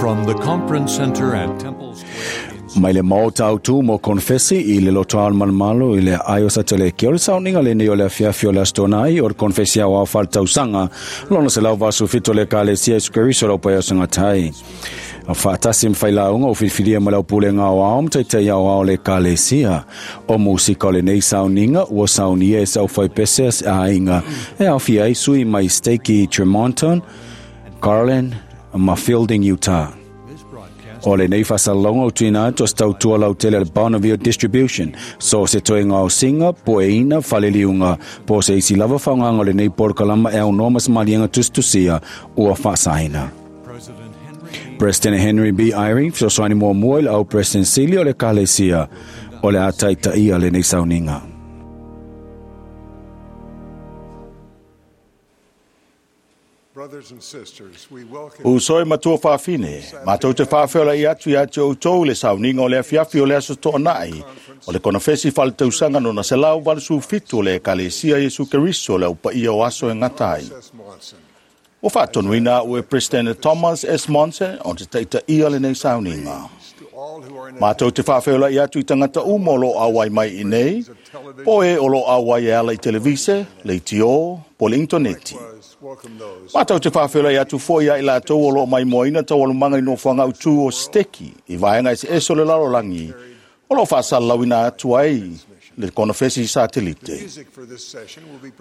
From the Conference Center at Temple Square in Mai le maota autu mo konfesi i le lotoa o le malumalu i le ae o Satuleki. O le sauniga lenei o le afiafi o le Aso Toonai o le konfesi aoao faaletausaga lona 187 o le Ekalesia Iesu Keriso o le Aupaia o Segatai. Faatasi ma failauga ua filifilia ma le aupulega aoao ma taitai aoao o le Ekalesia. O musika o lenei sauniga ua saunia e se aufaipese a se aiga e aofia ai sui mai Stake Tremonton, Garland ma Fielding, Utah. O lenei faasalalauga ua tuuina atu o se tautua lautele a le Bonneville Distribution, so se toega gaosiga, pueina, faleliuga, po o se isi lava faaaogaga o lenei polokalama e aunoa ma se maliega tusitusia ua faasaina. President Henry B. Eyring, fesoasoani muamua i le au President Sili o le Ekalesia, o le a taitaia lenei sauniga. Uso e matua fafine, matou te faafeolai atu ia te outou i le sauniga o le afiafi o le Aso Toonai, o le konofesi faaletausaga nona 187 o le Ekalesia Iesu Keriso o le Au Paia o Aso e Gata ai. Ua faatonuina au e Peresetene Thomas S. Monson o te taitaia lenei sauniga. Matou te faafeolai atu i tagata uma o lo o auai mai i inei, po o e o lo o auai e ala i televise, leitio, po o le initoneti. Matou te faafeolai atu foi ia i latou o lo o maimoaina taualumaga i nofoaga autu o Siteki i vaega eseese o le lalolagi o lo o faasalalauina atu ai le konofesi satelite.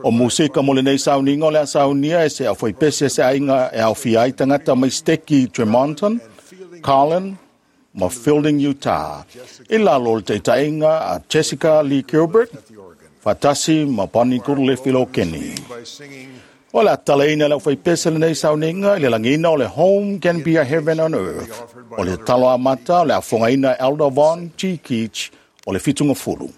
O musika mo lenei sauniga o le a saunia e se aufaipese a se aiga e aofia ai tagata mai Siteki Tremonton, Carlin, ma Fielding, Utah, i lalo o le taitaiga a Jessica Lee Gilbert, faatasi ma Bonnie Goodleaf i Lokeni. O le a tatalaina e le aufaipese lenei sauniga i le lagiina o le Home Can Be a Heaven on Earth, o le tatalo amata o le a fofogaina e Elder Vaughn G. Keach o le Fitugafulu.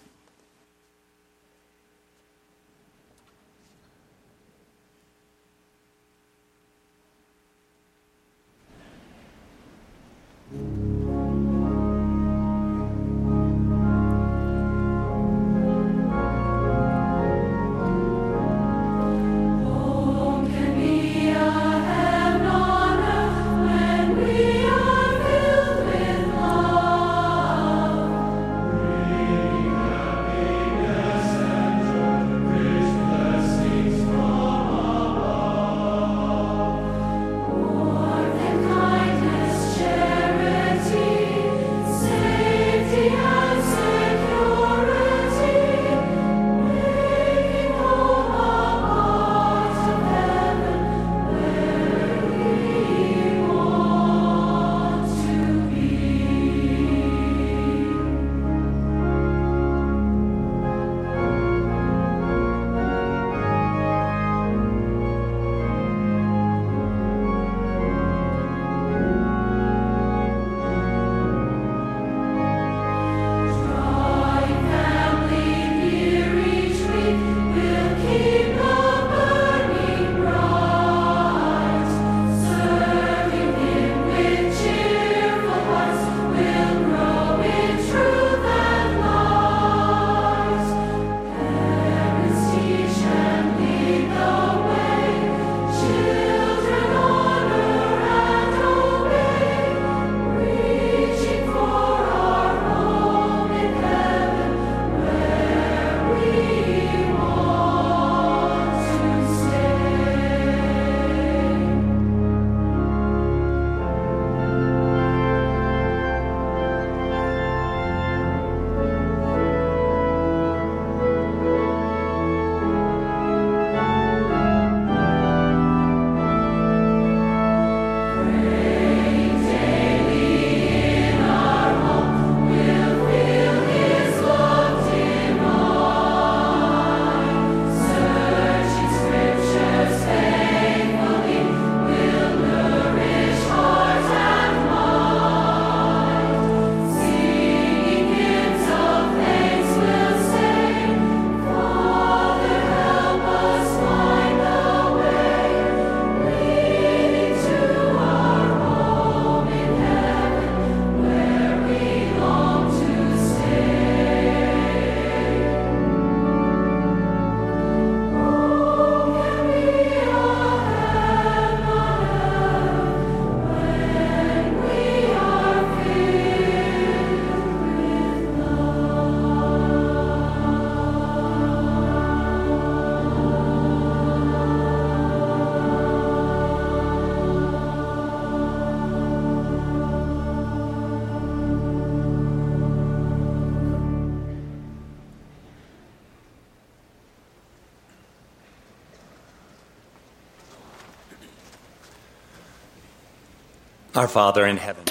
Our Father in heaven,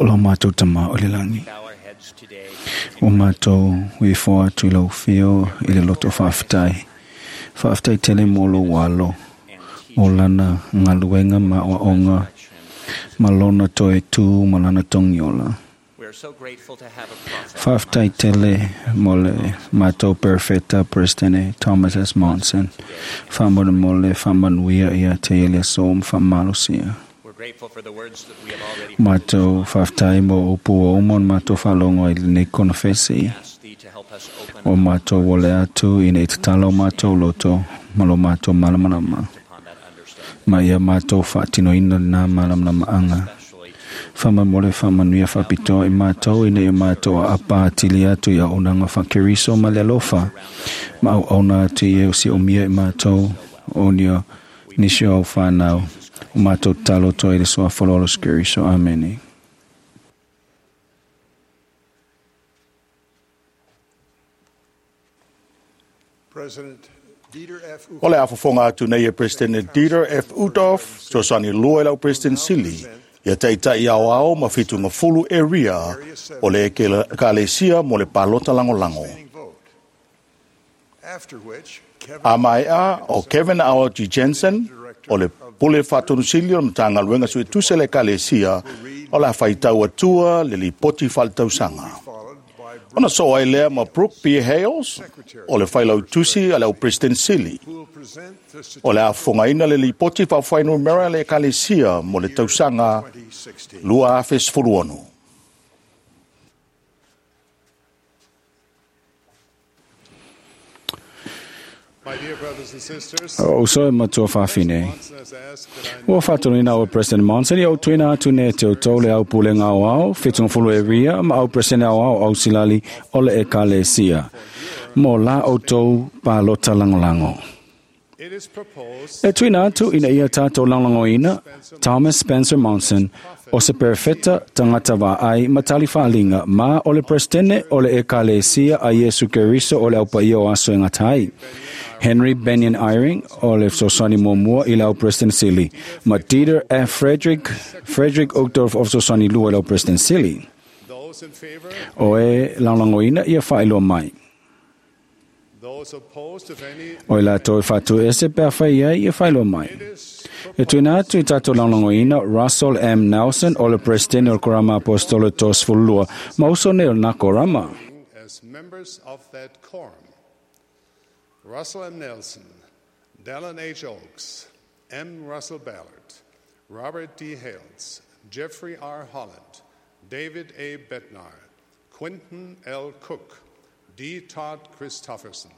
O lau mātou tama o le langi. bow our heads today. O mātou i fo atu i lau fio i le loto whaaftai. Whaaftai tele mō lo walo. O lana ngaluenga ma oaonga. Ma lona toe tū ma lana tongiola. We are so grateful to have a prophet. Whaaftai tele mo le mātou perfecta President Thomas S. Monson. Whamona mo le whamanuia ia te ele som whamalosia. We're grateful for the words that we have already Mātou whaaftai mo upu o umon mātou whalongo i le konofesi. asked thee to help us open O mātou wole atu i nei tatalo mātou loto ma lo mātou malamalama. upon that understanding, Ma ia mātou whaatinoina nā malamalama anga. especially Whamamole whamanuia whapitoa i mātou i nei mātou a apa atili atu i au nanga whakeriso ma le alofa. Ma au auna atu i e o si o mia i mātou o nio nisio au whanau. O mātou talo toi le soa whalolo skeriso. Amene. President Dieter F. O le afofoga atu nei e President Dieter F. Uchtdorf, fesoasoani lua i lau President Sili, ia taita'i aoao ma fitugafulu area o le ekalesia mo le palota lagolago. Standing vote. After which, Kevin A mae'a o Kevin R. G. Jensen, o le pule faatonusili o le Matagaluega Suetusi a le Ekalesia, o le a faitau atua le lipoti faaletausaga. followed by Ona so ai lea ma Brooke B. Hales, o le failautusi a le au President Sili. who will present the O le a fofogaina le lipoti faafuainumera a le Ekalesia mo le tausaga 2016. 2016. My dear brothers and sisters, O so e matua whawhine. Monson has asked that I Ua whātonuina o President Monson i au tuina atu ne te o tau le au pulenga o au, whitungafulu e ria, ma au President au au au silali o le ekalesia. Mo la o tau pālota langolango. It is proposed E tuina atu ina ia tātou langolangoina, Thomas Spencer Monson, o se perfecta tangata wa ai matali whaalinga ma o le presidente o le ekalesia a Yesu Keriso o le au paia o aso e ngatai. Henry Benyon Eyring o le fesoasoani muamua i le au President Sili, ma Dieter F. Frederick Uchtdorf o fesoasoani lua i le au President Sili. those in favor, O e langolangoina ia whaeloa mai. those opposed, if any, O i la toi whatu ese pea whai ai ia whaeloa mai. it is E tuina atu i tātou langolangoina Russell M. Nelson o le President o le Korama Apostolo Tosfulua, ma uso nei o nā Korama. as members of that quorum. Russell M. Nelson, Dallin H. Oaks, M. Russell Ballard, Robert D. Hales, Jeffrey R. Holland, David A. Bednar, Quinton L. Cook, D. Todd Christofferson,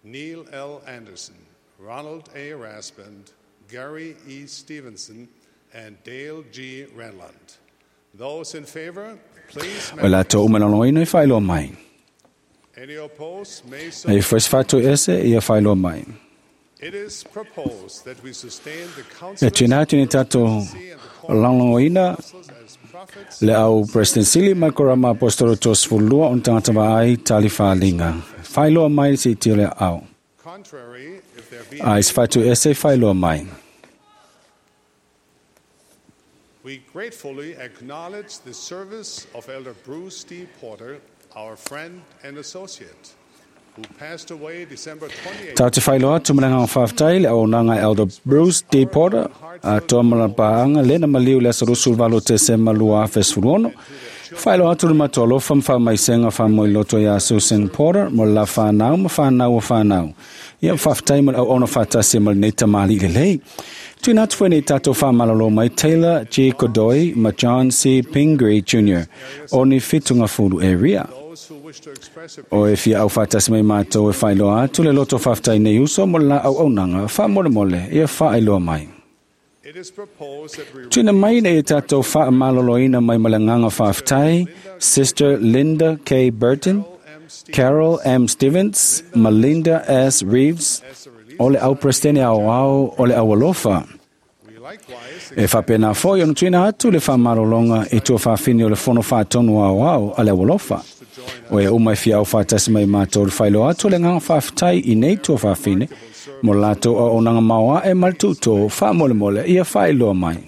Neil L. Anderson, Ronald A. Raspand, Gary E. Stevenson, and Dale G. Renlund. Those in favor, please. O la tō umalaloina i whaeloa mai. Any opposed may so. E whais whatu ese ia whaeloa mai. It is proposed that we sustain the E council tuina atu ni tātou langolangoina as prophets le au President Sili mai Korama Apostolo Tosfulua on tangata vaai tali whalinga. Whaeloa mai si te le au. Contrary, if there be A is whatu ese whaeloa mai. We gratefully acknowledge the service of Elder Bruce D. Porter, our friend and associate, who passed away December 28. Tā te whailoa atu mana ngā whawhtai le au nanga Elder Bruce D. Porter a toa mala paanga lena maliu le asarusu valo te se malua fesfuruono. Whailoa atu le matua alofa mwha maisenga wha moi loto ia Susan Porter mo la whanau ma whanau o whanau. Ia whawhtai mo au ona whatasi mo nei tamali le lei. Tuina atu fue nei tātou whamalalo mai Taylor G. Godoy ma John C. Pingree Jr. o ni whitunga furu e ria. Those who wish to express O e fia au whātasi mai mātou e whailoa atu le loto whawhtai nei uso mo la au aunanga, wha mole mole, ia whaailoa mai. It is proposed that we Tuna mai nei e tātou wha maloloina mai malanganga whawhtai, Sister Linda K. Burton, Carol M. Stevens, Melinda S. Reeves, o le au prestene au au o le au alofa. we likewise E whapena foi ono tuina atu le whamarolonga i tua whawhini o le fono whātonu au au a le alofa. O e umai fia au whātasi mai mātou le whailo atu le nganga whawhitai i nei tua whawhine, mo lātou o onanga maoa e maltuto whamolemole ia whailoa mai.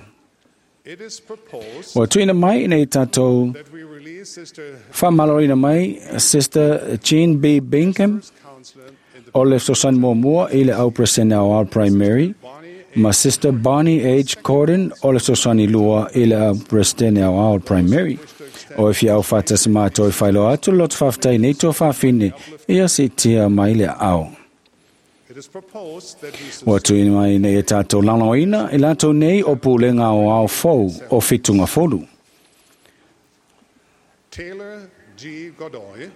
It is proposed Ua tuina mai ina i tātou that we release Sister whamalorina mai Sister Jean B. Bingham First Counselor in the o le fesoasoani muamua i le au Peresetene aoao Primary Bonnie A. ma Sister Bonnie H. Corden o le fesoasoani lua i le au Peresetene aoao Primary. O e fia au whātasi mātou e whailoa atu le loto whawhitai nei tō whawhine ia si tia mai le ao. It is proposed that we Ua tuina mai nei e tātou laulauina i lātou nei o pulega o ao fou o whitunga folu. Taylor G. Godoy,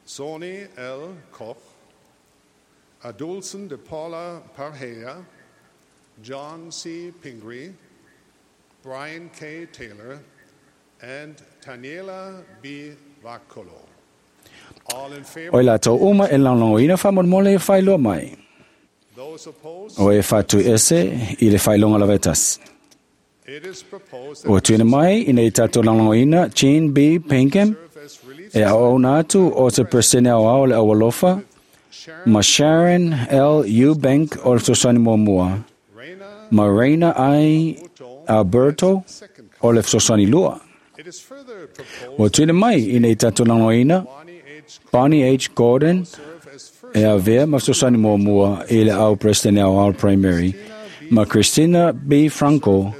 Sony L. Koch, Adulson de Paula Parhea, John C. Pingree, Brian K. Taylor, and Taniela B. Vakolo. All in O favor, i lātou uma e laulauina whamolmole e whailoa mai. those opposed, O e whātu ese i le whailonga lawetas. it is proposed that Ua tuina mai ina i tātou laulauina Jean B. Pinkham serve as relief e au au atu o te Peresetene au ao le aualofa Sharon ma Sharon L. Eubank o le fesoasoani muamua Reyna ma Reina I. Alberto second. o le fesoasoani lua. It is further proposed Ua tuina mai ina i tātou laulauina Bonnie H. Bonnie H. Gordon serve as first e avea ma fesoasoani muamua i le au Peresetene au ao Primary ma Christina B. Franco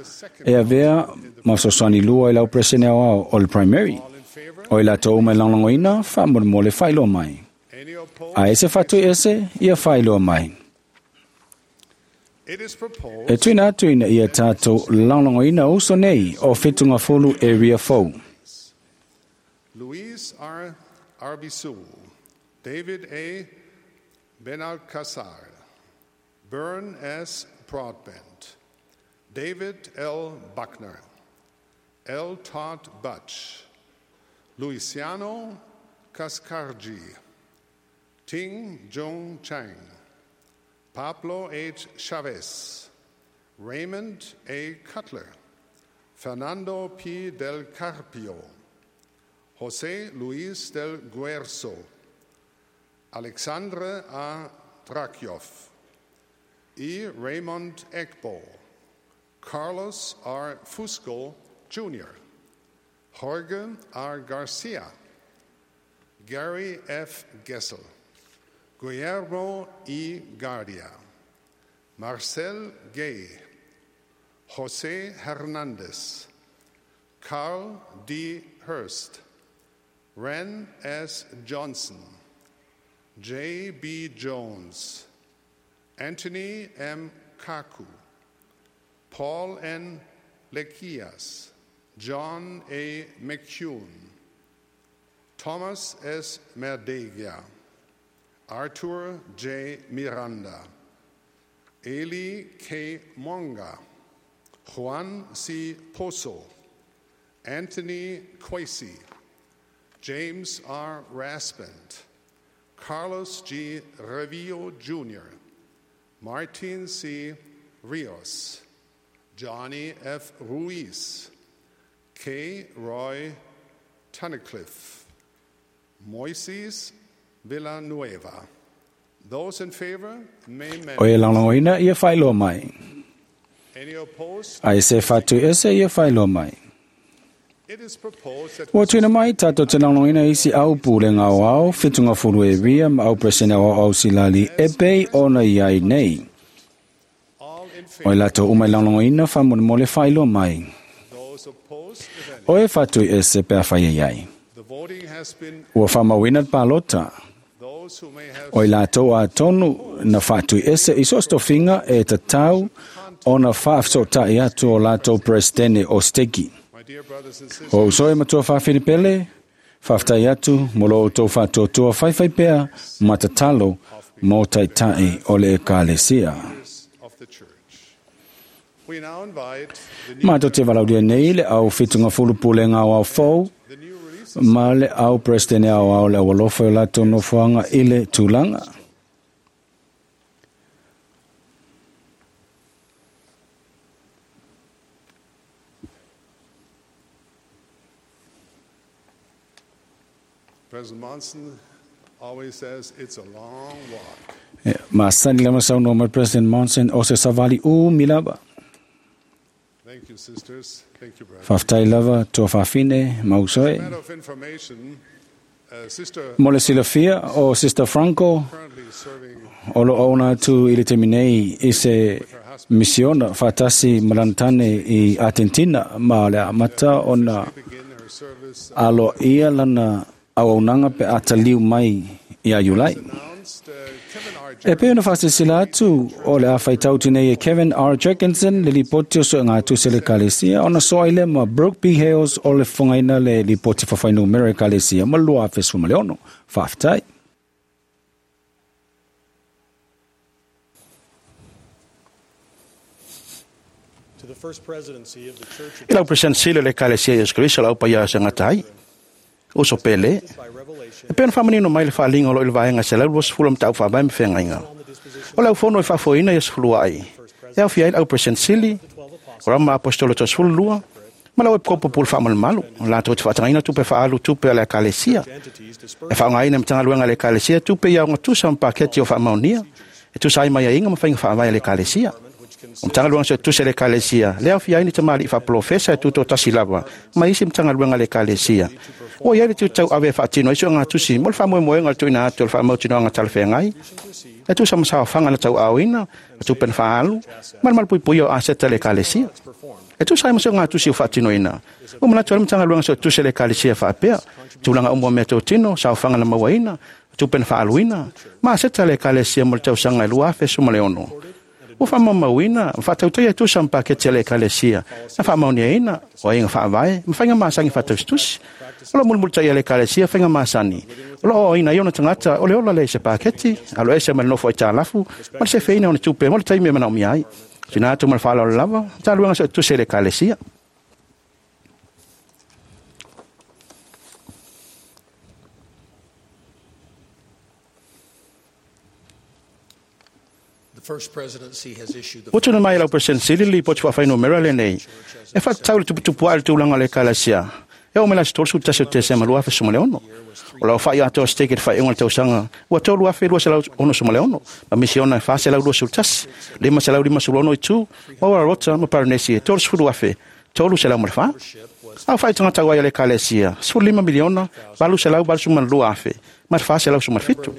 e avea ma fesoasoani lua i le au Peresetene au ao o le Primary. all in favor, O i lātou uma e laulauina, whaamoremole le whailoa mai. any opposed? A ese whatu ese, ia whailoa mai. It is proposed E tuina atu ina ia tātou laulauina uso nei o whitunga folu area fou. Luis R. Arbizu, David A. Benalcazar, Bern S. Broadbent, David L. Buckner, L. Todd Butch, Luciano Cascargi, Ting Jung Chang, Pablo H. Chavez, Raymond A. Cutler, Fernando P. Del Carpio, José Luis del Guerzo, Alexandre A. Drakioff, E. Raymond Egbo, Carlos R. Fusco Jr., Jorge R. Garcia, Gary F. Gessel, Guillermo E. Guardia, Marcel Gay, Jose Hernandez, Carl D. Hurst, Ren S. Johnson, J. B. Jones, Anthony M. Kaku, Paul N. Lekias, John A. McCune, Thomas S. Merdegia, Arthur J. Miranda, Eli K. Monga, Juan C. Pozo, Anthony Quasi, James R. Raspend, Carlos G. Revillo Jr., Martin C. Rios, Johnny F. Ruiz, K. Roy Tunnicliffe, Moises Villanueva. Those in favor may O e mention. laulauina ia whailoa mai. Any opposed? A ese whatu ese ia whailoa mai. It is proposed that Ua tuina mai tātou te laulauina isi au pūlenga o ao, whitunga folu e ria ma au Peresetene au ao silali e pei ona iai nei. all in O i favor, lātou uma i laulauina whamonemole whailoa mai. those opposed, if any. O e whatu ese pea whai ai. The voting has been Ua whamauina te pālota. those who may have O i lātou a tonu na whātui ese i sostofinga e tatau o na whaafsotai atu o lātou Peresetene o steki. My dear brothers and sisters, O usoe matua whawhiripele, whawhtai atu, mo lo tō whātuatua whaiwhai pea, matatalo, mō taitai o le ekalesia. of the church. We now invite the new, Mātou te valauria nei le au whitunga fulupule ngā au fou, the new release ma le au Peresetene au au le awalofa o lātou nofoanga i le tūlanga. President Monson always says it's a long walk. E, Ma sani lama sau no mai President Monson o se savali u milava. Thank Thank you, sisters. Thank you, brothers. Faafetai lava tuafafine ma uso e. Matter of information, Sister Mo le silafia o Sister Franco currently serving o lo ona atu i le taimi nei i se misiona faatasi ma lana tane i Argentina ma o le amata ona begin her service aloaia lana auaunaga pe a taliu mai ia Iulai. announced Kevin R. E pei ona faasilasila atu o le a faitau nei e Kevin R. Jorgensen le lipoti o suegatuse o le Ekalesia ona soa ai lea ma Brooke B. Hales o le fofogaina le lipoti faafuainumera o Ekalesia ma 2016. Faafetai. To the First Presidency of the Church of I lau president sili o le Ekalesia Iesu Keriso o le au paia o se gata ai. Uso pele, by revelation e pei ona faamanino mai le faaaliga o loo i le vaega 120 o mataupu faavae ma feagaiga. O le aufono e faafoeina ia sefulua ai. E aofia ai le au president sili, o rama apostolo toasefululua, ma le au epikopo pule faamalumalu, o latou te faatagaina tupe faaalu tupe a le Ekalesia. entities E dispersed faaaogaina e Matagaluega a le Ekalesia tupe ia ogatusa ma paketi o faamaonia, e tusa ai mai aiaiga ma faiga faavae a le Ekalesia. O Matagaluega Suetusi a le Ekalesia, le aofia ai ni tamalii faapolofesa e tutotasi lava ma isi Matagaluega a le Ekalesia. Ua iai le tutau ave e faatino ai suegatusi mo le faamoemoega o le tuuina atu o le faamautinoaga talafeagai, e tusa ma saofaga na tauaaoina, o tupe na faaalu, ma le malupuipuia o aseta a le Ekalesia. E tusa ai ma suegatusi o faatinoina. Ua manatu ai le Matagaluega Suetusi a le Ekalesia faapea, tulaga uma o mea totino, saofaga na mauaina, tupe na faaluina, ma aseta a le Ekalesia mo le tausaga e 2016. Ua faamaumauina, ma faatautaia e tusa ma paketi a le Ekalesia, na faamaoniaina, o aiga faavae, ma faiga masani faatausitusi. O loo mulimulitaia e le Ekalesia faiga masani. O loo aoaina ai ona tagata o le ola lea i se paketi, alo ese ma le nofo aitalafu, ma le sefeina o ona tupe mo le taimi e manaomia ai. Tuuina atu ma le faaaloalo lava, Matagaluega Suetusi a le Ekalesia. The First Presidency has issued the Ua tuuina mai e lau president sili le lipoti faafuainumera lenei e faatatau i le tuputupuae o le tulaga o le Ekalesia e oo mai le aso 31 o Tesema 2016. O lau fa'i atoa stake i le faaiuga o le tausaga ua 3,266 ma misiona e 421, 556 i tu, ma Uararota ma Paranesi e 30,304. Au fa'i tagata auai a le Ekalesia, 15 miliona 882,000 ma le 417.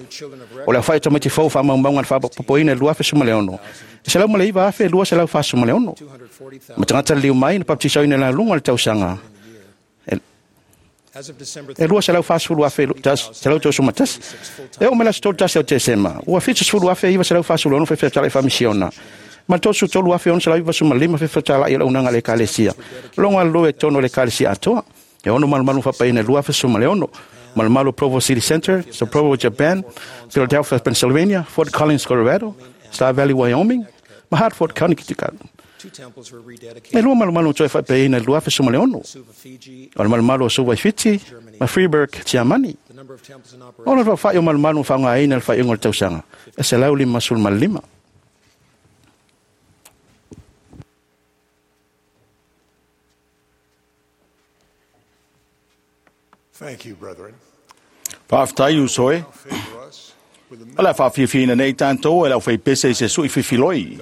O le aofai o tamaiti fou faamaumauga na faapopoina i le 2016, e 109,246. Ma tagata liliu mai na baptisaina i laluga o le tausaga As of December e 240,131. E oo mai le aso 31 o Tesema, ua 70,946 faifetalai faamisiona, ma le 33,695 faifetalai o le auaunaga a le Ekalesia. Logo aloloe i totonu o le Ekalesia atoa. E ono malumalu faapaia i le 2016, malumalu o Provo City Center, Sapporo, Japan, Philadelphia, Pennsylvania, Fort Collins, Colorado, Star Valley, Wyoming, ma Hartford, Connecticut. two temples were E rededicated lua malumalu toe faapaia i le 2016, Suva, Fiji. o le malumalu o Suva i Fiti, ma Freeburg, Tiamani. The number of temples in O operation le faafai o malumalu faaaogaina i le faaiuga o le tausaga, e 155. Thank you, brethren. Faafetai uso e. Favor us with the O le a faafiafiaina nei tatou e le aufaipese i se sui fifiloi.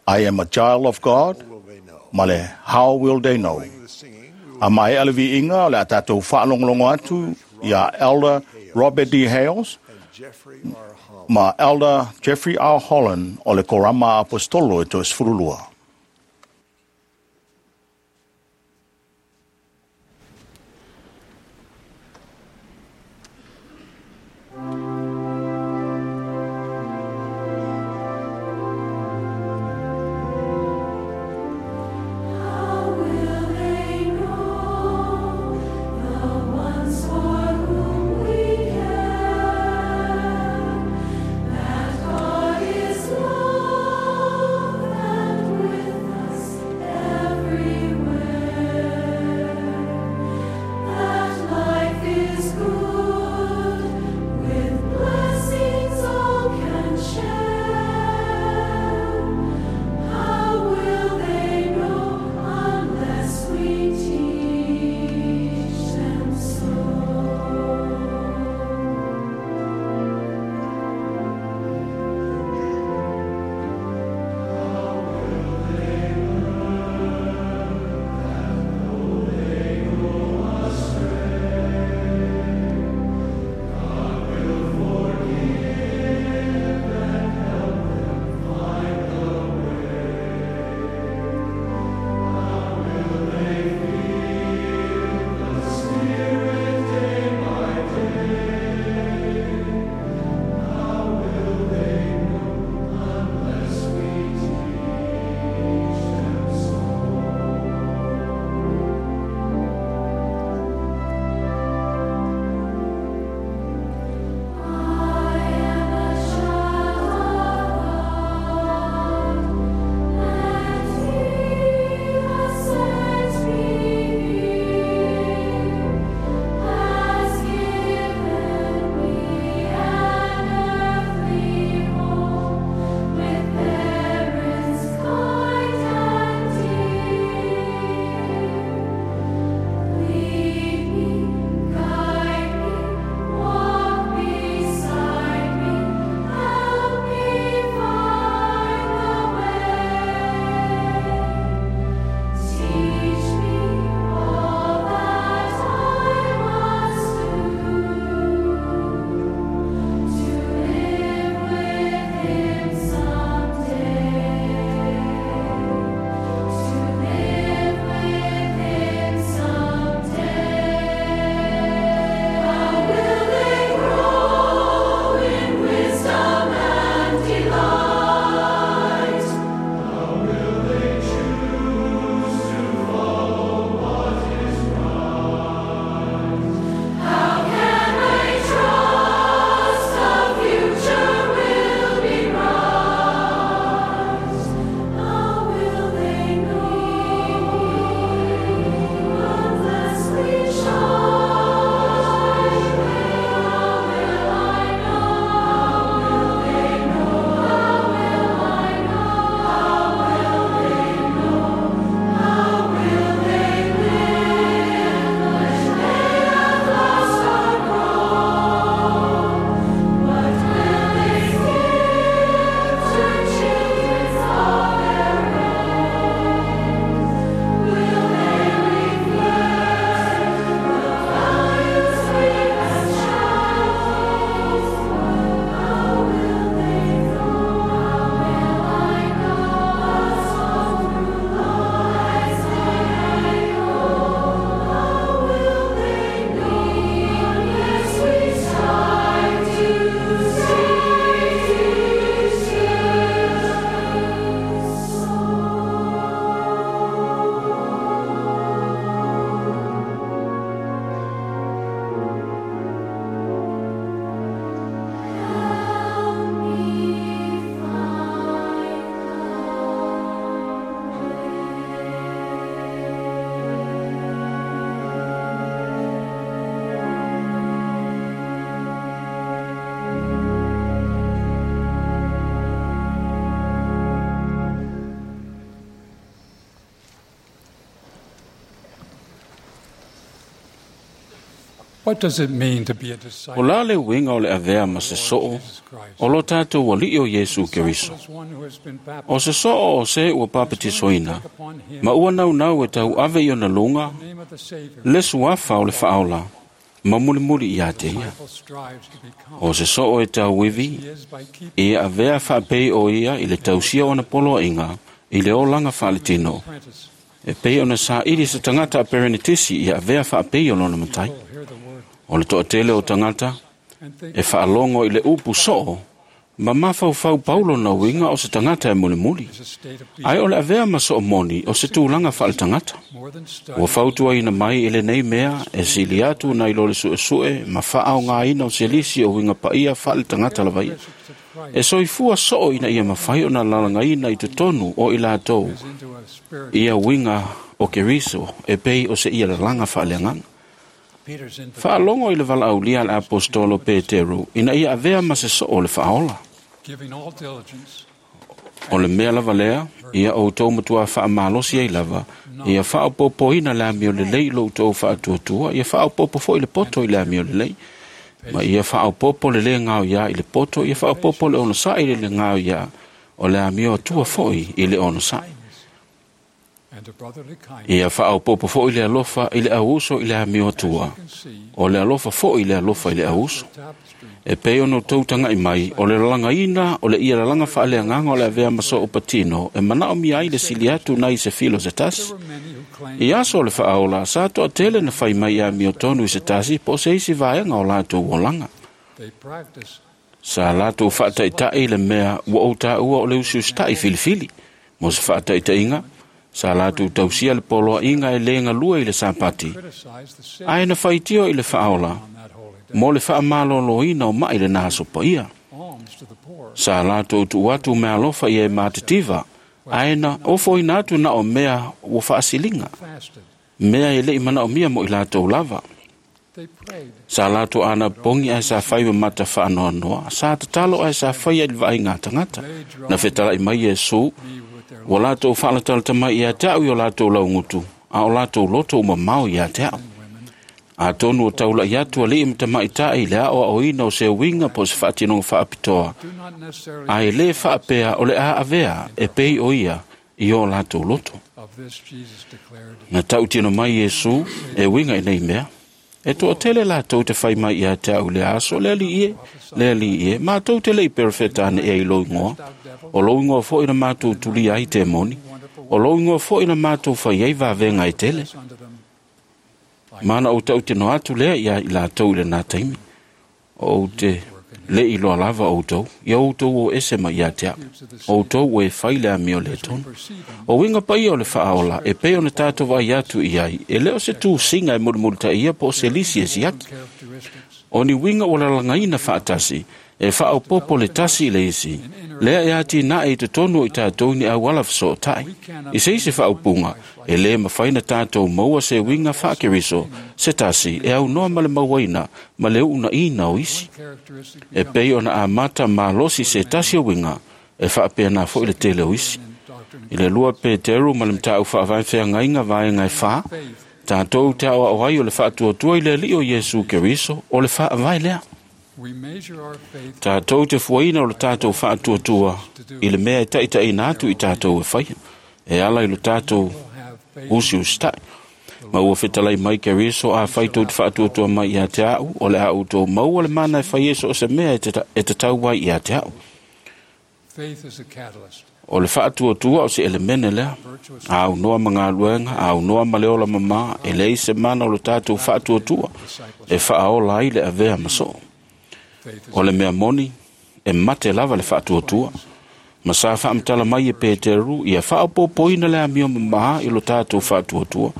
I am a child of God, will they know. ma le How will they know. The singing, we will A mai a le viiga o le a tatou faalogologo atu ia Elder Robert D. Hales and Jeffrey R. Holland. ma Elder Jeffrey R. Holland o le Korama Apostolo e toasefululua. How will they know the ones for whom we care, that God is love and What does it mean to be a O disciple? la le uiga o le avea ma se soo, o lo tātou ali'i o Iesu Keriso. Is one who has been O baptized se soo o se ua papatisoina, ma ua naunau e tau ave i ona luga, in the name of the Savior. le suafa o le faaola, ma mulimuli ia te ia. Disciple strives to become. O se soo e tauivi, He is by keeping ia avea faapei o ia i le tausia ona poloaiga, i le olaga faaletino, apprentice. e pei ona saili se tagata a perenetisi ia avea faapei o lona matai. People hear the word O le toatele o tagata, and think e faalogo i le upu soo, ma mafaufau paulo na uiga o se tagata e mulimuli. is a state of being Ai o le avea ma soo moni o se tulaga faaletagata. more than study. Ua fautuaina mai i lenei mea e sili atu nai lo le suesue ma faaogaina o se lisi o uiga paia faaletagata lava ia. Characteristics of Christ E soifua soo ina ia mafai ona lalagaina i totonu o i latou is into a spirit. ia uiga o Keriso e pei o se ia lalaga faaleagaga. Peter's invitation Faalogo i le valaaulia a le apostolo Peteru ina ia avea ma se soo o le faaola. giving all diligence O le mea lava lea, ia outou matua faamalosi ai lava, ia faaopoopoina le amio lelei i lo outou faatuatua, ia faaopoopo foi le poto i le amio lelei, ma ia faaopoopo le lē gaoiā i le poto, ia faaopoopo le onosai i le lē gaoiā, o le amio atua foi i le onosai. and a brotherly kindness. Ia faaopoopo foi le alofa i le auuso i le amio atua, You can see o le alofa foi i le alofa i le auuso. the tapestry E pei ona outou taga'i mai, o le lalagaina, o le ia lalaga faaleagaga o le avea ma soo patino, e manaomia ai le sili atu nai se filo se tasi. There were many who claimed I aso o le faaola, sa toatele na fai mai ia amio tonu i se tasi, po o se isi vaega o latou olaga. they practiced Sa latou faataita'i le mea ua ou tāua o le usiusita'i filifili. Mo se faataitaiga, sa latou tausia le poloa'iga e lē galue i le Sapati, criticized the sin ae na faitio i le faaola, on that holy day. mo le faamalōlōina o ma'i lenā aso paia. Alms to the poor Sa latou tuu atu meaalofa ia e matitiva, ae na ofoina atu na o mea ua faasiliga, fasted. mea e le'i manaomia mo i latou lava. They prayed Sa latou anapogi ae sa fai ma mata faanoanoa, sa tatalo ae sa faia i le vaaiga a tagata. Na fetala'i mai Iesu, me with their ua latou faalatalata mai ia te a'u i o latou laugutu, a o latou loto ua mamao ia te a'u. women Atonu o taula'i atu ali'i ma tamaita'i i le aoaoina o se uiga po o se faatinoga faapitoa, do not necessarily ae lē faapea o le a avea e pei o ia i o latou loto. of this Jesus declared Na tautino mai Iesu e uiga i nei mea. E toatele latou te fai mai ia te a'u i le aso, le alii e, le alii e, matou te le'i perofeta ane ea i lou igoa. O lou igoa foi na matou tulia ai temoni. O lou igoa foi na matou fai ai vavega e tele. unto them Mana ou tautino atu lea ia i latou i lenā taimi. O ou te le'i loa lava outou, ia outou o ese mai ia te a'u. Outou ua e fai le amio le tonu. perceiving O uiga paia o le faaola, e pei ona tātou vaai atu i ai, e lē o se tūsiga e mulimulitaia po o se lisi e siaki. characteristics O ni uiga ua lalagaina faatasi, e faaopoopo le tasi i le isi, lea e atinae i totonu o i tatou ni auala fesootai. I se isi faaupuga, e lē mafai na tatou maua se uiga faakeriso, se tasi e aunoa ma le mauaina ma le uunaina o isi. characteristic E pei ona amata malosi se tasi o uiga, e faapeana foi le tele o isi. in doctrine I le lua Peteru ma le mataupu faavae feagaiga vaega e fa, tatou te aoao ai o le faatuatua i le alii o Iesu Keriso o le faavae lea. we measure our faith Tatou te fuaina o le tatou faatuatua i le mea e taitaiina atu i tatou e faia, e ala i lo tatou will have faith usiusitai. Ma ua fetalai mai Keriso a fai tou te faatuatua mai ia te a'u, o le a outou maua le mana e fai e so o se mea e tatau ai ia te a'u. faith is a catalyst O le faatuatua o se elemene lea. virtuous Aunoa ma galuega, aunoa ma le ola mamā, e leai se mana o lo tatou faatuatua e faaola ai le avea ma soo. faith is O le mea moni, e mate lava le faatuatua. Ma sa faamatala mai e Peteru, ia faaopoopoina le amio mamā i lo tatou faatuatua.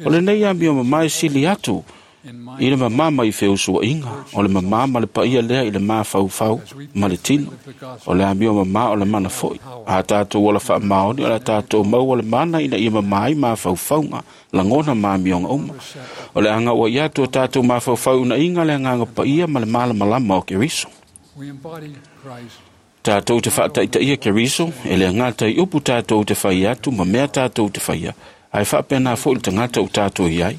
O lenei amio mamā e sili atu in i le mind mamā mai feusua'iga, o le mamā ma le paia lea i le mafaufau ma le tino. O le amio mamā o le mana foi. A tatou ola faamaoni, o le a tatou maua le mana ina ia mamā ai mafaufauga, lagona ma amioga uma. O le aga ua ia atu o tatou mafaufau unaiga le agaga paia ma le malamalama o Keriso. we embody Christ Tatou te faataitaia Keriso, e le agata i upu tatou te fai atu ma mea tatou te faia, Ae faapena fo'i le tagata ua tatou i ai.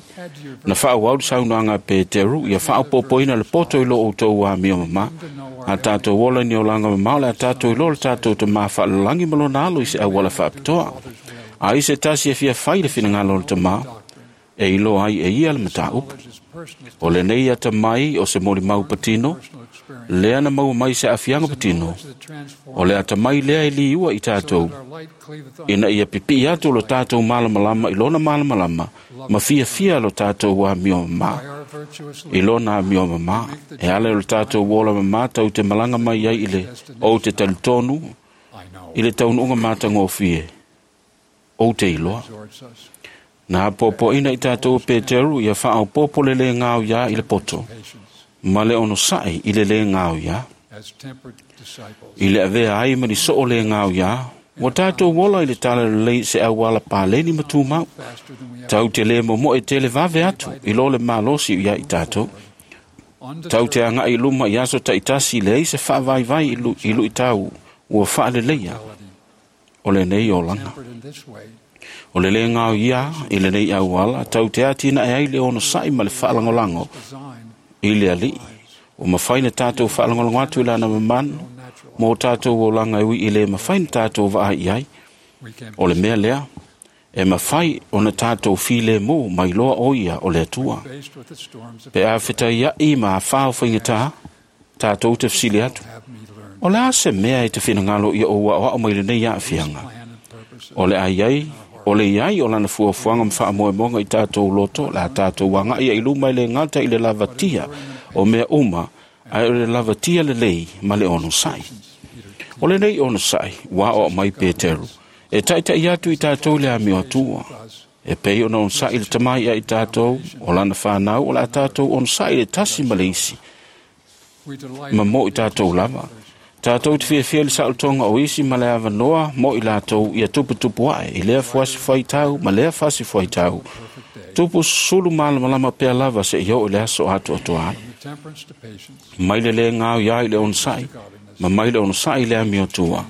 Na faaauau le saunoaga a Peteru ia faaopoopoina le poto i lo outou amio mamā. A tatou ola i ni olaga mamao le a tatou iloa le tatou tamā faalalagi ma lona alo i se auala faapitoa. A i se tasi e fia fai le finagalo o le tamā, e iloa ai e ia le mataupu. O lenei atamai o se molimau patino, lea na maua mai se aafiaga patino, o le atamai lea e liua i tatou, ina ia pipii atu lo tatou malamalama i lona malamalama, ma fiafia lo tatou amio mamā. I lona amio mamā, e ala i lo tatou ola mamā tau te malaga mai ai i le ou te talitonu, i le taunuuga matagofie, ou te iloa. Na apoapoaina i tatou e Peteru ia faaopoopo le lē gaoiā i le poto, ma le onosa'i i le lē gaoiā. I le avea ai ma ni soo lē gaoiā, ua tatou ola i le talalelei se auala paleni ma tumau. Tau te lē momo'e tele vave atu i lo le malosi ia i tatou. Tau te aga'i i luma i aso ta'itasi leai se fa'avaivai i lu'itau ua fa'aleleia o lenei olaga. O le lē gaoia i lenei auala tau te atinae ai le onosa'i ma le fa'alagolago i le Ali'i. Ua mafai na tatou fa'alagolago atu i lana mamanu mo tatou olaga e ui i lē mafai na tatou vaai i ai. O le mea lea, e mafai ona tatou filemu mai loa o ia o le Atua. Pe a fetaia'i ma afā o faigata, tatou te fesili atu. O le a se mea e te finagalo ia ou a'oa'o mai lenei aafiaga? O le a iai, o le iai o lana fuafuaga ma faamoemoega i tatou loto, le a tatou aga'i ai i luma e lē gata i le lavatia o mea uma, ae o le lavatia lelei ma le onosa'i. O lenei onosa'i ua aoao mai Peteru, e ta'ita'i atu i tatou i le amio Atua. E pei ona onosa'i le tamā ia i tatou, o lana fanau o le a tatou onosa'i le tasi ma le isi, ma mo i tatou lava. Tatou te fiafia i le sa'olotoga o isi ma le avanoa mo i latou ia tuputupu a'e i lea fuasi fuaitau ma lea fasi fuaitau. Tupu sulu malamalama pea lava seia oo i le aso atoatoa ai. Mai le lē gaoia i le onosa'i, ma mai le onosa'i i le amiotua.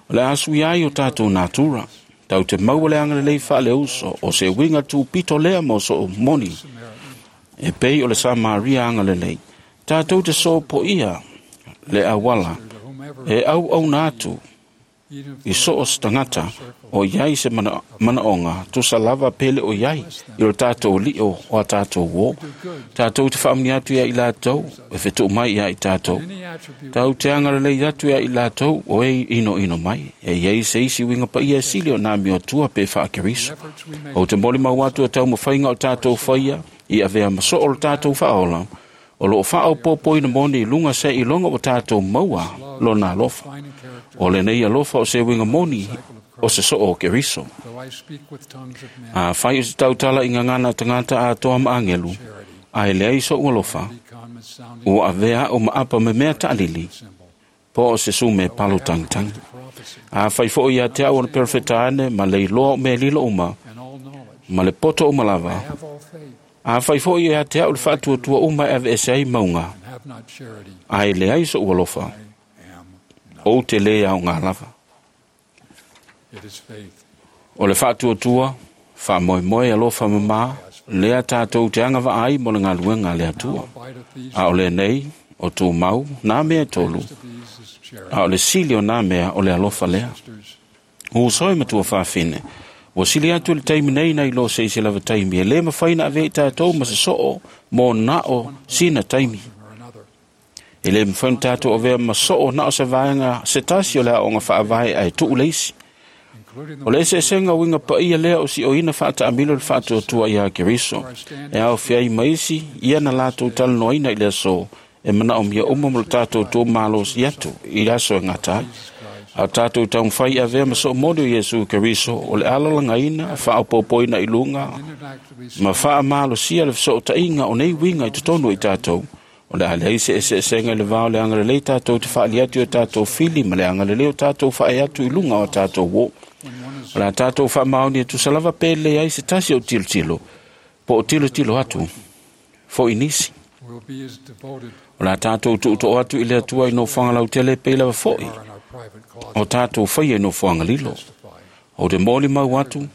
O le a suia ai o tatou natura. Tau te maua le agalelei faaleuso o se uiga tupito lea mo soo moni. E pei o le Samaria agalelei. Tatou te sopoia le auala e auauna atu i soo se tagata o iai se manaoga tusa lava pele o iai i lo tatou li'o o a tatou uō. Tatou te faamanuia atu ia i latou e fetu'u mai ia i tatou. Tau te agalelei atu ia i latou o e inoino mai. E iai se isi uiga paia e sili o nā miotua pe fa'akeriso. Ou te molimau atu e taumafaiga o tatou faia i avea ma soo lo tatou fa'aola. O loo faaopoopoina moni i luga se iloga ua tatou maua lona alofa. O lenei alofa o se uiga moni o se soo o Keriso. A fai o se tautala i gagana tagata atoa ma agelu, ae leai so'u alofa, ua avea a'u ma apa memea ta'alili, po o se sume palo tagitagi. A fai fo'i ia te a'u ona perofeta ane ma le iloa o mea lilo uma, ma le poto uma lava, a fai fo'i ia te a'u le fa'atuatua uma e aveese ai mauga, ae leai so'u alofa, ou te lē aogā lava. O le fa'atuatua, fa'amoemoe alofa mamā, lea tatou te agava'a ai mo le galuega a le Atua. A o lenei, o tumau, nā mea e tolu, a o le sili o nā mea o le alofa lea. Uso e matua fafine, ua sili atu le taimi nei nai lo se isi lava taimi, e lē mafai na avea i tatou ma se soo mo na'o sina taimi. E lē mafai ona tatou avea ma soo na'o se vaega se tasi o le aoga fa'avae ae tu'u le isi. O le eseesega uiga paia lea o si'oina fa'ata'amilo le fa'atuatua iā Keriso, e aofia ai ma isi ia na latou talanoaina i le aso e mana'omia uma mo le tatou tumalosi atu i le aso e gata ai. A o tatou taumafai i avea ma so'omoli o Iesu Keriso o le alalagaina, fa'aopoopoina i luga, ma fa'amalosia le feso'ota'iga o nei uiga i totonu o i tatou. O le a leai se eseesega i le vā o le agalelei tatou te fa'ali atu i o tatou fili ma le agalelei o tatou fa'ae atu i luga o a tatou uō. O le a tatou fa'amaoni e tusa lava pe lelei ai se tasi o tilotilo, po o tilotilo atu fo'i nisi. O le a tatou tu'uto'o atu i le Atua i nofoaga lautele pei lava fo'i o tatou faia i nofoaga lilo. Ou te molimau atu,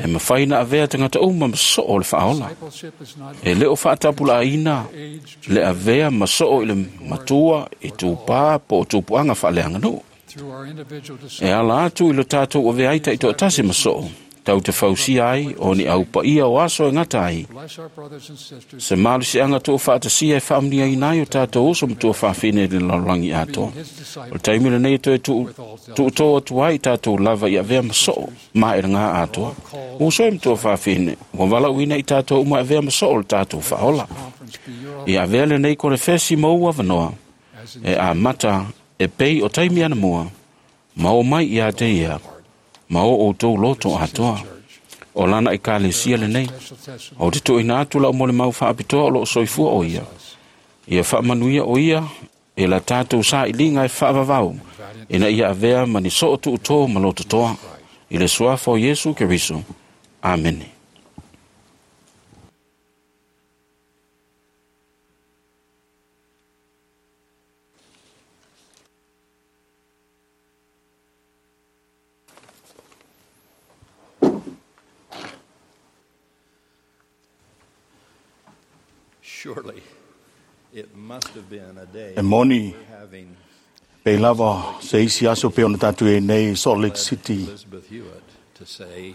E mafai na avea tagata uma ma soo o le faaola. E le o faatapulaaina le avea ma soo i le matua i tupā po o tupuaga faaleaganuu. E ala atu i lo tatou avea ai taitoatasi ma soo, tau te fausia ai o ni au paia o aso e gata ai. Se malosiaga tuufaatasia e faamanuiaina ai o tatou uso ma tuafafine i le lalolagi atoa. O le taimi lenei e toe tuutō atu ai i tatou lava i avea ma soo ma e lagā atoa. Uso e ma tuafafine, ua valaauina i tatou uma e avea ma soo le tatou faaola. Ia avea lenei konefesi ma ou avanoa, e amata e pei o taimi anamua, ma o mai ia te ia, ma o outou loto atoa. O lana ekalesia lenei, o te tuuina atu lau molimau faapitoa o loo soifua o ia. Ia faamanuia o ia e la tatou sailiga e faavavau, ina ia avea ma ni soo tuutō ma lototoa. I le suafa o Iesu Keriso. Amene. Surely it must have been a day E moni we're having pei lava se isi aso pe ona tatou i nei Salt Lake City. Elizabeth Hewitt to say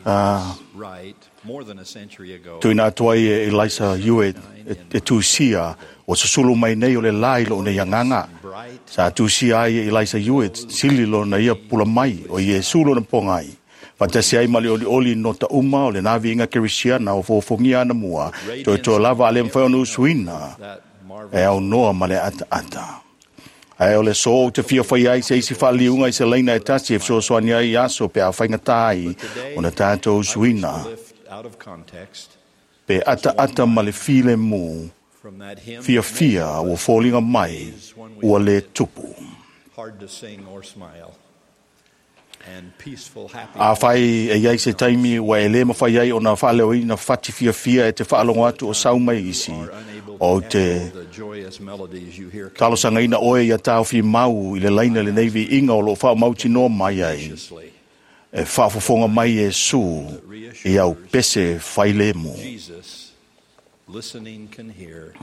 right more than a century ago. Tuina atu ai e Eliza Hewitt e tusia o susulu mai nei o le lai lo nei anganga. Sa tusia ai e Eliza Hewitt sili lo na ia pula mai o Iesu lo na pongai. Fatasi ai ma le olioli no ta uma o le navi inga kerisiana o fofongia ana mua. Toe toa lava ale mwhai ona usuina e au noa ma le ata ata. Ae o le so o te fia whai ai se isi whaaliunga i se leina e tasi e fesoasoani ai aso pe a whaingata ai o na tātou usuina. Out of context Pe ata ata ma le file mu from that hymn fia fia ua fōlinga mai ua le tupu. hard to sing or smile and peaceful happy A whai e iai se taimi ua e le mawhai ai o na whaaleoina whati fia fia e te whaalongo atu o sau mai isi o te the joyous melodies you hear talosangaina oe ia tāwhi mau i le laina le neivi inga o lo wha mauti noa mai ai. graciously E whaafofonga mai e su i au pese whailemu. Jesus listening can hear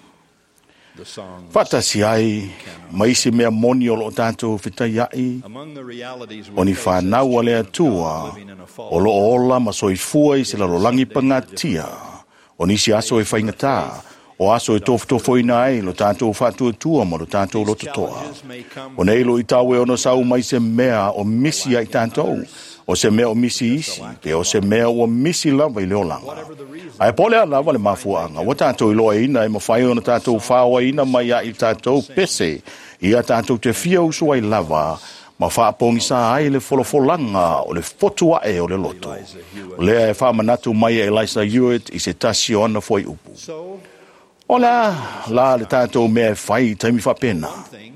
the songs Whatasi ai mai isi mea moni o lo tātou whitai ai among the realities o we ni face as whanau a le children of God atua living in a o fallen lo ola ma soifua i se lalolagi pangatia o nisi aso e whaingatā o aso e tofotofoina ai lo tātou whātuatua ma lo tātou lototoa. O nei lo i tāwe ono sau mai se mea o misi ai tātou, o se mea o misi isi, pe o se mea o misi lava i le olanga. Ae pole a lava le mafuanga, ua tātou i loa ina e mawhai ona tātou whaoa ina mai a i tātou pese, i a tātou te fia usu ai lava, ma whaapongisa ai le folofolanga o le fotua e o le loto. O lea e whaamanatu mai e Eliza Hewitt i se tasi o ana foi upu. so O la, la le tātou mea e whai taimi whapena. thing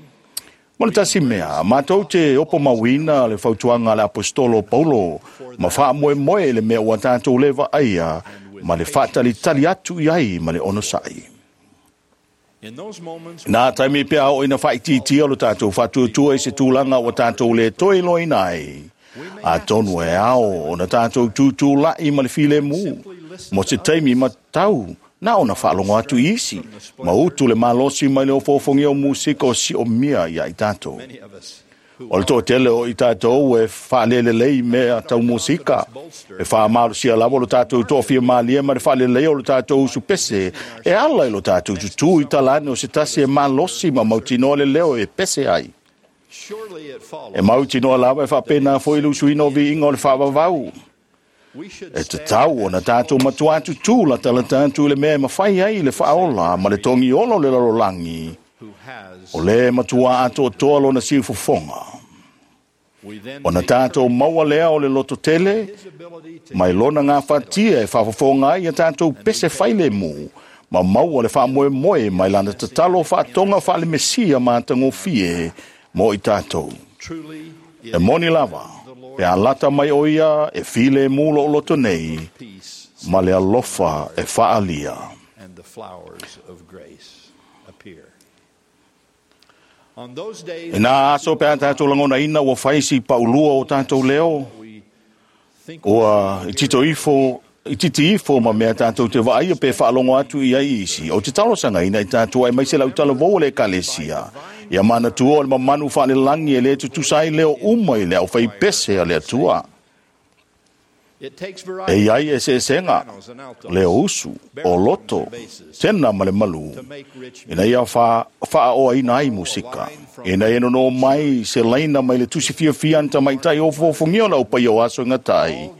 Mo le tasi mea, mātou te opo mauina le fautuaga a le apostolo Paulo, ma faamoemoe le mea ua tatou leva aia, ma le faatalitali atu i ai ma le onosai. in those moments Nā taimi pea o ina whaititia lo tātou whatuatua i se tūlanga o tātou le toi loina ai. A tonu e ao o na tātou tūtū lai ma le file mū. Mo se taimi ma tau, nā ona whaalongo atu i isi. Ma utu le malosi mai le o fōfongi o musika o si o mia ia i tātou. many of us who O le toatele o i tātou e whaalelelei mea tau musika. E whaamalosia lava lo tātou tōfia mālia ma le whaalelei o lo tātou usu pese. E ala i lo tātou tutu i talane o se tasi e malosi ma mautinoa le leo e pese ai. surely it E follows mautinoa lava e whaapena foi le usuina o viinga o le whaavavau. we should E te stand tau o na tātou matua atu tū la tala tātou le mea e mawhai ai le whaola ma le tongi olo le lalolangi. who has O le matua ato toa lona siu fofonga. we then O na take tātou maua lea o le loto tele, his ability to mai lona ngā whatia e whaafofonga ai a tātou pese whaile mū, ma maua le whaamoe moe mai lana tatalo whaatonga whaale mesia mā tangofie mō i tātou. truly E moni lava, pe a lata mai o ia e file mū lo loto nei, peace ma le alofa e whaalia. and the flowers of grace appear. On those days E nā aso pe a tātou langona ina ua whaisi paulua o tātou leo, we Ua tito ifo i titi ifo ma mea tātou te vaaia pe whaalongo atu i ai isi. O te talosagaina i tātou ai mai se lautalavou o le ekalesia. Ia manatua o le mamanu faalelagi e lē tutusa ai leo uma i le aufaipese a le Atua. E iai eseesega, leo usu, o loto, tena ma le malū, ina ia faaoaina ai musika. Ina ia nonō mai se laina mai le tusi fiafia a ni tamaitai ofoofogia o le aupaia o aso e gata ai,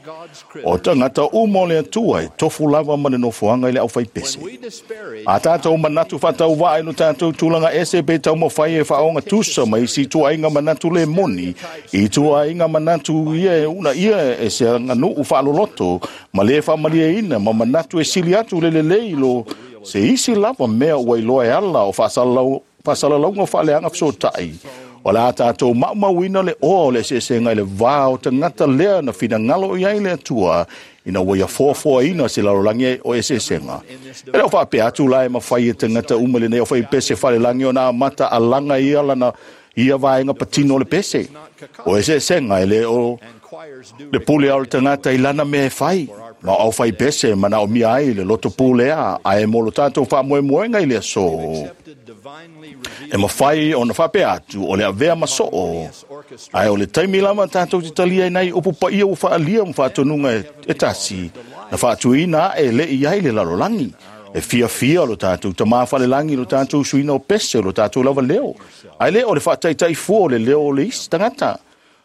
o tagata uma o le Atua e tofu lava ma le nofoaga i le aufaipese. A tatou manatu faatauvaa i lo tatou tulaga ese pe taumafai e faaogatusa ma isi ituaiga manatu le moni, i ituaiga manatu ia e uunaia e se aganuu faaloloto ma lē faamalieina ma manatu e sili atu le lelei lo se isi lava mea ua iloa e ala o faasalalauga faaleaga fesootai, o le a tatou maumauina le oa o le eseesega i le va o tagata lea na finagalo i ai le Atua ina ua ia foafoaina se lalolagi o eseesega. E le o faapea atu la e mafai e tagata uma lenei aufaipese falelagi ona amata alaga ia lana ia vaega patino o le pese. O eseesega e le o le pule o le tagata i lana mea e fai. Ma o aufaipese e manaomia ai le loto pulea, ae mo lo tatou faamoemoega i le aso, e mafai ona faapea atu o le avea ma soo, ae o le taimi lava tatou te talia ai nai upu paia ua faaalia ma faatonuga e tasi na faatuina ae le i ai le lalolagi. E fiafia lo tatou Tamā falelagi lo tatou suina o pese o lo tatou lava leo, ae le o le faataitai fua o le leo o le isi tagata.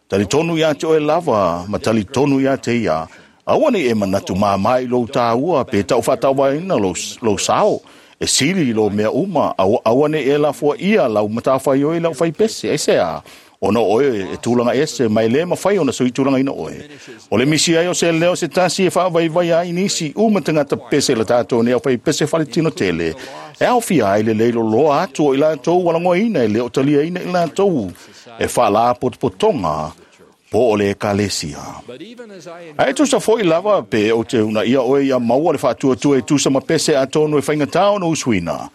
Talitonu iā te oe lava ma talitonu iā te ia. Aua nei e manatu māmā i lou tāua pe taufaatauvaina lou sao e sili i lou mea uma. Aua nei e lafoa ia lau matafaioi i lau faipese. Aisea? Ona o oe e tulaga ese ma e lē mafai ona suitulagaina oe. O le misi ai o se leo se tasi e faavaivaia ai nisi uma tagata pese la tatou nei aufaipese faletino tele, e aofia ai le leiloloa atu o i latou ua lagoaina e le o taliaina i latou e faalapotopotoga po o le ekalesia. Ae tusa foi lava pe ou te uunaia oe ia maua le faatuatua e tusa ma pese atonu e faigata ona usuina.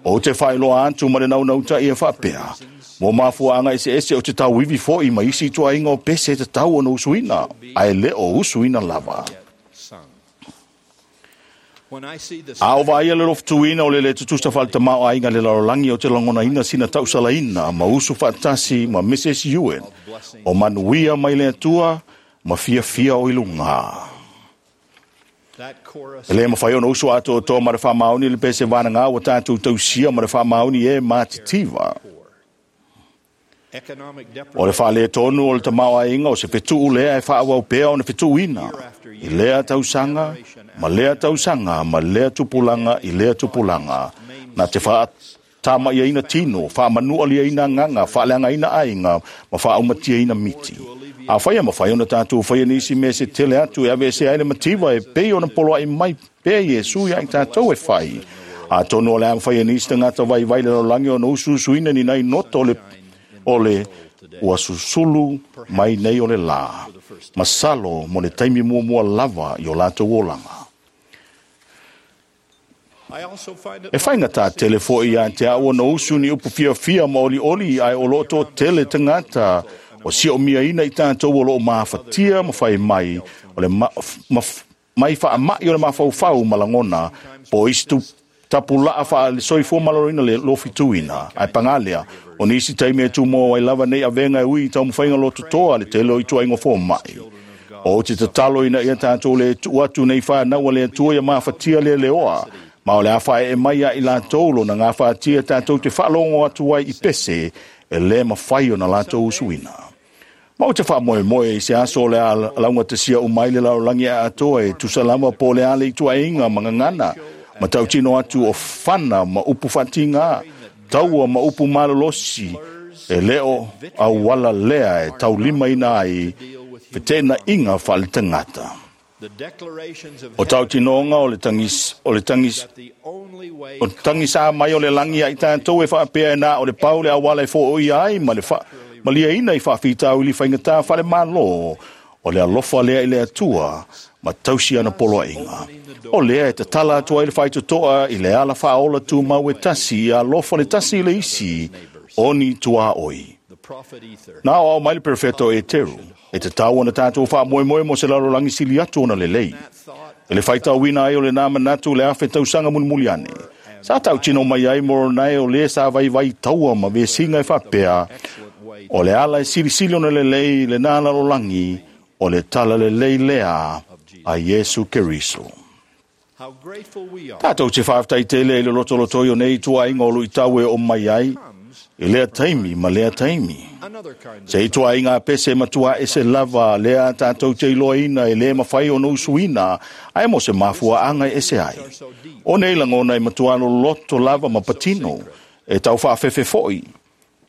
Ou te faailoa atu ma le naunautai e faapea, mo mafuaaga eseese ou te tauivi foi ma isi ituaiga o pese e tatau ona usuina, ae le o usuina lava. A o vaaia le lofutuina o le lē tutusa faale-tamaoaiga i le lalolagi, ou te lagonaina sina tausalaina ma usu faatasi ma Mrs Ewen o manuia mai le Atua ma fiafia o i luga. E lē mafai ona usu atoatoa ma le faamaoni le pese vanagā ua tatou tausia ma le faamaoni e matitiva. O le faaletonu o le tamaoaiga o se fetuu lea e faaauau pea ona fetuuina i lea tausaga ma lea tausaga ma lea tupulaga i lea tupulaga, na te faatamaiaina tino, faamanualiaina agaga, faaleagaina aiga ma faaumatiaina miti. Afai e mafai ona tatou faia nisi mea se tele atu e aveesea ai le mativa e pei ona poloai mai pea Iesu iā i tatou e fai, atonu o le a mafai e nisi tagata vaivai le lalolagi ona usuusuina ni nai noto o le ua susulu mai nei o le lā, masalo mo le taimi muamua lava i o latou olaga. E faigata tele foi iā te au ona usu ni upu fiafia ma olioli, ae o lo o toatele tagata o siomiaina i tatou o lo o mafatia ma fai mai o le mai faamai o le mafaufau ma lagona po o isi tapulaa faale-soifua maloloina le lofituina. Ae paga lea, o nisi taimi e tumau ai lava nei avega e ui i taumafaiga lototoa a le tele o ituaiga fomai. Ou te tatalo ina ia tatou le tuu atu nei fanau a le Atua ia mafatia leleoa, ma o le a faaee mai ia i latou lona gafatia tatou te faalogo atu ai i pese e lē mafai ona latou usuina. Ma ou te faamoemoe i se aso o le a laugatasia uma ai le lalolagi atoa e tusa lava po o le a le ituaiga ma gagana ma tautino atu o fana ma upu faatigā, taua ma upu malolosi, e le o auala lea e taulimaina ai feteenaiga faaletagata. O tautinoga o le tagis, o le tagis, o le tagisā mai o le lagi ia i tatou e faapea e na o le pau le auala e fooia ai ma le faamaliaina i faafitauli faigata faale-Malo, o le alofa lea i le Atua ma tausi ana poloaiga. O lea e tatala atu ai le faitotoa i le ala faaola tumau e tasi ia alofa le tasi i le isi o ni tuaoi. Na aoao mai le perofeta o Eteru, E tatau ona tatou faamoemoe mo se lalolagi sili atu ona lelei. I le faitauina ai o lenā manatu i le 1000 tausaga mulimuli ane, sa tautino mai ai Moronai o lē sa vaivai taua ma vesiga e faapea, o le ala e silisili ona lelei lenā lalolagi o le talalelei lea a Iesu Keriso. Tatou te faafetai tele i le lotolotoi o nei tuuaiga o luitau e oo mai ai i lea taimi ma lea taimi. Se i tuuaiga a pese matua ese lava lea tatou te iloaina e lē mafai ona usuina ae mo se mafuaaga e ese ai. O nei lagona e matua loloto lava ma patino e tau faafefe foʻi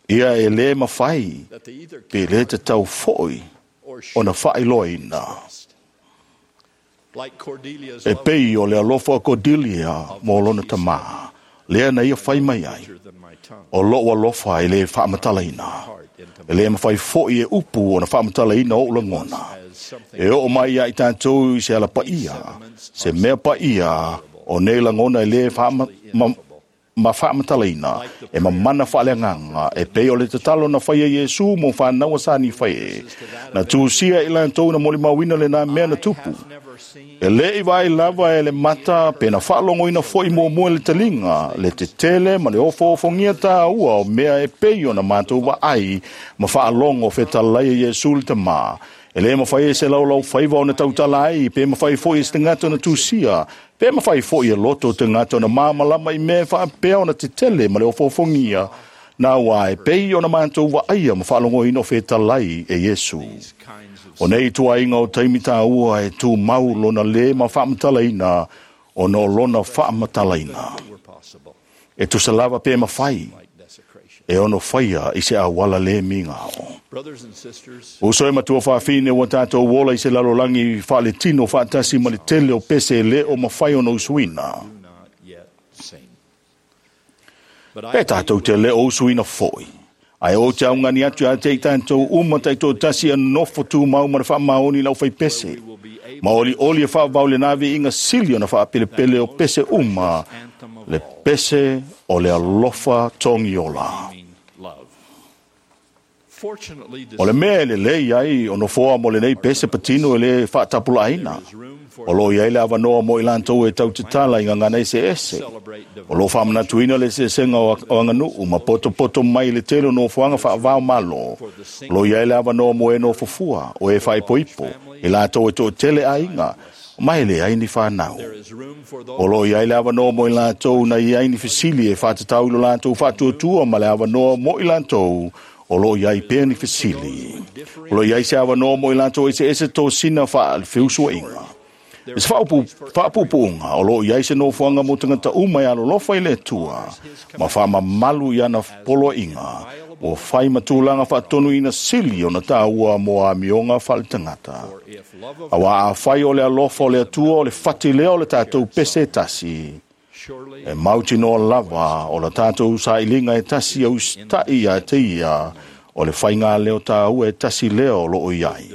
ia e lē mafai pe lē tatau foʻi ona faailoaina. E pei o le alofa o Cordelia mo lona tamā, lea na ia fai mai ai, o loʻu alofa e lē faamatalaina. E lē mafai foʻi e upu ona faamatalaina oʻu lagona. E oo mai ia i tatou i se ala paia, se mea paia, o nei lagona e lē ma faamatalaina e mamana faaleagaga e pei o le tatalo na faia Iesu mo whānaua sa ni whai e. Na tūsia i latou na molimauina lenā mea na tupu. E lē i vaai lava e le mata pe na faalogoina foʻi muamua e le taliga, le tetele ma le ofoofogia tāua o mea e pei ona matou vaai ma faalogo fetalai e Iesu le Tamā. E lē mafai e se laulau faiva ona tautala ai, pe mafai foʻi e se tagata ona tusia, pe mafai foʻi e loto o tagata ona māmalama i mea faapea ona tetele ma le ofoofogia, na ua e pei ona matou vaaia ma faalogoina o fetalai e Iesu. O nei tuaiga o taimi tāua e tumau lona lē ma faamatalaina ona o lona faamatalaina. E tusa lava pe mafai e ono faia i se auala lē migao. Uso e matua faafine ua tatou ola i se lalolagi faaletino faatasi ma le tele o pese e lē o mafai ona usuina. Pe tatou te lē o usuina foʻi, ae ou te augani atu ia te i tatou uma taitoatasi e nofo tumau ma le faamaoni i lau faipese. Ma olioli e faavavau lenā viiga sili ona faapelepele o pese uma, le pese o le alofa togiola. O le mea e lelei ai o nofoa mo lenei pese patino e lē faatapulaaina. O loo iai le avanoa mo i latou e tautatala i gagana eseese. O loo faamanatuina le eseesega o aganuu ma potopoto mai le tele o nofoaga faavao malo. O loo iai le avanoa mo e nofofua, o e faaipoipo, i latou e toatele aiga, ma e leai ni fanau. O loo iai le avanoa mo i latou na iai ni fesili e faatatau i lo latou faatuatua ma le avanoa mo i latou o loo iai pea ni fesili. O loo iai se avanoa mo i latou eseese tosina faalefeusuaiga. E se faapuupuuga o loo iai se nofoaga mo tagata uma e alolofa i le Atua ma faamamalu i ana poloaiga ua fai ma tulaga faatonuina sili ona tāua mo amioga faaletagata. Auā afai o le alofa o le Atua o le fati lea o le tatou pese e tasi, e mautinoa lava o la tatou sailiga e tasi au usitaʻi ia te ia o le faiga leo tāua e tasi lea o loo iai.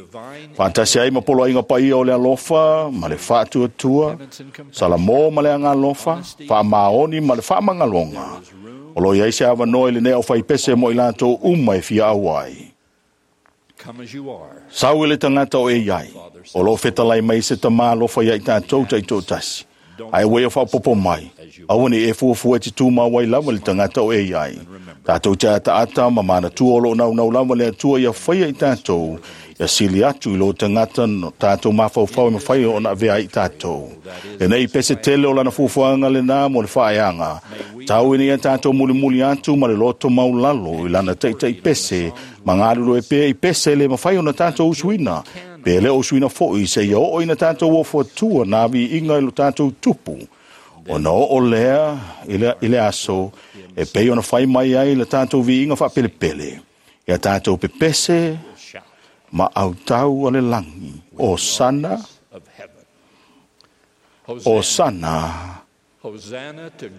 Faatasi ai ma poloaiga paia o le alofa ma le faatuatua, Salamo ma le agalofa, faamaoni ma le faamagaloga. O loo iai se avanoa i lenei aufaipese mo i latou uma e fia auai. Sau e le tagata o e iai, o loo fetalai mai se tamā alofa ia i tatou taitoatasi. Ae ua ia faaopoopo mai, aua ne i e fuafua e te tumau ai lava le tagata o e iai. Tatou te ataata ma manatua o loo naunau lava le Atua ia faia i tatou, ia sili atu i lo tagata no tatou mafaufau e mafai ona avea ai i tatou. Lenei pese tele o lana fuafuaga lenā mo le faaeaga. Tau ina ia tatou mulimuli atu ma le loto maulalo i lana taitai pese ma galulue pea i pese e lē mafai ona tatou usuina, pe lē o usuina foʻi seia oo ina tatou ofo atua nā viiga i lo tatou tupu. Ona oo lea i le aso e pei ona fai mai ai le tatou viiga faapelepele, ia tatou pepese ma autau a le lagi, Osana, Osana,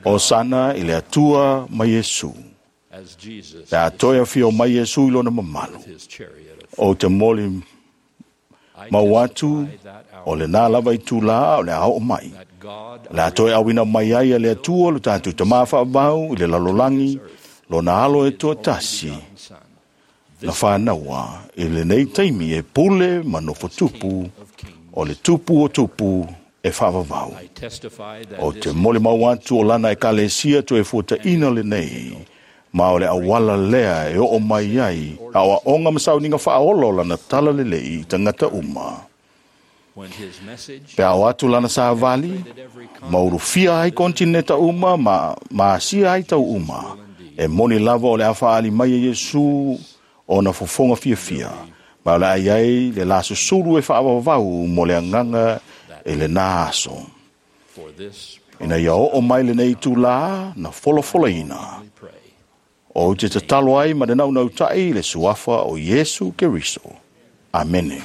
Osana i le Atua ma Iesu. Pe a toe afio mai Iesu i lona mamalu, ou te moli mau atu o lenā lava itulā o le a oo mai. O le a toe auina mai ai e le Atua lo tatou Tamā faavavau i le lalolagi, lona alo e toatasi, na whānaua i le nei taimi e pule ma nofo tupu o le tupu o tupu e whaavavau. O te mole mau atu o lana e kalesia to e fuata ina le nei, ma o le awala lea e o mai ai, a o aonga masauninga whaola o lana tala le lei tangata uma. Pe ao atu lana sa vali, maurufia ai kontineta uma, ma asia ai tau uma. E moni lava o le awhaali mai e Yesu o na fofonga fia fia. Ma o le ai ai le la susuru e whaawawau mo le anganga e le nā aso. Ina ia o mai le nei tūlā na folofola ina. O te tatalo ai ma le naunau tai le suafa o Yesu Keriso. Amene.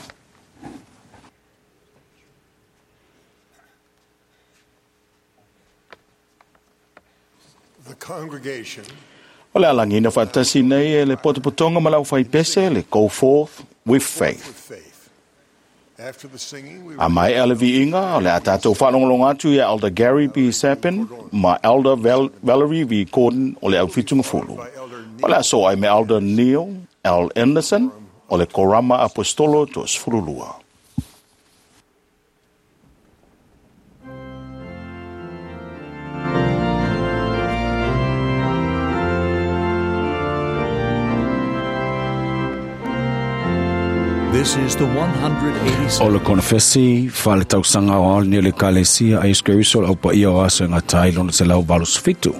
The congregation O le alangina whaatasi nei e le potopotonga ma lau whaipese le Go Forth with Faith. After the singing, we A mai ele viinga o le atatou whaalongolonga atu ia Elder Gary B. Sapin ma Elder Valerie V. Gordon o le aufitunga fulu. O le aso ai me Elder Neil L. Anderson o le Korama Apostolo to Sfurulua. This is the 187th. O le konfesi whale tausanga o aol ni le kalesia a Yesu Keriso au pa ia o aso ngā tai lona te lau valus fitu.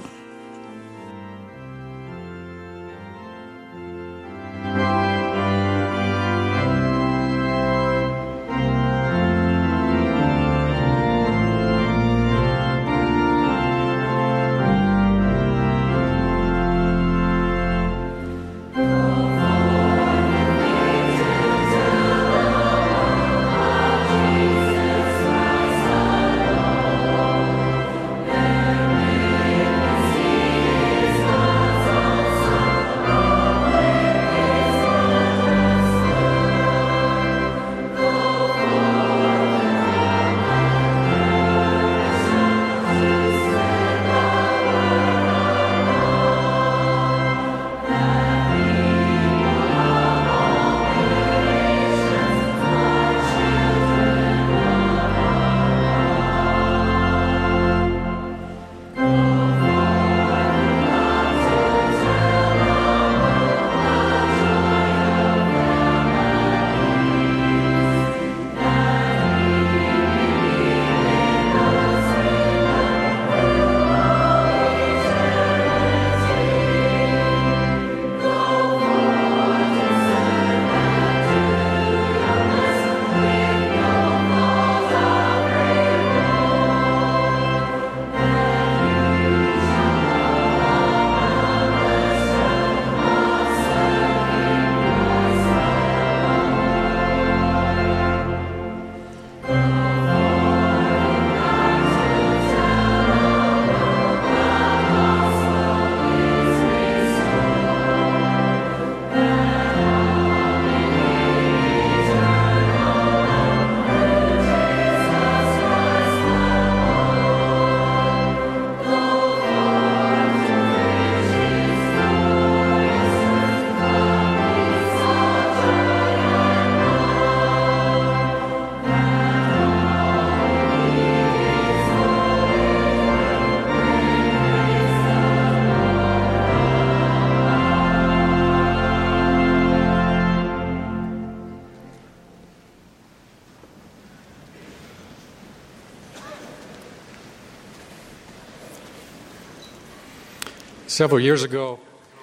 Several years ago,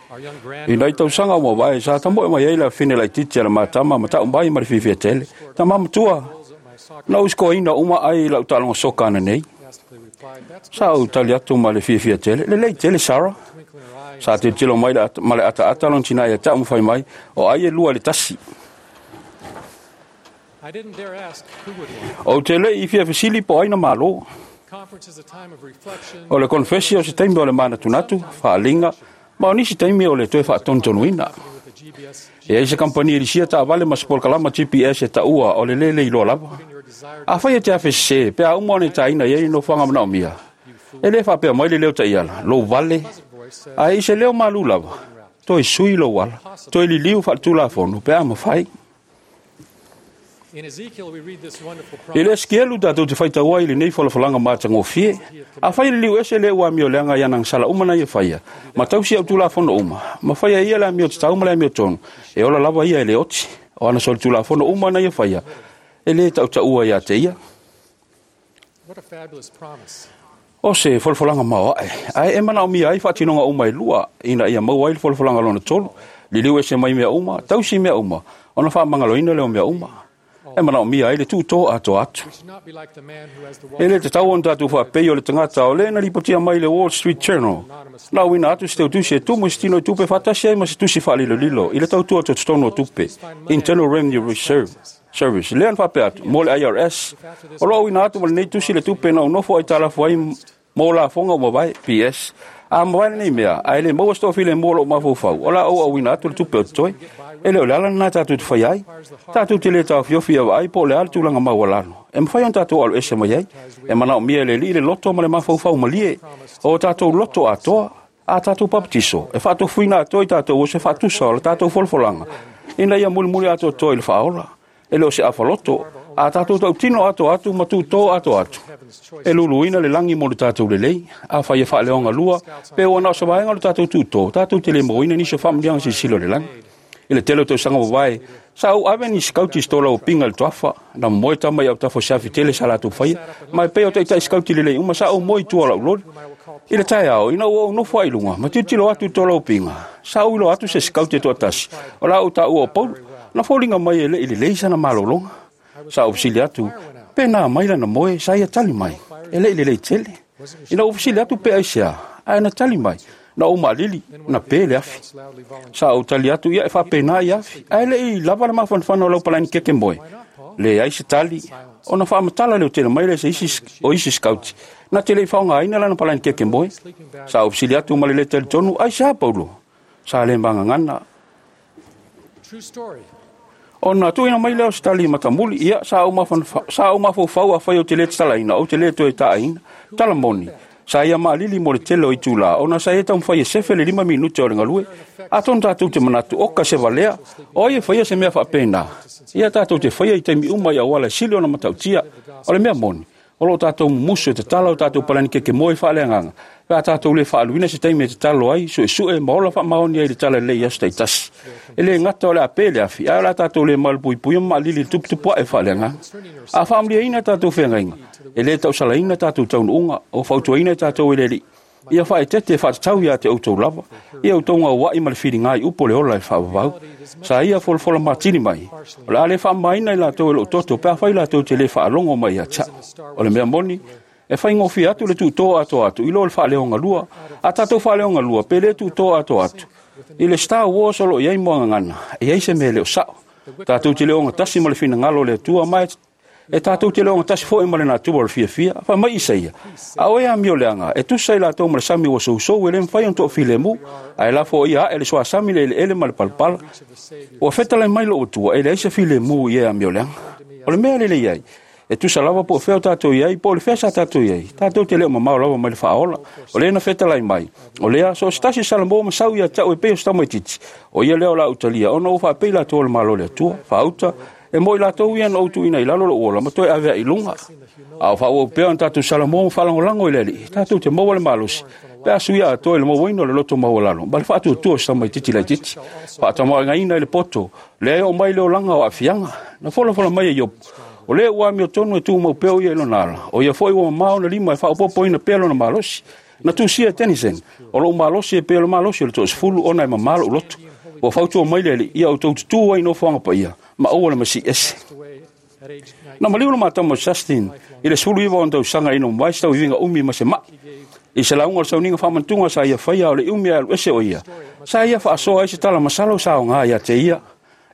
our young I nei tausanga ua wae, sa tambo e mai ai la fine lai titi ala matama, ma tau mai ma le fiafia tele. Ta mamatua, na usko ina uma ai lau talonga soka ana nei. Sa au tali atu ma le fiafia tele. Le lei tele, Sarah. Sa te tilo mai ma le ata ata lon tina ia tau mwhai mai, o ai e lua le tasi. I didn't dare ask who would win. O te le i fia fesili po aina malo. Conference is a time of reflection. O le konfesi o se taimi o le manatunatu, whaalinga, ma o nisi taimi o le toe whaatontonuina. E ai se kampani e lisia ta vale ma se kalama GPS e taua o le lele i loa lava. A whai e te awhe se, pe a umo ane taina i no whanga mana o mia. E le whapea mai le leo ta iala, lo vale, a i se leo malu lava. Toe sui lou ala, toe liliu faaletulafono pe a mafai. In Ezekiel, we read this wonderful I le promise. Esikielu tatou te faitau ai i lenei folafolaga matagofie. Afai e liliu ese le ua amioleaga i ana agasala uma na ia faia, ma tausi au tulafono uma, ma faia e ia le amio tatau ma le amiotonu, e ola lava ia e le oti. O ana solitulafono uma na ia faia, e lē tautaua ia te ia. What a fabulous promise. O se folafolaga maoaʻe, ae e manaomia ai faatinoga uma e lua, ina ia maua ai le folafolaga lona tolu, liliu ese mai mea uma, tausi mea uma, ona faamagaloina lea o mea uma. E manaomia ai le tuutō atoa atu. We should not be like the man who has the E Wall lē tatau ona tatou faapei o le tagata o lē na lipotia mai le Wall Street Journal. Na auina atu se teutusi e tumu i se tino i tupe faatasi ai ma se tusi faalilolilo i le tautua tototonu o tupe, Internal Revenue Reserve Service. Lea na faapea atu, mo le IRS. O loo auina atu ma lenei tusi le tupe na ou nofo ai talafu ai mo lafoga ua mavae, PS. A mavae lenei mea, ae le maua se toafilemu o lou mafaufau, o la ou auina atu le tupe o totoe. E le o le ala lenā tatou te faia ai. Tatou te lē taofiofi ia vaai po o le a le tulaga maualalo e mafai ona tatou alu ese mai ai. E manaomia e le Alii le loto ma le mafaufau malie o tatou loto atoa a tatou papatiso e faatofuina atoa i tatou o se faatusa o le tatou folafolaga ina ia mulimuli atoatoa i le faaola. E le o se afaloto a tatou tautino atoa atu ma tutō atoa atu. E luluina le lagi mo le tatou lelei. Afai e faaleogalua pe ua na o se vaega o le tatou tutō, tatou te le mauaina nisi o faamanuiaga silasila o le lagi. I le tele o tausaga mavae, sa ou ave ni sikauti i se tola o pinga i le toafa, na momoe tama i autafa o se afi tele sa latou faia, ma e pei o taitai sikauti lelei uma sa ou moe i tua o lau loli. I le taeao, ina ua ou nofo ai i luga, ma tilotilo atu i le tola o pinga, sa ou iloa atu se sikauti e toatasi, o la ou taua o Paulo, na foliga mai e leʻi lelei sana malologa. Sa ou fesili atu, pe na mai lana moe, sa ia tali mai, e leʻi lelei tele. Ina ou fesili atu pe aisea, ae na tali mai, na ou maalili, na pe le afi. Sa ou tali atu ia e faapena i afi, ae leʻi lava le mafanafana o lau palaini keke moe. Leai se tali, ona faamatala leo tele mai lea se isi o isi sikauti, na te leʻi faaaogaina lana palaini keke moe. Sa ou fesili atu ma le lē talitonu, aisea Paulo? Sa le magagana. True story. Ona tuuina mai lea o se tali matamuli, ia sa ou mafaufau afai ou te lē tatalaina, ou te lē toe taaina. Tala moni, sa ia maalili mo le tele o itulā, ona sa ia taumafai e sefe le 5 minute o le galue. Atonu tatou te manatu, oka se valea, o ai e faia se mea faapena. Ia tatou te faia i taimi uma i auala e sili ona matautia. O le mea moni, o loo tatou mumusu e tatala o tatou palani keke moe faaleagaga, pe a tatou lē faaluina se taimi e tatalo ai, suesue ma ola faamaoni ai le tala lelei i aso taitasi. E lē gata o le a pe le afi, ae o le a tatou lē malupuipuia ma maalili i le tuputupuaʻe faaleagaga. A faamaliaina tatou feagaiga, e lē tausalaina tatou taunuuga, o fautuaina i tatou e le Alii, ia faaeteete e faatatau ia te outou lava, ia outou gauaʻi ma le filiga i upu o le ola e faavavau. Sa ia folafola matili mai, o le a le faamamaina i latou e lou toto pe afai latou te lē faalogo mai ia te a'u. O le mea moni, e faigofie atu le tutō atoa atu i lo le faaleogalua. A tatou faaleogalua pe lē tutō atoa atu. I le Star Wars o loo i ai moagagana, e i ai se mea e le o sao. Tatou te le ogatasi ma le finagalo o le Atua, ma e tatou te le ogatasi foi ma le natura o le fiafia. Fai mai Isaia, a oe amioleaga, e tusa i latou ma le sami ua sousou e le mafai ona toafilemu, ae lafo ia ae le suasami le eleele ma le palapala. Ua fetalai mai lou Atua, e leai se filemu i e amioleaga. O le mea lelei ai, e tusa lava po o fea o tatou i ai, po o le fea sa tatou i ai, tatou te le o mamao lava mai le faaola. O lea na fetalai mai, o lea so o se tasi Salamo ma sau ia te au e pei o se tamaitiiti, o ia lea o la utalia, ona ua faapei latou o le Malo o le Atua, faauta, e mo i latou ia na ou tuuina i lalo lou ola ma toe avea i luga. A o faaauau pea ona tatou Salamo ma faalagolago i le Alii, tatou te maua le malosi, pe a suia atoa i le mauaina o le loto maualalo, ma le faatuatua o se tamaitiiti laitiiti. Faatamaoaigaina i le poto, lea e oo mai le olaga o aafiaga. Na folafola mai e Iopu, o lea ua amiotonu e tumau pea o ia i lona ala, o ia foi ua mamao ona lima e faaopoopoina pea lona malosi. Na tusia e Tennyson, o lou malosi e pei o le malosi o le toasefulu ona e mamā lou loto. Ua fautua mai le Alii, ia outou tutū ai i nofoaga paia, ma aua le masii ese. Na maliu le matama o Justin i le 19 o ona tausaga ina ua mavae se tauiviga umi ma se mai. I se lauga o le sauniga faamanatuga sa ia faia o le umi ae alu ese o ia, sa ia faasoa ai se tala masalo sa aoga ia te ia.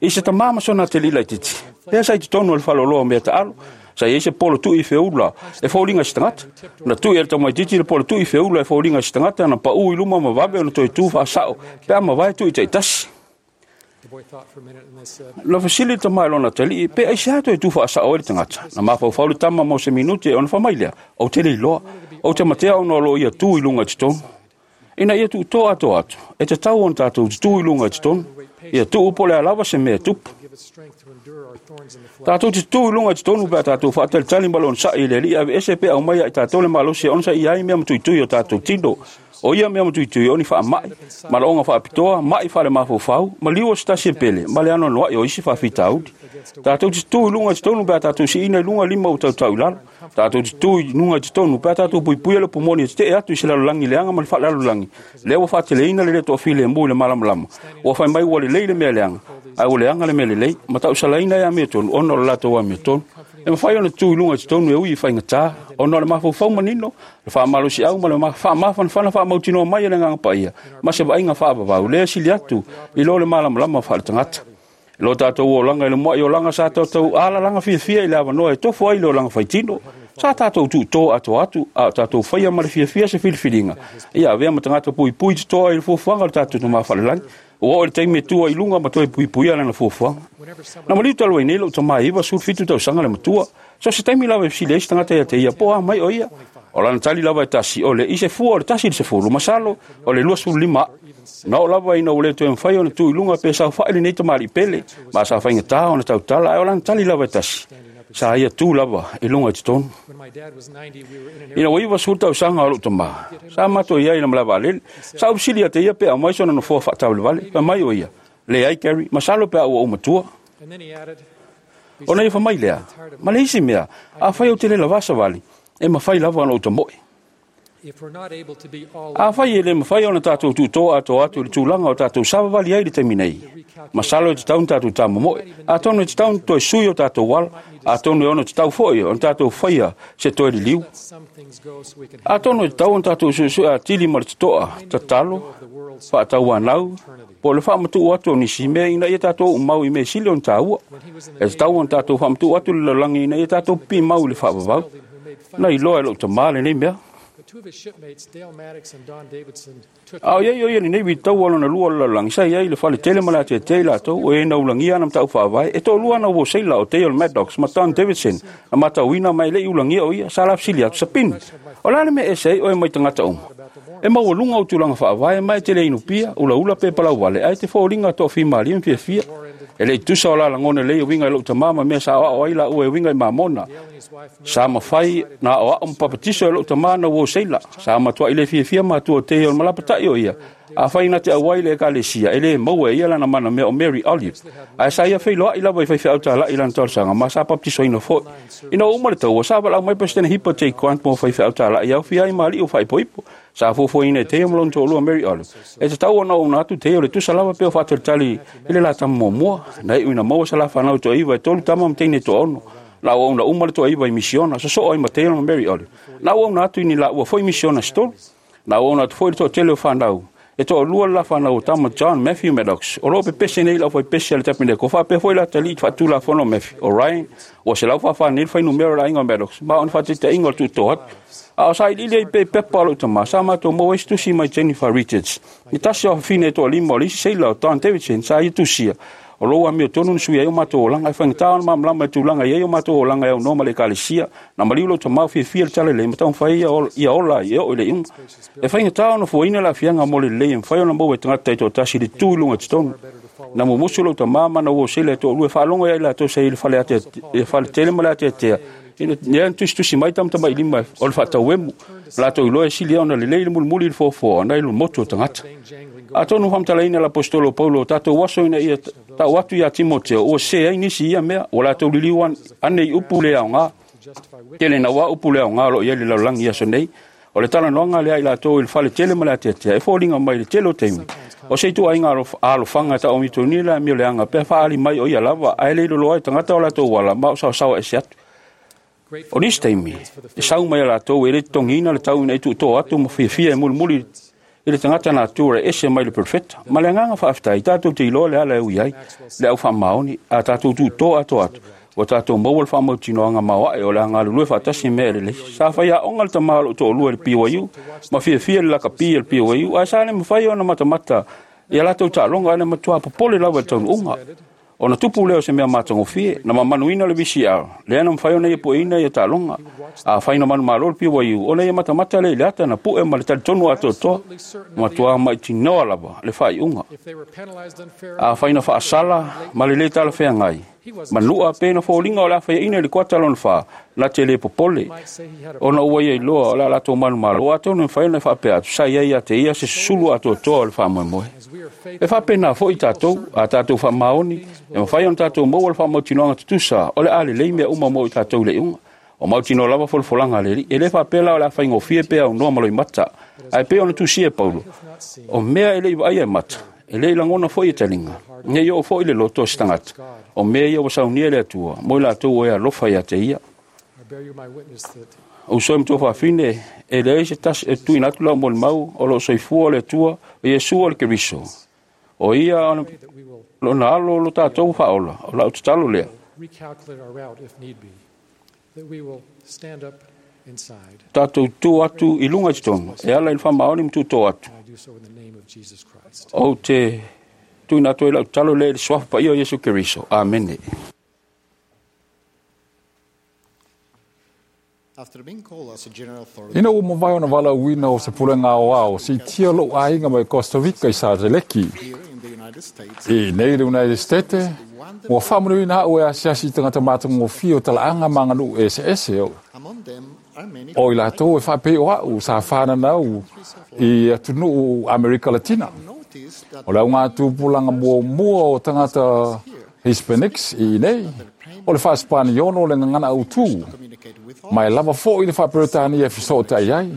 I se tamā ma sona ateli laitiiti, lea sa i totonu o le faleoloa o mea taalo, sa i ai se polo tui feula e foliga i se tagata. Na tui e le tamaitiiti le polo tui feula e foliga i se tagata, na paū i luma ma vave ona toe tu faasao pe a mavae tui taitasi. The boy thought for a minute and they said, Na fesili le tama i lona atalii, pe aisea toe tu faasao ai le tagata. Na mafaufau le tama mo se minute ona faamai lea, ou te le iloa, ou te matea ona o loo ia tu i luga i totonu. Ina ia tuutoa atoa atu, e tatau ona tatou tutū i luga i totonu, ia tuu po o le a lava se mea e tupu. Tatou te tutū i luga i totonu pe a tatou faatalitali ma le onosai i le Alii e aveese pe aumai ia i tatou le malosi e onosaia ai mea matuitui o tatou tino. O ia mea matuitui o ni faamai, malaoga faapitoa, mai faale-mafaufau, maliu o se tasi e pele, ma le anoanoai o isi faafitauli. Tatou te tutū i luga i totonu pe a tatou siina i luga lima ua tautau i lalo. Tatou te tutū i luga i totonu pe a tatou puipuia le upu moni e tetee atu i se lalolagi leaga ma le faalelalolagi, lea ua faateleina le le toafilemu i le malamalama. Ua fai mai ua lelei le mea leaga, ae ua leaga le mea lelei, ma tausalaina e amiotonu ona o le latou amiotonu. E mafai ona tutū i luga i totonu e ui i faigata, ona o le mafaufau manino, le faamalosiau ma le faamafanafana faamautinoa mai e le Agaga Paia, ma se vaaiga faavavau lea e sili atu i lo le malamalama faaletagata. Lo tatou olaga i le muai olaga sa tatou alalaga fiafia i le avanoa e tofo ai le olaga faitino. Sa tatou tuutoa atoa atu, a o tatou faia ma le fiafia se filifiliga. Ia avea ma tagata puipui totoa i le fuafuaga o le tatou Tama Faalelagi. Ua oo i le taimi e tua i luga ma toe puipuia lana fuafuaga. Na maliu talu ai nei lou tama e 97 tausaga le matua. So se taimi lava e fesili ai se tagata ia te ia, po o a mai o ia. O lana tali lava e tasi, o le i se fua o le 1 i le 10, masalo o le 25 aʻa. Na oo lava ina ua le toe mafai ona tu i luga pe saofai lenei tamalii pele, ma sa faigata ona tautala, ae o lana tali lava e tasi, sa ia tu lava i luga i totonu. Ina ua 90 tausaga o lou tama, sa matou i ai i le malae vaalele. Sa ou fesili ia te ia pe aumai sona nofoa faataavalevale, fai mai o ia, leai Gary, masalo pe a ua ou matua. Ona ia fai mai lea, ma le isi mea, afai ou te le lavā savali, e mafai lava ona ou tamoe. Afai e le mafai ona tatou tuutoa atoa atu i le tulaga o tatou savavali ai i le taimi nei, masalo e tatau ona tatou tamomoe, atonu e tatau ona toe sui o tatou ala, atonu e ono tatau foi ona tatou faia se toe liliu. Atonu e tatau ona tatou suesue atili ma le totoa, tatalo, faatauanau, po o le faamatuu atu o nisi mea ina ia tatou umau i mea sili ona taua. E tatau ona tatou faamatuu atu le lalolagi ina ia tatou pipimau i le faavavau. Na iloa e lou tama lenei mea. A o iai o ia lenei vitaua lona lua o le lalolagi, sa iai le fale tele ma le atiatia i latou, o ia na ulagia ana matau faavae, e toalua ana uo seila o Dale Maddox ma Don Davidson, na matauina ma e le i ulagia o ia, sa lafesili atu, Sapini, o le a le mea e ese ai oe mai tagata uma? E maualuga ou tulaga faavae ma e te le inupia, ulaula pe palauvale, ae te foliga toafimalie ma fiafia. E le i tusa o la lagona lelei e uiga i lou tama ma mea sa aoao ai laua e uiga i mamona. Sa mafai na aoao ma papatiso e lou tama na uo seila. Sa matuai le fiafia matua o te o le malapatai o ia. Afai na te auai le ekalesia, e le maua e ia lana mana mea o Mary Olive. Ae sa ia feiloai lava i faifeau talai i lana talosaga ma sa papatisoina foi. Ina ua uma le taua, sa valaau mai Peresetene Hipa J. Grant mo faifeau talai aofia ai ma alii o faaipoipo. Sa fuafuaina e Teio ma lona toalua Mary Olive. E tatau ona ouna atu Teio le tusa lava pe o faatalitali i le la tama muamua. Na iu ina maua sa la fanau toaiva e 3 tama ma teine toaono. Na auauna uma le toaiva i misiona, sosoo ai ma Teio ma Mary Olive. Na auauna atu i ni laua foi misiona se 3. Na auauna atu foi le toatele o fanau. E toalua le la fanau o tama John Matthew Maddox. O loo pepese nei lau faipese a le Tapeneko. Faapea foi la talii faatulafono Matthew. O Ryan, ua selau faafā nei le fuainumera o le aiga o Maddox, ma o ni faataitaiga o le tuutoa atu. A o sa iliili ai pe pepa o lou tama, sa matou maua ai se tusi mai Jennifer Richards. Ni tasi o afafine e toalima o le isi seila o Don Davidson sa ia tusia. O lou amiotonu na sui ai o matou olaga, e faigata ona malamalama i tulaga i ai o matou olaga e aunoa ma le ekalesia. Na maliu lou tama o fiafia le tala lelei ma taumafai ia ola ai e oo i le iuga. E faigata ona fuaina le aafiaga mo le lelei e mafai ona maua e tagata taitoatasi i le tu i luga i totonu. Na mumusu lou tama ma na uo seila e toalua e faalogo ia i latou sa i le fale tele ma le atiatia. Ina na tusitusi mai tamatamailima o le faatauemu, latou iloa e sili ona lelei le mulimuli i le foafoa ona i le motu o tagata. Atonu faamatalaina le aposetolo o Paulo o tatou aso ina ia tau atu ia Timoteo, ua sese ai nisi i ia mea, ua latou liliu ane i upu le aoga. Tele na ua upu le aoga o loo i ai le lalolagi i aso nei. O le talanoaga lea i latou i le fale tele ma le atiatia, e foliga mai le tele o taimi. O se ituaiga alofaga e tauamitoni le amio leaga pe faaali mai o ia lava, ae le iloloa ai tagata o latou ala ma o saosaoa ese atu. O nisi taimi, e sau mai a latou e le totogiina le tau ina i tuutoa atu ma fiafia e mulimuli i le tagata natura e ese mai le perfeta. Ma le agaga faafetai, tatou te iloa le ala e ui ai, le au faamaoni, a tatou tuutoa atoa atu, ua tatou maua le faamautinoaga maoae o le a galulue faatasi mea e lelei. Sa faiaoga le tama o lou toalua i le BYU, ma fiafia le lakapi a le BYU, ae sa le mafai ona matamata ia latou taaloga, ae na matua popole lava i le taunuuga. Ona tupu lea o se mea matagofie, na mamanuina le VCR, lea na mafai ona ia pueina ia taaloga. Afai na manumalo le BYU, ona ia matamata lea i le ata na pue ma le talitonu atoatoa, matua mautinoa lava le faaiuga. Afai na faasala ma le lē talafeagai, manua pe na foliga o le a faiaina i le kuata lona 4, na te le popole, ona ua ia iloa o le a latou manumalo, atonu e mafai ona faapea atu, sa i ai ia te ia se susulu atoatoa o le faamoemoe. E faapena foi tatou, a tatou faamaoni, e mafai ona tatou maua le faamautinoaga tutusa o le a lelei mea uma mo i tatou i le iuga. O mautinoa lava folafolaga a le Alii. E le faapea la o le a faigofie pe aunoa ma loimata, ae pei ona tusia e Paulo, o mea e le i vaaia e mata, e le i lagona foi e taliga, nei oo foi le loto o se tagata, o mea ia ua saunia e le Atua, mo i latou o e alofa ia te ia. O uso e matua faafine, e leai se tasi e tuuina atu lau molimau o loo soifua o le Atua, o Iesu o le Keriso. O ia lona alo lo tatou faaola, o lau tatalo lea. Tatou tu atu i luga i totonu, e ala i le faamaoni ma tutō atu. Ou te tuuina atu ai lau tatalo lea i le suafa paia o Iesu Keriso. Amene. Ina ua mavae ona valaauina o se pulega aoao, siitia lou aiga mai Costa Rica i Sateleki. I nei le United States, ua faamanuiina au e asiasi i tagata matagofie o talaaga ma aganuu eseese o i latou e faapei o au sa whananau i atunuu Amerika Latina. O le auga tupulaga muamua o tagata Hispanics i nei, o le faa-Spaniono le gagana autū, ma e lava foi le faa-Peretania e feso'ota'i ai.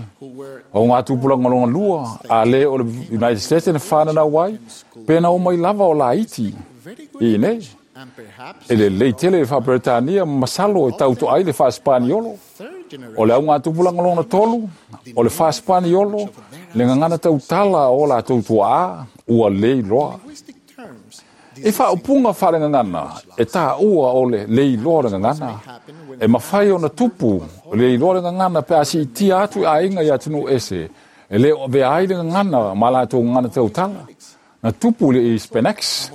O ngā tupulaga lona lua, a le o le United States na whananau ai, pe na o mai lava o laiti i nei. E lelei tele le faa-Peretania ma masalo e tauto'a ai le faa-Spaniolo. O le auga tupulaga lona tolu, o le faa-Spaniolo, le gagana tautala o latou tua'a, ua le iloa. E faaupuga faalegagana e tāua o le le iloa o le gagana. E mafai ona tupu le iloa o le gagana pe a siitia atu i aiga i atunuu ese, e le o avea ai le gagana ma latou gagana tautala. Na tupu i le Hispanics,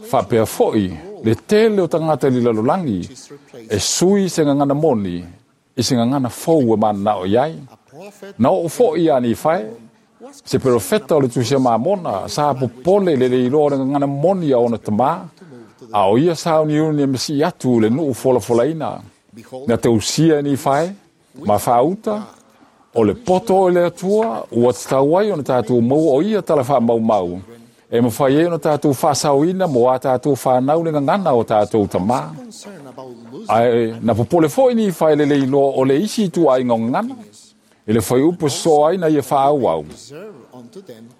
faapea foi le tele o tagata i le lalolagi e sui se gagana moni i se gagana fou e mananao i ai. Na oo foi ia Nifae, se perofeta o le Tusi a Mamona, sa popole le le iloa o le gagana moni a ona tamā, a o ia sauniuni e masii atu le nuu folafolaina. Na tausia e Nifae, ma faauta, o le poto o le Atua, ua tatau ai ona tatou maua o ia tala faamaumau, e mafai ai ona tatou faasaoina mo a tatou whanau le gagana o tatou tamā. Ae na popole foi Nifae le le iloa o le isi ituaiga o gagana, e le faiupu soso ai na ia faaauau.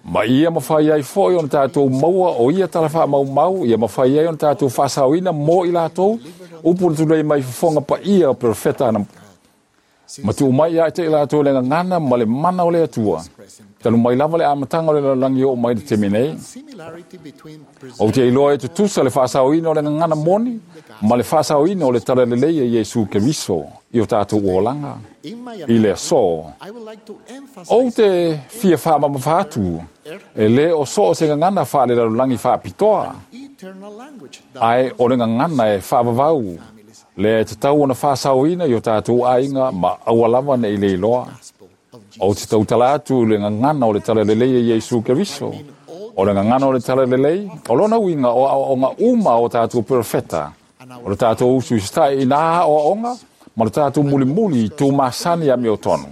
Ma ia mafai ai foi ona tatou maua o ia tala faamaumau, ia mafai ai ona tatou faasaoina mo i latou, upu na tulei mai fofoga paia o perofeta ana. Ma tuu mai ia te i latou le gagana ma le mana o le Atua. Talu mai lava le amataga o le lalolagi oo mai le taimi nei. Ou te iloa e tutusa le faasaoina o le gagana moni ma le faasaoina o le talalelei e Iesu Keriso i o tatou olaga i le aso. Ou te fia faamamafa atu, e le o so o se gagana faalelalolagi faapitoa, ae o le gagana e faavavau, lea e tatau ona faasaoina i o tatou aiga ma aua lava nei le iloa. Ou te tautala atu le gagana o le talalelei e Iesu Keriso. O le gagana o le talalelei, o lona uiga o aoaoga uma o tatou perofeta, o le tatou usu i sita'i i nā aoaoga, ma le tatou mulimuli i tūmasani a miotonu.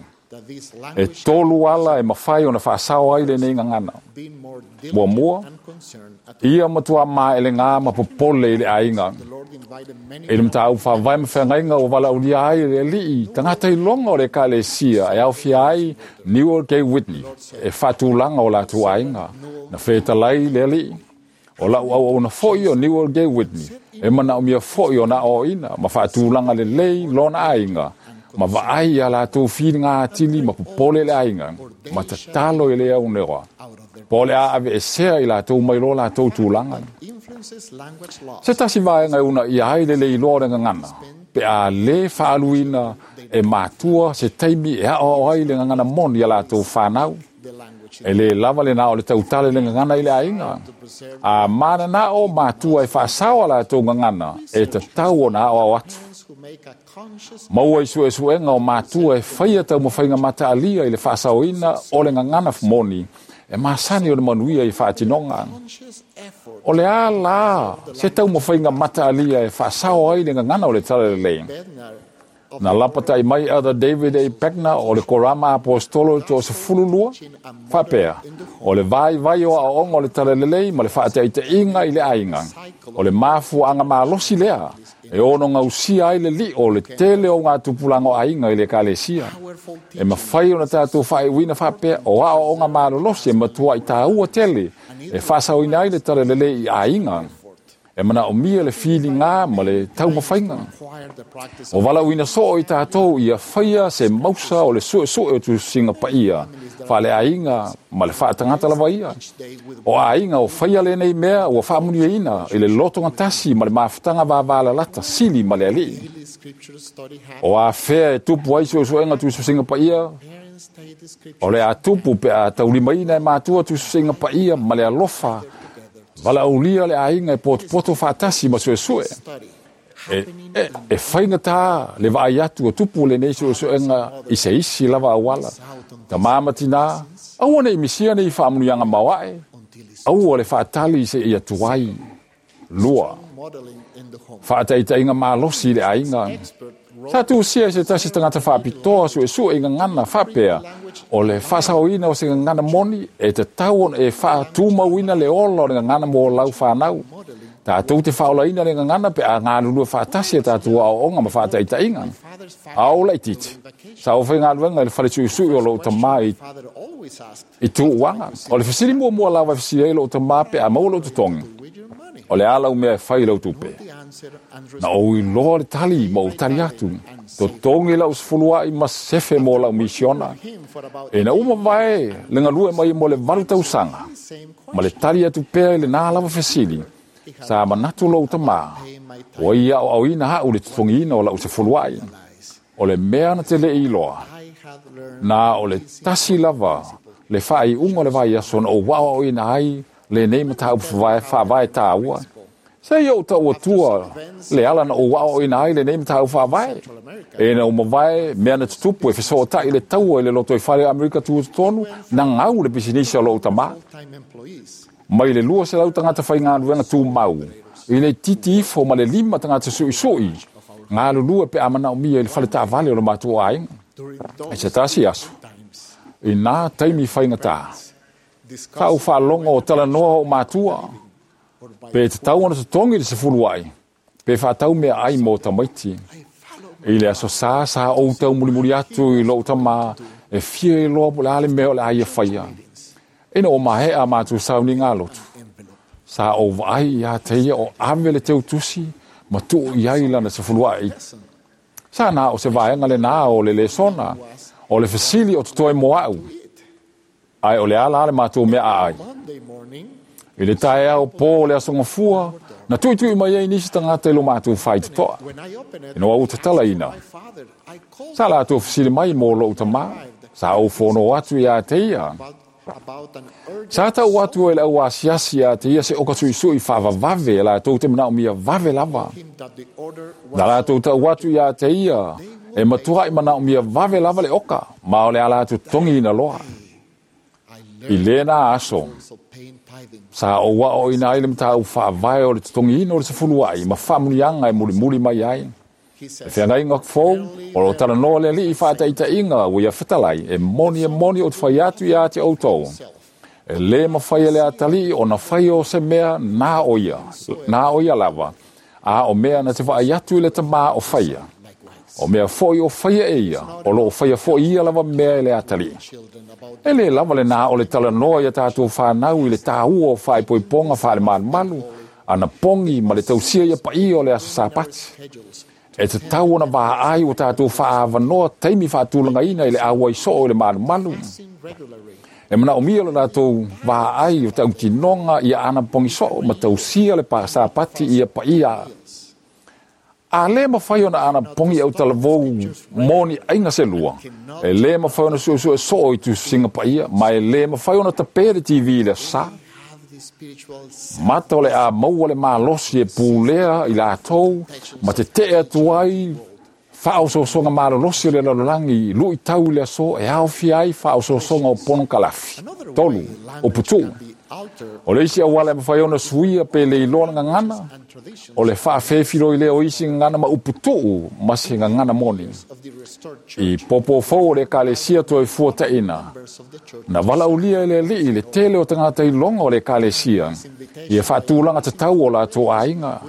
E tolu ala e mafai ona faasao ai lenei gagana. Muamua, ia matua maelegā ma popole i le aiga. E le mataupu faavae ma feagaiga ua valaaulia ai e le Alii, tagata iloga o le Ekalesia e aofia ai Newel K. Whitney e faatulaga o latou aiga. Na fetalai le Alii, o lau auauna foi o Newel K. Whitney, e manaomia foi ona aoaoina ma faatulaga lelei lona aiga, ma vaai ia latou filiga atili ma popole le aiga, ma tatalo i le aunoa, po o le a aveesea i latou mai lo latou tulaga. Se tasi vaega e uunaia ai le le iloa o le gagana, pe a lē faaluina e matua se taimi e aoao ai le gagana moni a latou whanau. E lē lava lenā o le tautala i le gagana i le aiga. A mananao matua e faasao a latou gagana, e tatau ona aoao atu. Maua i suesuega o matua e faia taumafaiga mataalia i le faasaoina o le gagana moni e masani o le manuia i faatinoga. O le a la se taumafaiga mataalia e faasao ai le gagana o le Talalelei? Na lapatai mai Elder David A. Bednar o le Korama Aposetolo i le 12, faapea, O le vaivai o aoaoga o le Talalelei ma le faataitaiga i le aiga, o le mafuaaga malosi lea e ono gausia ai le lio o le tele o gatupulaga o aiga i le Ekalesia. E mafai ona tatou faaiuina faapea o aoaoga malolosi e matuai taua tele e faasaoina ai le Talalelei i aiga. E manaomia le filiga ma le taumafaiga. Ua valaauina soo i tatou ia faia se mausa o le suesue o tusiga paia faaleaiga ma le faatagata lava ia. O aiga o faia lenei mea ua faamuniaina i le lotogatasi ma le mafutaga vavalalata sili ma le Alii. O afea e tupu ai suesuega tusiga paia? O le a tupu pe a taulimaina e matua tusiga paia ma le alofa valaaulia le aiga e potopoto faatasi ma suesue. E faigata le vaai atu o tupu lenei suesuega i se isi lava auala. Tamā ma tinā, aua ne i misia nei faamanuiaga maoae, aua le faatali seia tuai. 2. Faataitaiga malosi i le aiga. Sa tusia e se tasi tagata faapitoa suesue i gagana faapea, o le faasaoina o se gagana moni e tatau ona e faatumauina le ola o le gagana mo lau fanau. Tatou te faaolaina le gagana pe a galulue faatasi a tatou aoaoga ma faataitaiga. A o laitiiti, sa ou faigaluega i le fale suisui o lou tamā i Tuuaga. O le fesili muamua lava e fesili ai lou tamā pe a maua lou totogi, o le a lau mea e fai i lau tupe? Na ou iloa le tali ma ou tali atu, totogi lau sefuluai ma sefe mo lau misiona. Ina ua mavae le galue mai mo le 8 tausaga, ma le tali atu pea i lenā lava fesili, sa manatu lou tamā, ua ia aoaoina au i le totogiina o lau sefuluai. O le mea na te le i iloa, na o le tasi lava le faaiuga o le vaiaso na ou aoaoina ai lenei mataupu faavae taua. Se i ou tau atua le ala na ou aoaoina ai lenei mataupu faavae. E na ua mavae mea na tutupu e fesootai i le taua i le lotoifale o Amerika Tutotonu, na gau le pisinisi a lou tamā. Mai le 200 tagata faigaluega tumau, i le itiiti ifo ma le 5 tagata suisui, galulue pe a manaomia i le fale taavale o le matou aiga. I se tasi aso, i nā taimi faigata, sa ou faalogo o talanoa ou matua, pe tatau ona totogi le sefuluai, pe faatau meaai mo tamaiti. I le aso sa, sa ou taumulimuli atu i lou tamā e fia iloa po o le a le mea o le a ia faia. Ina ua maea a matou sauniga lotu, sa ou vaai iā te ia o ave le teutusi ma tuu i ai lana sefuluai. Sa na o se vaega lenā o le lesona, o le fesili o totoe mo au, ae o le a la le matou mea aai. I le taeao pō o le aso Gafua, na tuitui mai ai nisi tagata i lo matou faitotoa. Ina ua ou tatalaina, sa latou fesili mai mo lou tamā, sa ou fono atu iā te ia. Sa tau atu e le au asiasi iā te ia se oka suisui faavavave e latou te manaomia vave lava. Na latou tau atu iā te ia e matuai manaomia vave lava le oka, ma o le a latou totogiina loa. I lenā aso, sa ou aoaoina ai le mataupu faavae o le totogiina o le sefuluai ma faamanuiaga e mulimuli mai ai. Le feagaiga fou, o lo o talanoa le Alii i faataitaiga ua ia fetalai, e moni e moni ou te fai atu iā te outou, e lē mafai e le atalii ona fai o se mea na o ia, na o ia lava, a o mea na te vaai atu i le Tamā o faia. O mea foi o faia e ia, o lo o faia foi ia lava mea e le atalii. E lē lava lenā o le talanoa iā tatou fanau i le tāua o faaipoipoga faalemalumalu, anapogi ma le tausia ia paia o le aso Sapati. E tatau ona vaai ua tatou faaavanoa taimi faatulagaina i le auai soo i le malumalu. E manaomia lo latou vaai o tautinoga ia anapogi soo ma tausia le Sapati ia paia. A lē mafai ona anapogi autalavou mo ni aiga selua, e lē mafai ona suesue soo i tusitusiga paia, ma e lē mafai ona tapē le TV i le aso sā. Mata o le a maua le malosi e pulea i latou ma tete'e atu ai faaosoosoga malolosi o le lalolagi i lu'itau i le aso e aofia ai faaosoosoga o ponokalafi. 3. Uputu'u. O le isi auala e mafai ona suia pe le iloa le gagana, o le faafefiloi lea o isi gagana ma uputu'u ma se gagana moni. I popofou o le Ekalesia toe fuataʻina, na valaaulia e le Alii le tele o tagata iloga o le Ekalesia ia faatulaga tatau o latou aiga.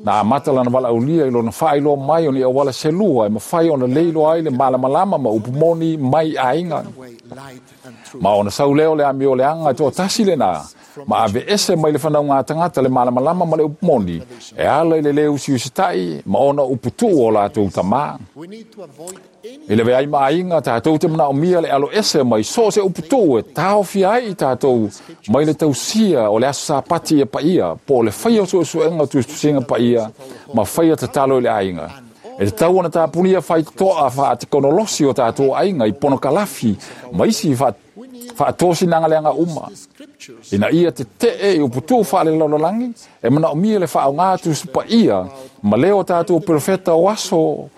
Na amata lana valaaulia i lona faailoa mai o ni auala selua e mafai ona leiloa ai le malamalama ma upu moni mai aiga. Ma ona sau lea o le amio leaga e toatasi lena, ma aveese mai le fanauga a tagata le malamalama ma le upu moni, e ala i le lē usiusitaʻi ma ona uputuʻu o latou tamā. I le veai ma aiga, tatou te manaomia le aloese mai so o se uputuʻu e taofia ai i tatou mai le tausia o le aso Sapati ia paia, po o le faia o suesuega o tusitusiga paia ma faia tatalo i le aiga. E tatau ona tapunia faitotoa faatekonolosi o tatou aiga i ponokalafi ma isi faatosinaga leaga uma. Ina ia teteʻe i uputuʻu faalelalolagi, e manaomia le faaaogā tusi paia ma leo o tatou perofeta o aso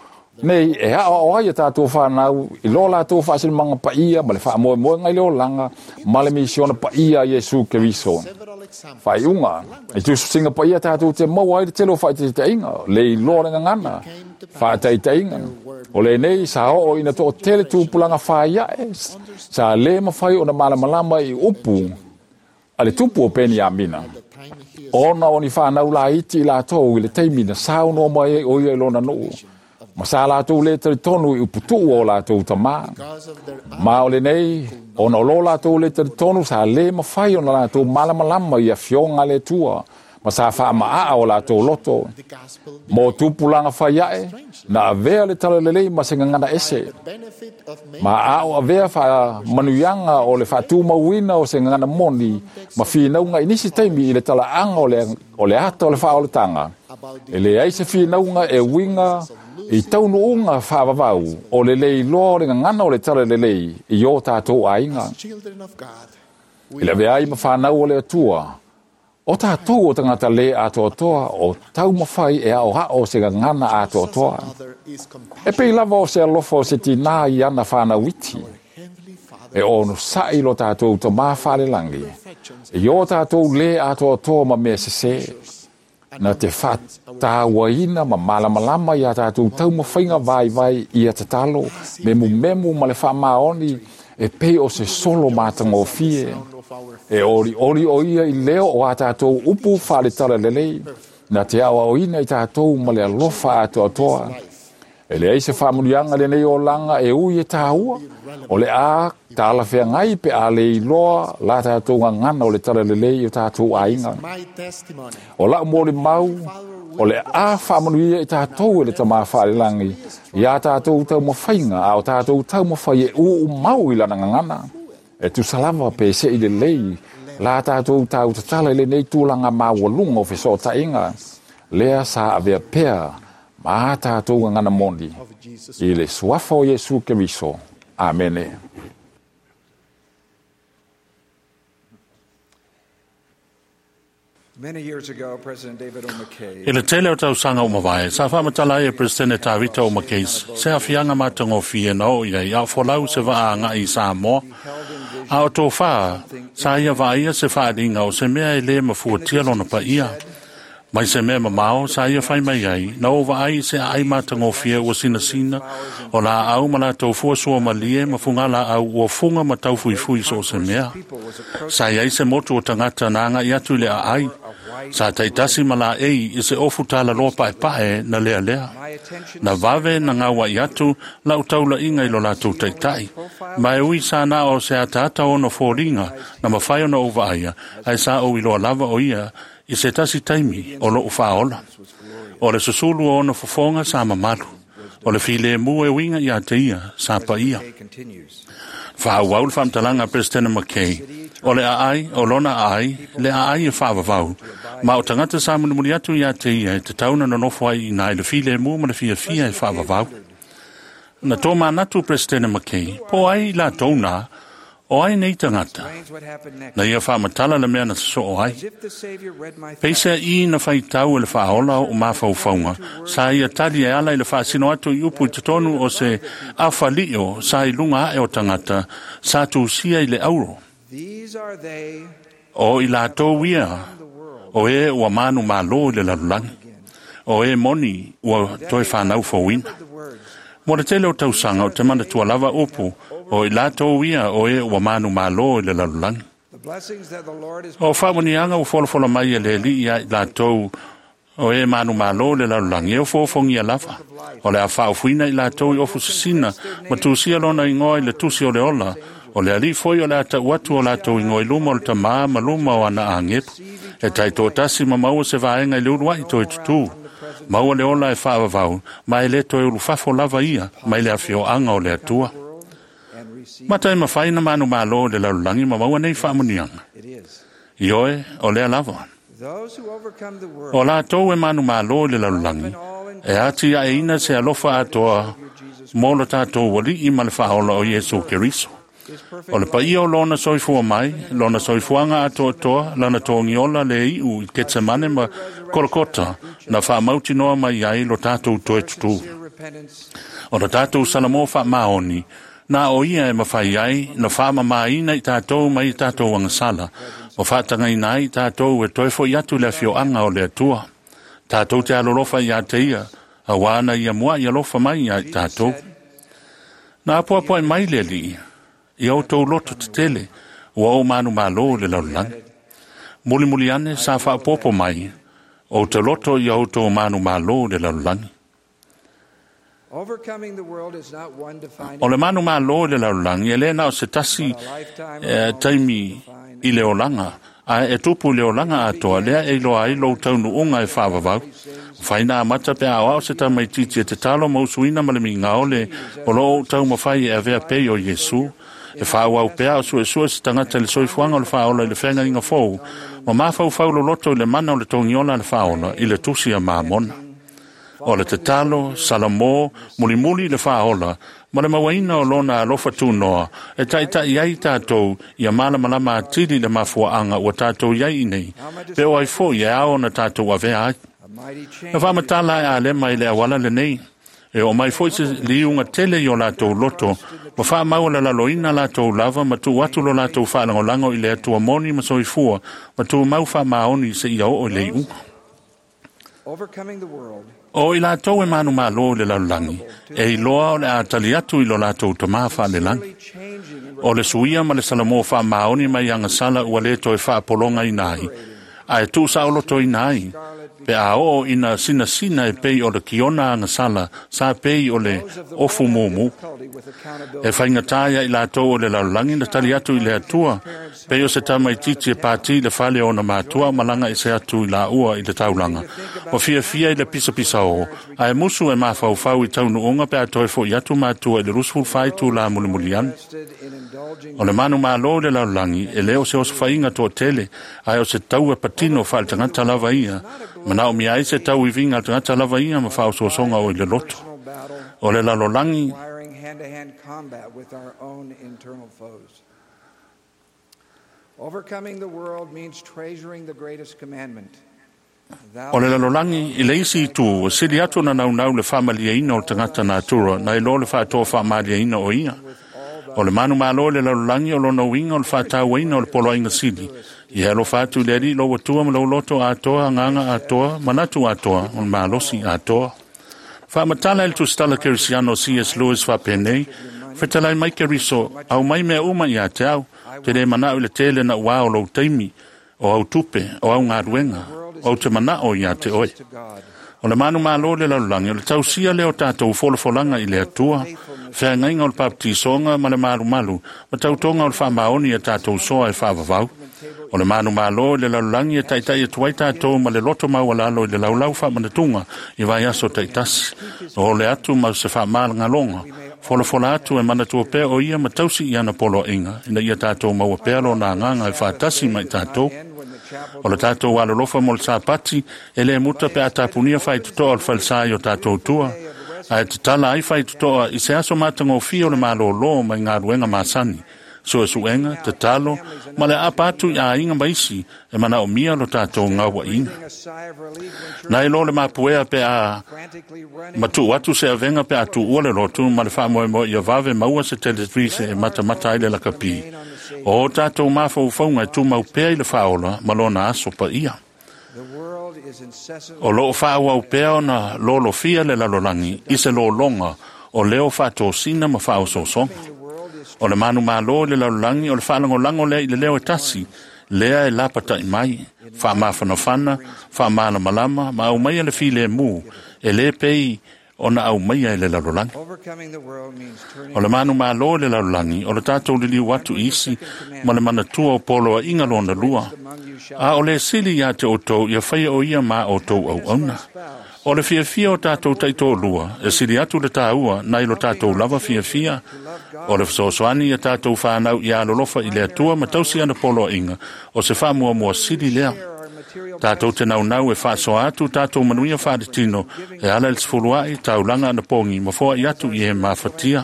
nei e aoao ai a tatou fanau i lo latou faasilimaga paia ma le faamoemoega i le olaga ma le misiona paia a Iesu Keriso. Faaiuga, i tusitusiga paia tatou te maua ai le tele o faaitaitaiga, le iloa le gagana, faataitaiga. O lenei sa oo ina toatele tupulaga faiaʻe sa lē mafai ona malamalama i upu a le tupu o Peniamina, ona o ni fanau laiti i latou i le taimi na saunoa mai ai o ia i lona nuu, ma sa latou lē talitonu i uputuʻu o latou tamā. Ma o lenei, ona o lo latou lē talitonu sa lē mafai ona latou malamalama i afioga a le Atua, ma sa faamaaa o latou loto. Mo tupulaga faiaʻe, na avea le talalelei ma se gagana ese. Ma a o avea faamanuiaga o le faatumauina o se gagana moni ma finauga i nisi taimi i le talaaga o le ata o le faaolataga, e leai se finauga e uiga i taunuuga faavavau o le lē iloa o le gagana o le talalelei i o tatou aiga. I le avea ai ma fanau o le Atua, o tatou o tagata lē atoatoa o taumafai e aoao se gagana atoatoa. E pei lava o se alofa o se tinā i ana fanau iti, e onosaʻi lo tatou Tamā faalelagi i o tatou lē atoatoa ma mea sesē, na te faatauaina ma malamalama iā tatou taumafaiga vaivai ia tatalo, memumemu ma le faamaoni e pei o se solo matagofie. E olioli o ia i leo o a tatou upu faaletalalelei, na te aoaoina i tatou ma le alofa atoatoa. E leai se faamanuiaga lenei olaga e ui e tāua, o le a talafeagai pe a le iloa la tatou gagana o le talalelei i o tatou aiga. O lau molimau, o le a faamanuia i tatou e le Tamā faalelagi iā tatou taumafaiga, a o tatou taumafai e uumau i lana gagana. E tusa lava pe seʻi lelei la tatou tautatala i lenei tulaga maualuga o fesootaiga, lea sa avea pea ma a tatou gagana moni i le suafa o Iesu Keriso. Amene. I le tele o tausaga ua mavae, sa faamatala ai e Peresetene Tavita O. McKay se aafiaga matagofie na oo i ai a o folau se vaa agai i Samoa. A o tofā, sa ia vaaia se faaaliga o se mea e lē mafuatia lona paia. Mai se mea mamao, sa ia fai mai ai, na ou vaai i se aai matagofie ua sinasina, o laau ma latou fua suamalie ma fugalaau ua fuga ma taufuifui so o se mea. Sa i ai se motu o tagata na agai atu i le aai. Sa taitasi ma laei i se ofu talaloa paepae na lealea. Na vave na gauaʻi atu lau taulaiga i lo latou taitai. Ma e ui sa na o se ataata ona foliga na mafai ona ou vaaia, ae sa ou iloa lava o ia i se tasi taimi o loʻu faaola. O le susulu o ona fofoga sa mamalu. O le filemu e uiga ia te ia, sa paia. Faaauau le faamatalaga a Peresetene McKay, o le aai, o lona aai, le aai e faavavau, ma o tagata sa mulimuli atu ia te ia e tatau ona nonofo ai i ina i le filemu ma le fiafia e faavavau. Na tomanatu Peresetene McKay, po o ai i latou na, o ai nei tagata? Na ia faamatala le mea na sosoo ai. Peiseai na faitau e le Faaola oʻu mafaufauga, sa ia tali e ala i le faasino atu i upu i totonu o se afalio sa i luga ae o tagata sa tusia i le auro. O i latou ia, o e ua manumalo i le lalolagi, o e moni ua toe fanau fouina. Mo le tele o tausaga ou te manatua lava upu, o i latou ia o e ua manumalo i le lalolagi. O faamanuiaga ua folafola mai e le Alii ia i latou o e manumalo i le lalolagi, e ofoofogia lava. O le a faaofuina i latou i ofu sisina ma tusia lona igoa i le tusi o le ola, o le Alii foi o le a tau atu o latou igoa i luma o le Tamā ma luma o ana agepu. E taitoatasi ma maua se vaega i le uluai toe tutū. Maua le ola e faavavau, ma e le toe ulufafo lava ia mai le afioaga o le Atua. Mata e mafai na manumalo i le lalolagi ma maua nei faamanuiaga. Ioe, o lea lava. O latou e manumalo i le lalolagi, e atiaeina se alofa atoa mo lo tatou Alii ma le Faaola o Iesu Keriso. O le paia o lona soifua mai, lona soifuaga atoatoa, lana togiola le iu i Ketsemane ma Kolokota, na faamautinoa mai ai lo tatou toe tutū. O lo tatou Salamo faamaoni, na o ia e mafai ai na faamamaina i tatou mai i tatou agasala, ma faatagaina ai i tatou e toe fo'i atu i le afioaga o le Atua. Tatou te alolofa ia te ia, auā na ia mua'i alofa mai ia i tatou. Na apoapoai mai le Alii, ia outou loto tetele, ua ou manumalo i le lalolagi. Mulimuli ane sa faaopoopo mai, ou te loto ia outou manumalo i le lalolagi. O le manumalo i le lalolagi, e le na o se tasi taimi i le olaga, ae e tupu i le olaga atoa, lea e iloa ai lou taunuuga e faavavau. Mafai na amata pe a aoao se tamaitiiti e tatalo ma usuina ma le migao le o loo ou taumafai e avea pei o Iesu. E faaauau pea o suesue se tagata i le soifuaga o le Faaola i le feagaiga fou, ma mafaufau loloto i le mana o le togiola a le Faaola i le tusi a Mamona. O le tatalo, Salamo, mulimuli i le Faaola, ma le mauaina o lona alofa tunoa, e taitai ai tatou ia malamalama atili i le mafuaaga ua tatou i ai i nei, pe o ai foi e ao ona tatou avea ai. Na faamatala e Alema i le auala lenei, e oo mai foi se liuga tele i o latou loto, ma faamau lalaloina latou lava ma tuu atu lo latou faalagolago i le Atua moni ma soifua, ma tumau faamaoni seia oo i le iuga. O i latou e manumalo i le lalolagi, e iloa o le a tali atu i lo latou Tamā faalelagi. O le suia ma le Salamo faamaoni mai agasala ua le toe faapologaina ai, ae tuusaolotoina ai, pe a oo ina sinasina e pei o le kiona agasala sa pei o le ofu mumu. E faigata ia i latou o le lalolagi na tali atu i le Atua, pei o se tamaitiiti e pati i le fale o ona matua malaga ese atu i laua i le taulaga, ma fiafia i le pisapisa o, ae musu e mafaufau i taunuuga pe a toe fo'i atu matua i le 24 itulā mulimuli ane. O le manumalo i le lalolagi, e le o se osofaiga toatele, ae o se taua patino faaletagata lava ia, manaomia ai se tauiviga a le tagata lava ia ma faaosoosoga o i le loto. O le lalolagi O le lalolagi i le isi itu, ua sili atu ona naunau le faamalieina o le tagata natura nai lo le faatoafaamaliaina o ia. O le manumalo i le lalolagi o lona uiga o le faatauaina o le poloaiga sili. Ia e alofa atu i le Alii lou Atua ma lou loto atoa, agaga atoa, manatu atoa, o le malosi atoa. Faamatala e le tusitala kerisiano C.S. Lewis faapenei, Fetalai mai Keriso, aumai mea uma ia te au, te le manao i le tele na ua o lou taimi, o au tupe, o au galuega, ou te manao ia te oe. O le manumalo i le lalolagi, o le tausia lea o tatou folafolaga i le Atua, feagaiga o le papatisoga ma le malumalu, ma tautoga o le faamaoni ia tatou soa e faavavau. O le manumalo i le lalolagi e taʻitaʻi atu ai tatou ma le loto maualalo i le laulau faamanatuga i vaiaso taʻitasi. O le atu ma se faamalagaloga folafola atu e manatua pea o ia ma tausi i ana poloaiga ina ia tatou maua pea lona agaga e faatasi ma i tatou. O le tatou alolofa mo le Sapati e lē muta pe a tapunia faitotoa o le falesā i o tatou tua, ae tatala ai faitotoa i se aso matagofie o le malōlō mai galuega masani, suesuega, tatalo ma le aapa atu i aiga ma isi e manaomia lo tatou gauaʻiga. Na iloa le mapuea pe a matuu atu se avega pe a tuua le lotu ma le faamoemoe ia vave maua se televise e matamata ai le lakapi. O tatou mafaufauga e tumau pea i le faaola ma lona aso paia. O loo faaauau pea ona lolofia le lalolagi i se lologa o leo faatosina ma faaosoosoga. O le manumalo i le lalolagi o le faalagolago lea i le leo e tasi, lea e lapataʻi mai, faamafanafana, faamalamalama ma aumaia le filemu e lē pei ona aumaia e le lalolagi. O le manumalo i le lalolagi o le tatou liliu atu i isi ma le manatua o poloaiga lona lua. A o le sili iā te outou ia faia o ia ma outou auauna. O le fiafia o tatou taitolua e sili atu le tāua nai lo tatou lava fiafia. O le fesoasoani ia tatou whānau i alolofa i le Atua ma tausi ana poloaiga o se faamuamua sili lea. Tatou te naunau e faasoa atu tatou manuia faaletino e ala i le sefuluaʻi taulaga anapogi ma foaʻi atu i e mafatia.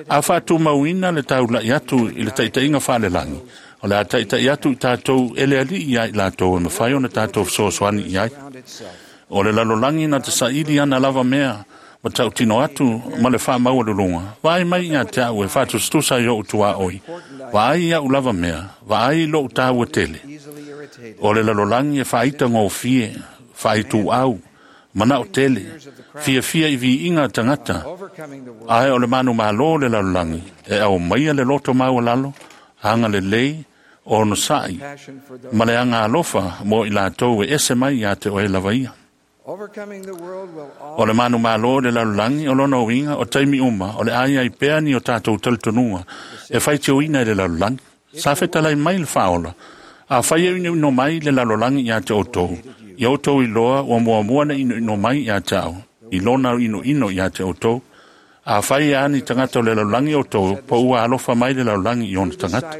A faatumauina le taulaʻi atu i le taʻitaʻiga faalelagi, o le a taʻitaʻi atu i tatou e le alii ia i latou e mafai ona tatou fesoasoani i ai. O le lalolagi na te saili ana lava mea ma tautino atu ma le faamaualuluga. Vaai mai iā te aʻu e faatusatusa i oʻu tuaʻoi. Vaai iaʻu lava mea, vaai loʻu tāua tele. O le lalolagi e faaita gofie, faaituau, manao tele, fiafia i viiga tagata, ae o le manumalo le lalolagi e aumaia le loto maualalo, agalelei, onosaʻi, ma le agalofa mo i latou e ese mai iā te oe lava ia. O le manumalo le lalolagi o lona uiga o taimi uma o le ai ai pea ni o tatou talitonuga e faitioina i le lalolagi. Sa fetalai mai le faaola, a fai e inoino mai le lalolagi iā te outou, ia outou iloa ua muamua na inoino mai iā te au, i lona inoino iā te outou. A fai e ani tagata o le lalolagi outou, po ua alofa mai le lalolagi i ona tagata.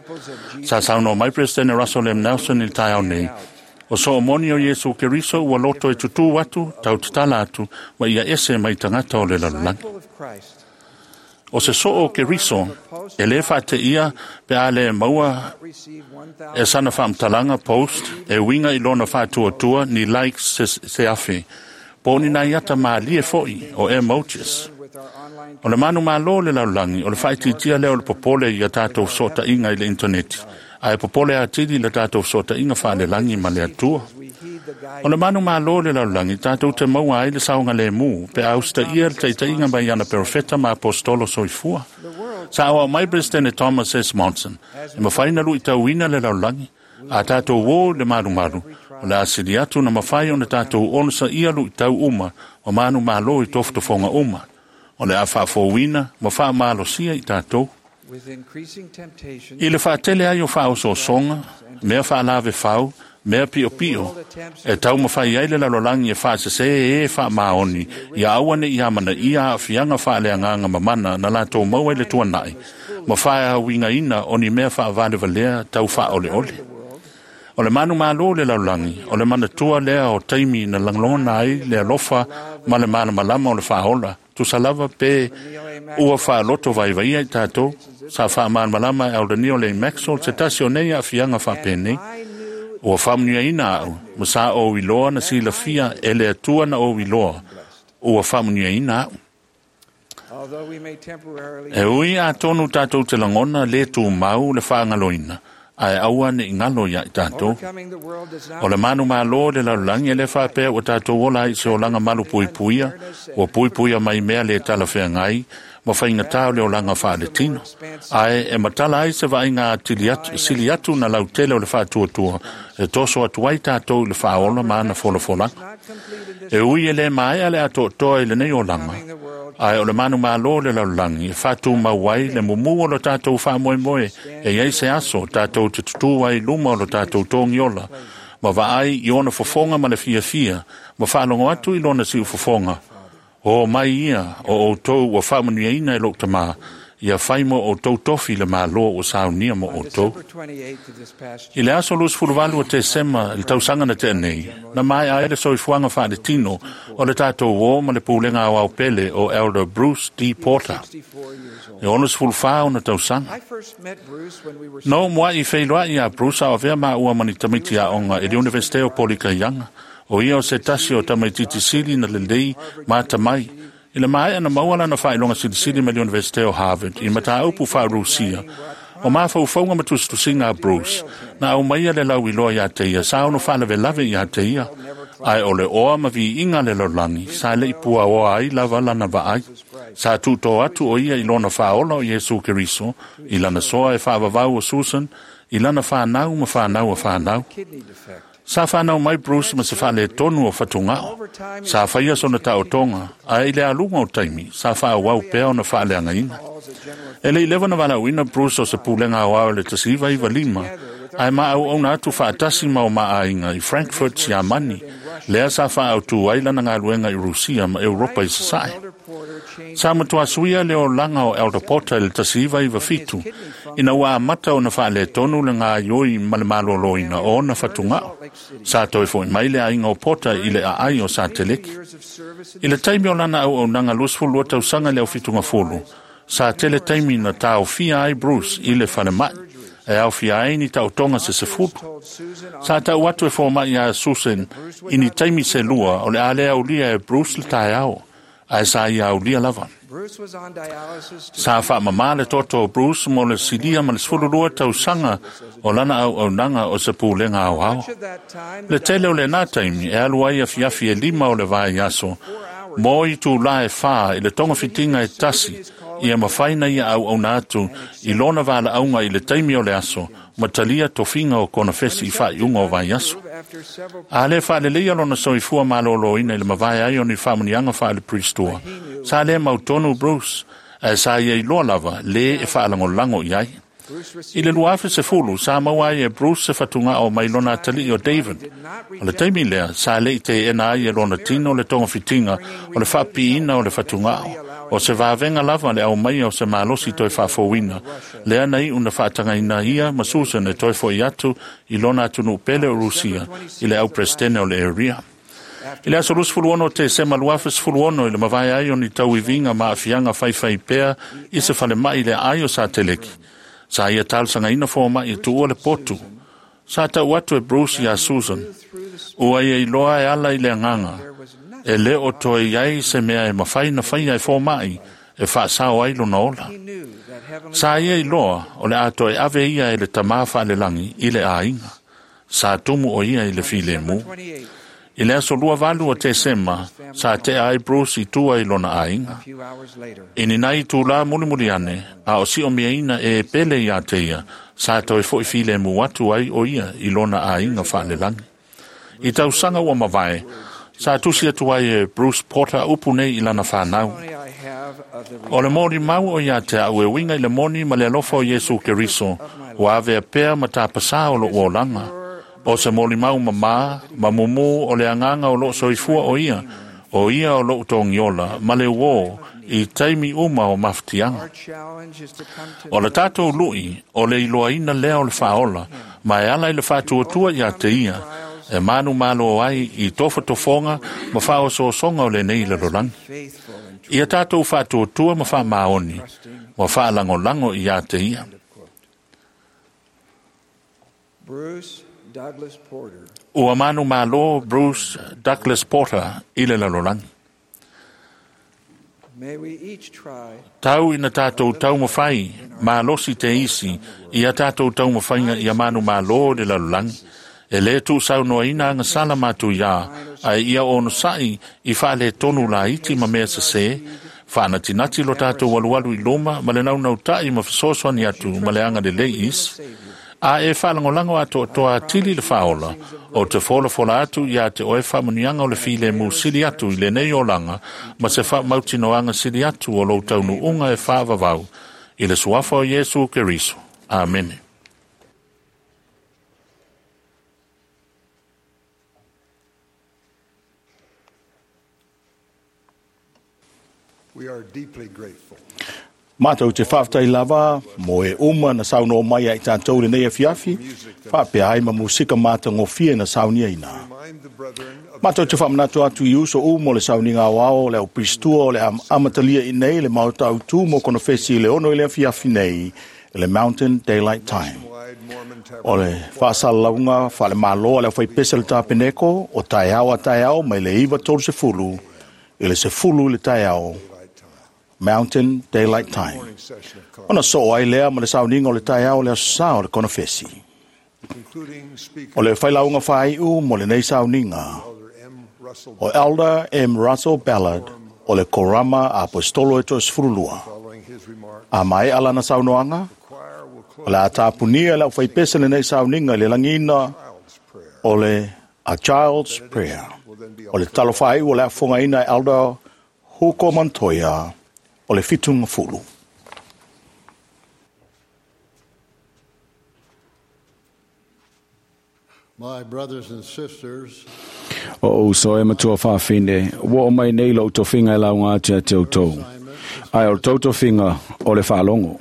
Sa saunoa mai Peresetene Russell M. Nelson i le taeao nei, o soomoni o Iesu Keriso ua loto e tutū atu, tau tatala atu, ma ia ese mai tagata o le lalolagi. O se soo o Keriso, e lē faateia pe a le maua e sana faamatalaga post e uiga i lona faatuatua ni likes se afe, po o ni nai ata malie foʻi o emojis. O le manumalo le lalolagi o le faaitiitia lea o le popole ia tatou fesootaiga i le intaneti, ae popole atili le tatou fesootaiga faalelagi ma le Atua. O le manumalo le lalolagi tatou te maua ai le saogalēmū pe a usitaia le taʻitaʻiga mai ana perofeta ma apostolo soifua. Sa auau mai Peresetene Thomas S. Monson, e mafai na luʻitauina le lalolagi, a tatou ō i le malumalu, o le asili atu na mafai ona tatou onosaia luʻitau uma ma manumalo i tofotofoga uma. O le a faafouina ma faamalosia i tatou. I le faatele ai o faaosoosoga, mea faalavefau, mea piopio, e taumafai ai le lalolagi e faasesē e faamaoni ia aua neʻi amanaia aafiaga faaleagaga mamana na latou maua i le tuanaʻi, ma faauigaina o ni mea faavalevalea tau faaoleole. O le manumalo le lalolagi, o le manatua lea o taimi na lagona ai le alofa ma le malamalama o le faaola, tusa lava pe ua faaloto vaivaia i tatou, sa faamalamalama e Aulani o le Maxwell se tasi o nei aafiaga faapenei. Ua faamanuiaina au, ma sa ou iloa na silafia e le Atua na ou iloa, ua faamanuiaina au. E ui atonu tatou te lagona lē tumau le faagaloina, ae aua neʻi galo iā i tatou. O le manumalo le lalolagi e lē faapea ua tatou ola ai i se olaga malupuipuia, ua puipuia mai mea lē talafeagai ma faigatā o le olaga faaletino. Ae e matala ai se vaaiga atili atu, sili atu na lautele o le faatuatua e toso atu ai tatou i le faaola ma ana folafolaga. E ui e lē maea le atoatoa i lenei olaga, Ae o le manumalo o le lalolagi e faatumau ai le mumu o lo tatou faamoemoe e i ai se aso tatou te tutū ai i luma o lo tatou togiola ma vaai i ona fofoga ma le fiafia ma faalogo atu i lona siufofoga. O mai ia o outou ua faamanuiaina e lou Tamā, ia fai mo outou tofi le Malo ua saunia mo outou. I le aso 28 o Tesema i le tausaga na tea nei, na maea ai le soifuaga faaletino o le tatou uō ma le pulega aoao pele o Elder Bruce D. Porter, e 64 ona tausaga. Na oo muai feiloai iā Bruce a o avea maua ma ni tamaiti aoga i le Iunivesite o Polikaiaga. O ia o se tasi o tamaitiiti sili na lelei ma atamai. I le maea na maua lana faailoga silisili mai le Iunivesite o Harvard i mataupu faa-Rusia, o mafaufauga ma tusitusiga a Bruce na aumaia le lauiloa iā te ia sa ono faalavelave iā te ia, ae o le oa ma viiga a le lalolagi sa le i puaoa ai lava lana vaai. Sa tuutō atu o ia i lona Faaola o Iesu Keriso i lana soa e faavavau o Susan i lana fanau ma fanau a fanau. Sa fanau mai Bruce ma se faaletonu o fatugao. Sa faia sona taotoga, ae i le aluga o taimi, sa faaauau pea ona faaleagaina. E le i leva ona valaauina Bruce o se pulega aoao i le 1995, ae ma auauna atu faatasi ma o maaiga i Frankfurt, Siamani, lea sa faaautu ai lana galuega i Rusia ma Europa i Sasae. Sa matua suia le olaga o Elder Porter i le 1997, ina ua amata ona faaletonu le gaoioi ma le maloloina o ona fatugao. Sa toe foi mai le aiga o Porter i le aai o Sateleki. I le taimi o lana auaunaga 22 tausaga i le aufitugafulu, sa tele taimi na taofia ai Bruce i le falemai, e aofia ai ni taotoga se 10. Sa tau atu e fomai iā Susan i ni taimi se lua o le a le aulia e Bruce le taeao, ae sa ia aulia lava. Sa faamamā le toto o Bruce mo le silia ma le 12 tausaga o lana auaunaga o se pulega aoao. Le tele o lenā taimi e alu ai afiafi e 5 o le vaiaso mo itulā e 4 i le togafitiga e tasi ia mafai na ia auauna atu i lona valaauga i le taimi o le aso ma talia tofiga o konofesi i faaiuga o vaiaso. A le faaleleia lona soifua malōlōina i le mavae ai o ni faamanuiaga faale-Priestua, sa le mautonu Bruce, ae sa ia iloa lava lē e faalagolago i ai. I le 2010, sa maua ai e Bruce se fatugao mai lona atalii o David. O le taimi lea, sa le i teena ai e lona tino le togafitiga o le faapiiina o le fatugao. O se vavega lava le aumaia o se malosi toe faafouina, lea na iu na faatagaina ia ma Susan e toe fo'i atu i lona atunuu pele o Rusia i le au-Peresetene o le Area. I le aso 26 o Tesema 2016 i le mavae ai o ni tauiviga ma aafiaga faifai pea i se falemai i le aai o Sateleki, sa ia talosagaina fomai e tuua le potu. Sa tau atu e Bruce iā Susan, ua ia iloa e ala i le agaga, e le o toe i ai se mea e mafai na faia e fomai e faasao ai lona ola. Sa ia iloa o le a toe ave ia e le Tamā faalelagi i le aiga. Sa tumu o ia i le filemu. I le aso 28 o Tesema, sa tea ai Bruce i tua i lona aiga. I ni nai itulā mulimuli ane, a o siomiaina e pele iā te ia, sa toe fo'i filemu atu ai o ia i lona aiga faalelagi. I tausaga ua mavae, sa tusi atu ai e Bruce Porter upu nei i lana fanau. O le molimau o ia te au e uiga i le moni ma le alofa o Iesu Keriso, ua avea pea ma tapasā o lou olaga. O se molimau mamā, ma mumu o le agaga o loo soifua o ia, o ia o lou togiola ma le uō i taimi uma o mafatiaga. O le tatou lui, o le iloaina lea o le Faaola, ma e ala i le faatuatua iā te ia, e manumalo ai i tofotofoga ma faaosoosoga o lenei lalolagi. Ia tatou faatuatua ma faamaoni, ma faalagolago iā te ia. Ua manumalo Bruce Douglas Porter i le lalolagi. Tau ina tatou taumafai malosi te isi i a tatou taumafaiga ia manumalo i le lalolagi. E lē tuusaunoaina agasala matuiā, ae ia onosa'i i faaletonu laiti ma mea sesē, faanatinati lo tatou alualu i luma ma le naunauta'i ma fesoasoani atu ma le agalelei i isi. A e faalagolago atoatoa atili le faaola, ou te folafola atu iā te oe faamanuiaga o le filemu sili atu i lenei olaga ma se faamautinoaga sili atu o lou taunuuga e faavavau i le suafa o Iesu Keriso. Amene. We are deeply grateful. Mātou te whaatai lava, mo e uma na saunoa mai ai tātou lenei afiafi, whaapea ai ma musika mātagofie na saunia ina. Mātou te whaamanatu atu i uso u mo le sauninga o ao le au pristua o le amatalia i nei le maota autu mo konofesi i le 6 i le afiafi nei i le Mountain Daylight Time. O le whaasalalaunga whaale māloa le au whaipese le tāpeneko o taeao a taeao mai le 9:30 i le 10 i le taeao Mountain Daylight Time. Ona so ai lea ma le sauninga o le taeao le aso sa o le konofesi. O le whailaunga whaiu mo le nei sauninga o Elder M. Russell Ballard o le Korama Apostolo e 32. A mai alana saunoanga, o le atapunia le au whaipese le nei sauninga i le langina o le A Child's Prayer. O le talo whaiu o le afongaina Elder Huko Montoya o le fitunga fulu. My brothers and sisters, O uso e matua whaafine, ua o mai nei lo tofinga e launga atu e te outou. Ai o tau tofinga o le whaalongo.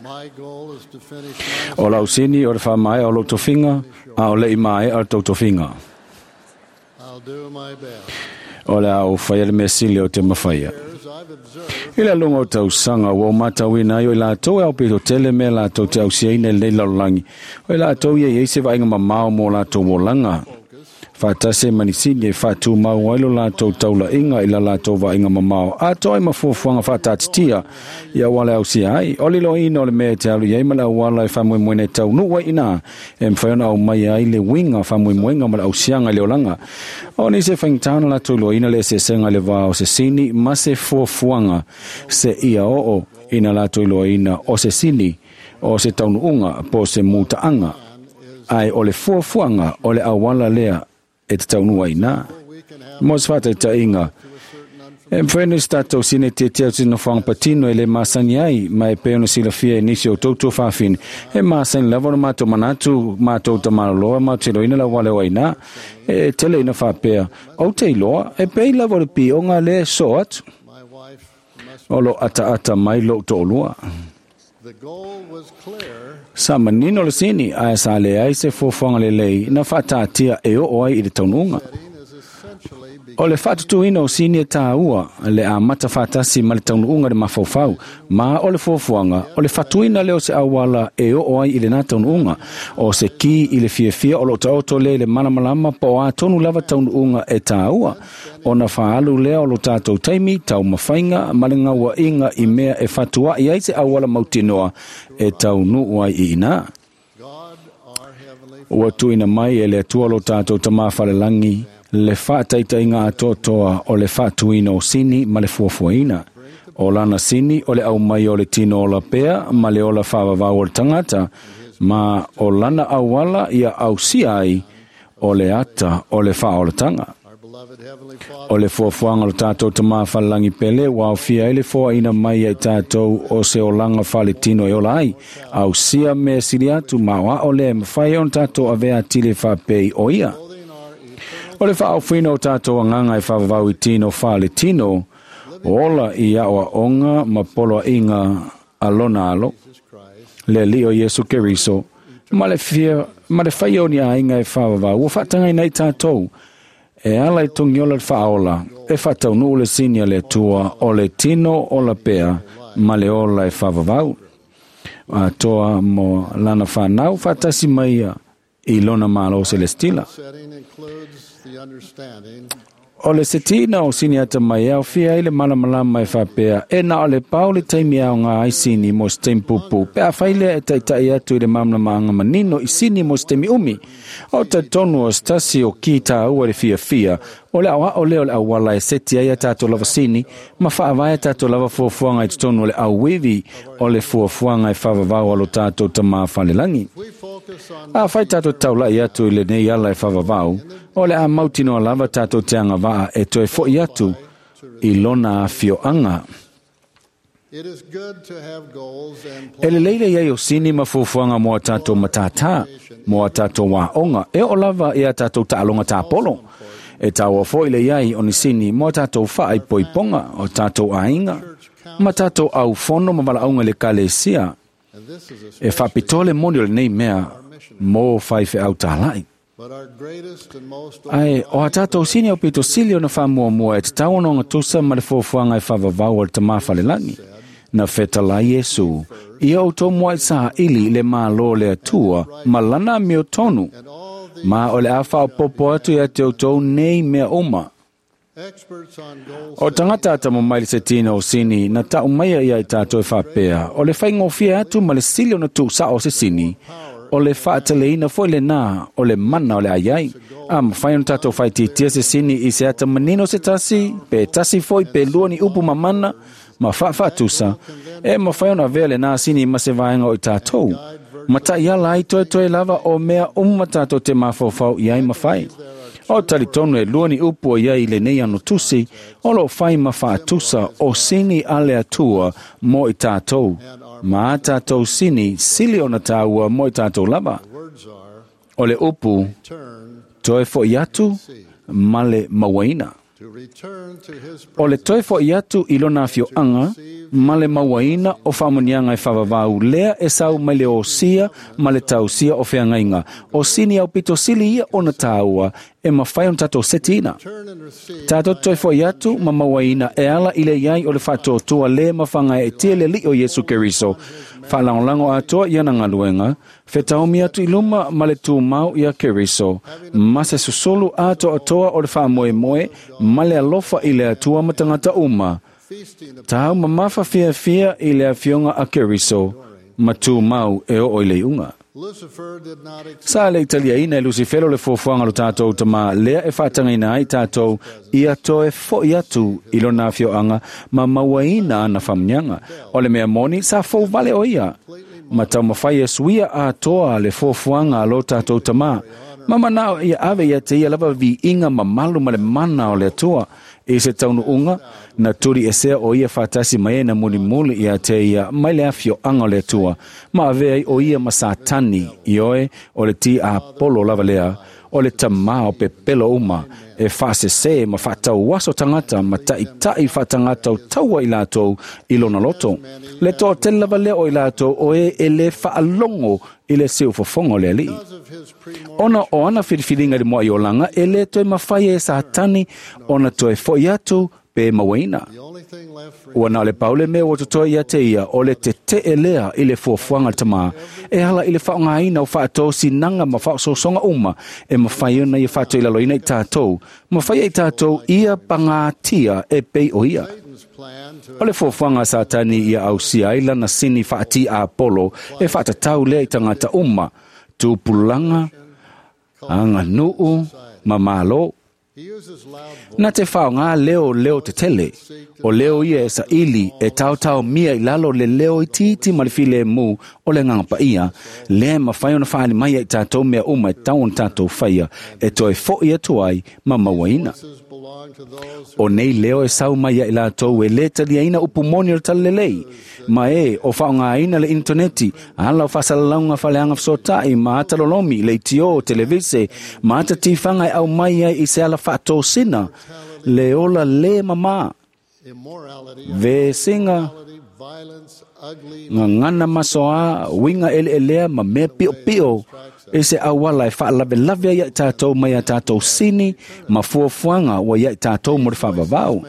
my goal is to finish my O lau sini o le whaamae o lo tofinga, a o le i mae o tau tofinga. I'll do my best. O le au whaia le mesili o te mawhaia. I le lunga o tausanga, ua o matauina ai o i lātou e au pito tele me lātou te ausiaina i lenei lalolagi. O i lātou ia i se vaaiga mamao mo lātou olaga. Whaatase manisini e whaatumau ai lo lātou taulaiga i la lātou vaaiga mamao. Atoa ai mafuafuaga faataatitia i auala e ausia ai. O le iloaina o le mea e te alu i ai ma le auala e faamoemoena e taunuu ai inā. E mafai ona aumai ai le uiga faamoemoega ma le ausiaga i le olaga. O nisi e faigata ona latou iloaina le eseesega i le vā o se sini ma se fuafuaga se ia oo ina latou iloaina o se sini o se taunuuga po o se mutaaga. Ai o le fuafuaga o le auala lea e te taunua ina. Mo se whātaitaiga, e mwhai se tātou sine te te atu na whanga patino e le masani ai, ma e pē ona silafia e nisi o tautua whawhine. E masani lava o mātou manatu, mātou tamaraloa, mātou te roina la wale o ina, e tele ina whapea. O te iloa, e pē lava o le pi o ngā le so atu. O lo ata ata mai lo to'olua. The goal was clear. Sa manino le sini, ae sa le ai se fuafuaga lelei na faataatia e oo ai i le taunuuga. O le faatutuina o sini e tāua le amata faatasi ma le taunuuga le mafaufau, ma o le fuafuaga o le fatuina lea o se auala e oo ai i lenā taunuuga. O se ki i le fiafia o loo taoto lea i le malamalama po o a tonu lava taunuuga e tāua. Ona faalu lea o lo tātou taimi, taumafaiga ma le gauaʻiga i mea e fatuaʻi ai se auala mautinoa e taunuu ai i inā. Ua tuuina mai e le Atua lo tātou tamā falelagi le faataitaiga atoatoa o le faatuina o sini ma le fuafuaina. O lana sini o le aumai o le tino ola pea ma le ola faavavau o le tagata, ma o lana auala ia ausia ai o le ata o le faaolataga. O le fuafuaga o le tātou tamā falelagi pele ua aofia ai le foaina mai ai tātou o se olaga faletino e ola ai. Ausia mea sili atu ma o ao lea e mafai ona tātou avea atili faapei o ia. O le faaofuina o tātou agaga e faavavau i tino faletino, ola i aoaoga ma poloaiga a lona alo, le Alii o Iesu Keriso, ma le fia ma le faia o ni aiga e faavavau ua faatagaina ai tātou e ala i togiola le faaola e faataunuu le sini a le Atua o le tino ola pea ma le ola e faavavau. Atoa mo lana whanau whaatasi mai ia i lona malo celestila. Setting includes the understanding O le setina o sini ata mai au fia i le malamalama e whapea e na o le pau le taimi au ngā ai sini mo se taimi pupu. Pe a whailea e taitai atu i le malamalama manino i sini mo se taimi umi. O talitonu o se tasi o ki tāua le fiafia o le aoao lea o le auala e seti ai a tātou lava sini ma faavae a tātou lava fuafuaga i totonu o le auivi o le fuafuaga e faavavau a lo tātou tamā falelagi. Afai tātou taulai atu i lenei ala e faavavau, o le a mautinoa lava tātou te agavaa e toe fo'i atu i lona afioaga. E lelei le iai o sini ma fuafuaga mo a tātou matātā, mo a tātou aoga, e oo lava i a tātou taaloga tāpolo. E taua foi le iai o ni sini mo a tātou faaipoipoga, o tātou aiga, ma tātou aufono ma valaauga i le ekalesia. E faapitoa le moni o lenei mea mo faifeau tālai. Ae o a tātou sini aupito sili ona faamuamua e tatau ona ogatusa ma le fuafuaga e faavavau a le Tamā Falelagi. Na fetalai Iesu, ia outou muaʻi saʻili i le Malo o le Atua ma lana amiotonu, ma o le a faaopoopo atu ia te outou nei mea uma. O tagata atamamai i le setiina o sini na taʻu maia ia i tātou e faapea, o le faigofie atu ma le sili ona tuusaʻo o se sini, o le faateleina foi lenā o le mana o le a iai. A mafai ona tātou faaitiitia se sini i se ata manino se tasi, pe tasi foi pe lua ni upu mamana ma faafaatusa, e mafai ona avea lenā sini ma se vaega o i tātou. Ma taiala ai toetoe lava o mea uma tātou te mafaufau i ai ma fai. O talitonu e lua ni upu o iai i lenei ano tusi, o loo fai ma faatusa o sini a le Atua mo i tātou, ma a tātou sini sili ona tāua mo i tātou lava. O le upu, toe foʻi atu ma le mauaina. O le toe foʻi atu i lona afioaga ma le mauaina o faamanuiaga e faavavau lea e sau mai le osia ma le tausia o feagaiga. O sini aupito sili ia ona tāua e mafai ona tātou setiina. Tātou toe foʻi atu ma mauaina e ala i le iai o le faatuatua le mafagaeetia le Alii o Iesu Keriso. Faalagolago atoa i ana galuega, fetaomi atu i luma ma le tumau ia Keriso, ma se susulu atoatoa o le faamoemoe ma le alofa i le Atua ma tagata uma. Tau mamafa fiafia i le afioga a Keriso, ma tumau e oo i le iuga. Sa le i taliaina e Lusifelo le fuafuaga o lo tātou Tamā lea e faatagaina ai tātou ia toe foʻi atu i lona afioaga ma mauaina ana faamanuiaga. O le mea moni, sa fou vale o ia ma taumafai e suia atoa le fuafuaga a lo tātou Tamā, ma manao ia ave ia te ia lava viiga mamalu ma le mana o le Atua. I se taunuuga, na tuliesea o ia faatasi ma e na mulimuli ia te ia mai le afioaga o le Atua, ma avea ai o ia ma Satani, ioe, o le tiapolo lava lea, o le tamā o pepelo uma, e faasesē ma faatauaso tagata ma taʻitaʻi faatagata o taua i latou i lona loto. Le toatele lava lea o i latou o e e lē faalogo i le siufofoga o le Alii. Ona o ana filifiliga i le muaʻi olaga, e lē toe mafai e Satani ona toe foʻi atu pe mauaina. Ua na o le pau le mea ua totoe ia te ia, o le tetee lea i le fuafuaga a le Tamā, e ala i le faaaogaina o faatosinaga ma faaosoosoga uma e mafai ona ia faatoilaloina i tātou, ma faia i tātou ia pagatia e pei o ia. O le fuafuaga a Satani ia ausia ai lana sini faatiapolo e faatatau lea i tagata uma, tupulaga, aganuu ma Malo. Na te faaaogā leo leo tetele, o leo ia e saili e taotaomia i lalo o le leo itiiti ma le filemu o le Agaga Paia, lea e mafai ona faaali mai ia i tatou mea uma e tatau ona tatou faia e toe foʻi atu ai ma mauaina. O nei leo e sau mai ia i latou e lē taliaina upu moni o le Talalelei, ma e o faaaogāina le initoneti, ala o faasalalauga faaleaga fesootaʻi ma ata lolomi, leitio, televise, ma ata tifaga e aumai ai i se ala faatosina le ola lē mamā, vesiga, gagana masoā, uiga eleelea ma mea piʻopiʻo i se auala e faalavelave ai ia i tātou mai a tātou sini ma fuafuaga ua ia i tātou mo le faavavau.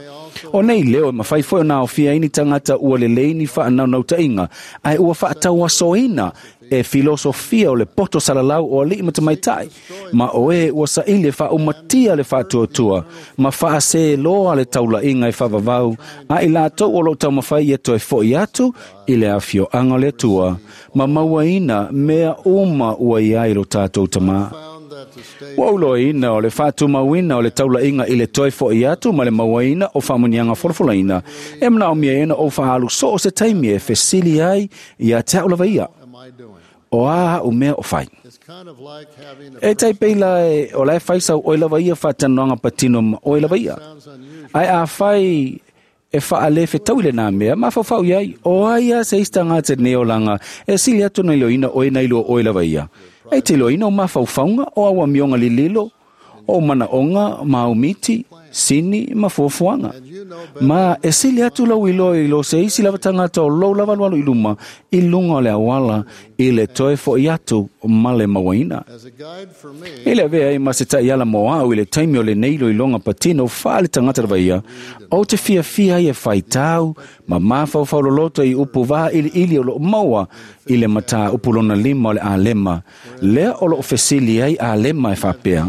O nei leo e mafai foi ona aofia ai ni tagata ua lelei ni faanaunautaiga ae ua faatauasoina e filosofia o le poto salalau o alii ma tamaitai, ma o e ua saili e faaumatia le faatuatua ma faaseloa le taulaiga e faavavau a i latou o loo taumafai ia toe foʻi atu i le afioaga o le Atua ma mauaina mea uma ua i ai lo tātou Tamā. Ua ou iloaina o le faatumauina o le taulaiga i le toe foʻi atu ma le mauaina o faamanuiaga folafolaina e manaomia ai ona ou faaalu soo se taimi e fesili ai ia te au lava ia. O a a'u mea o fai. E tai pei la e, o la e fai sau oe lava ia whaatanoanga patino ma oe lava ia. Ai a fai e whaale whetau i le nā mea, ma whawhau iai, o ai a se ista ngā te neolanga, e sili atu nei loina oe nei lo oe lava ia. E te loina o mawhauwhaunga o awa mionga lililo, o manaonga, maumiti, sini, ma fuafuaga. Ma e sili atu lau iloa i lo se isi lava tagata o lou lava alualu i luma i luga o le auala i le toe fo'i atu ma le mauaina. I le avea ai ma se ta'iala mo a'u i le taimi o lenei iloiloga patino fa'aletagata lava ia, ou te fiafia ai e faitau ma mafaufau loloto i upu vailiili o lo'o maua i le matāupu lona 5 o le Alema, lea o lo'o fesili ai Alema e faapea,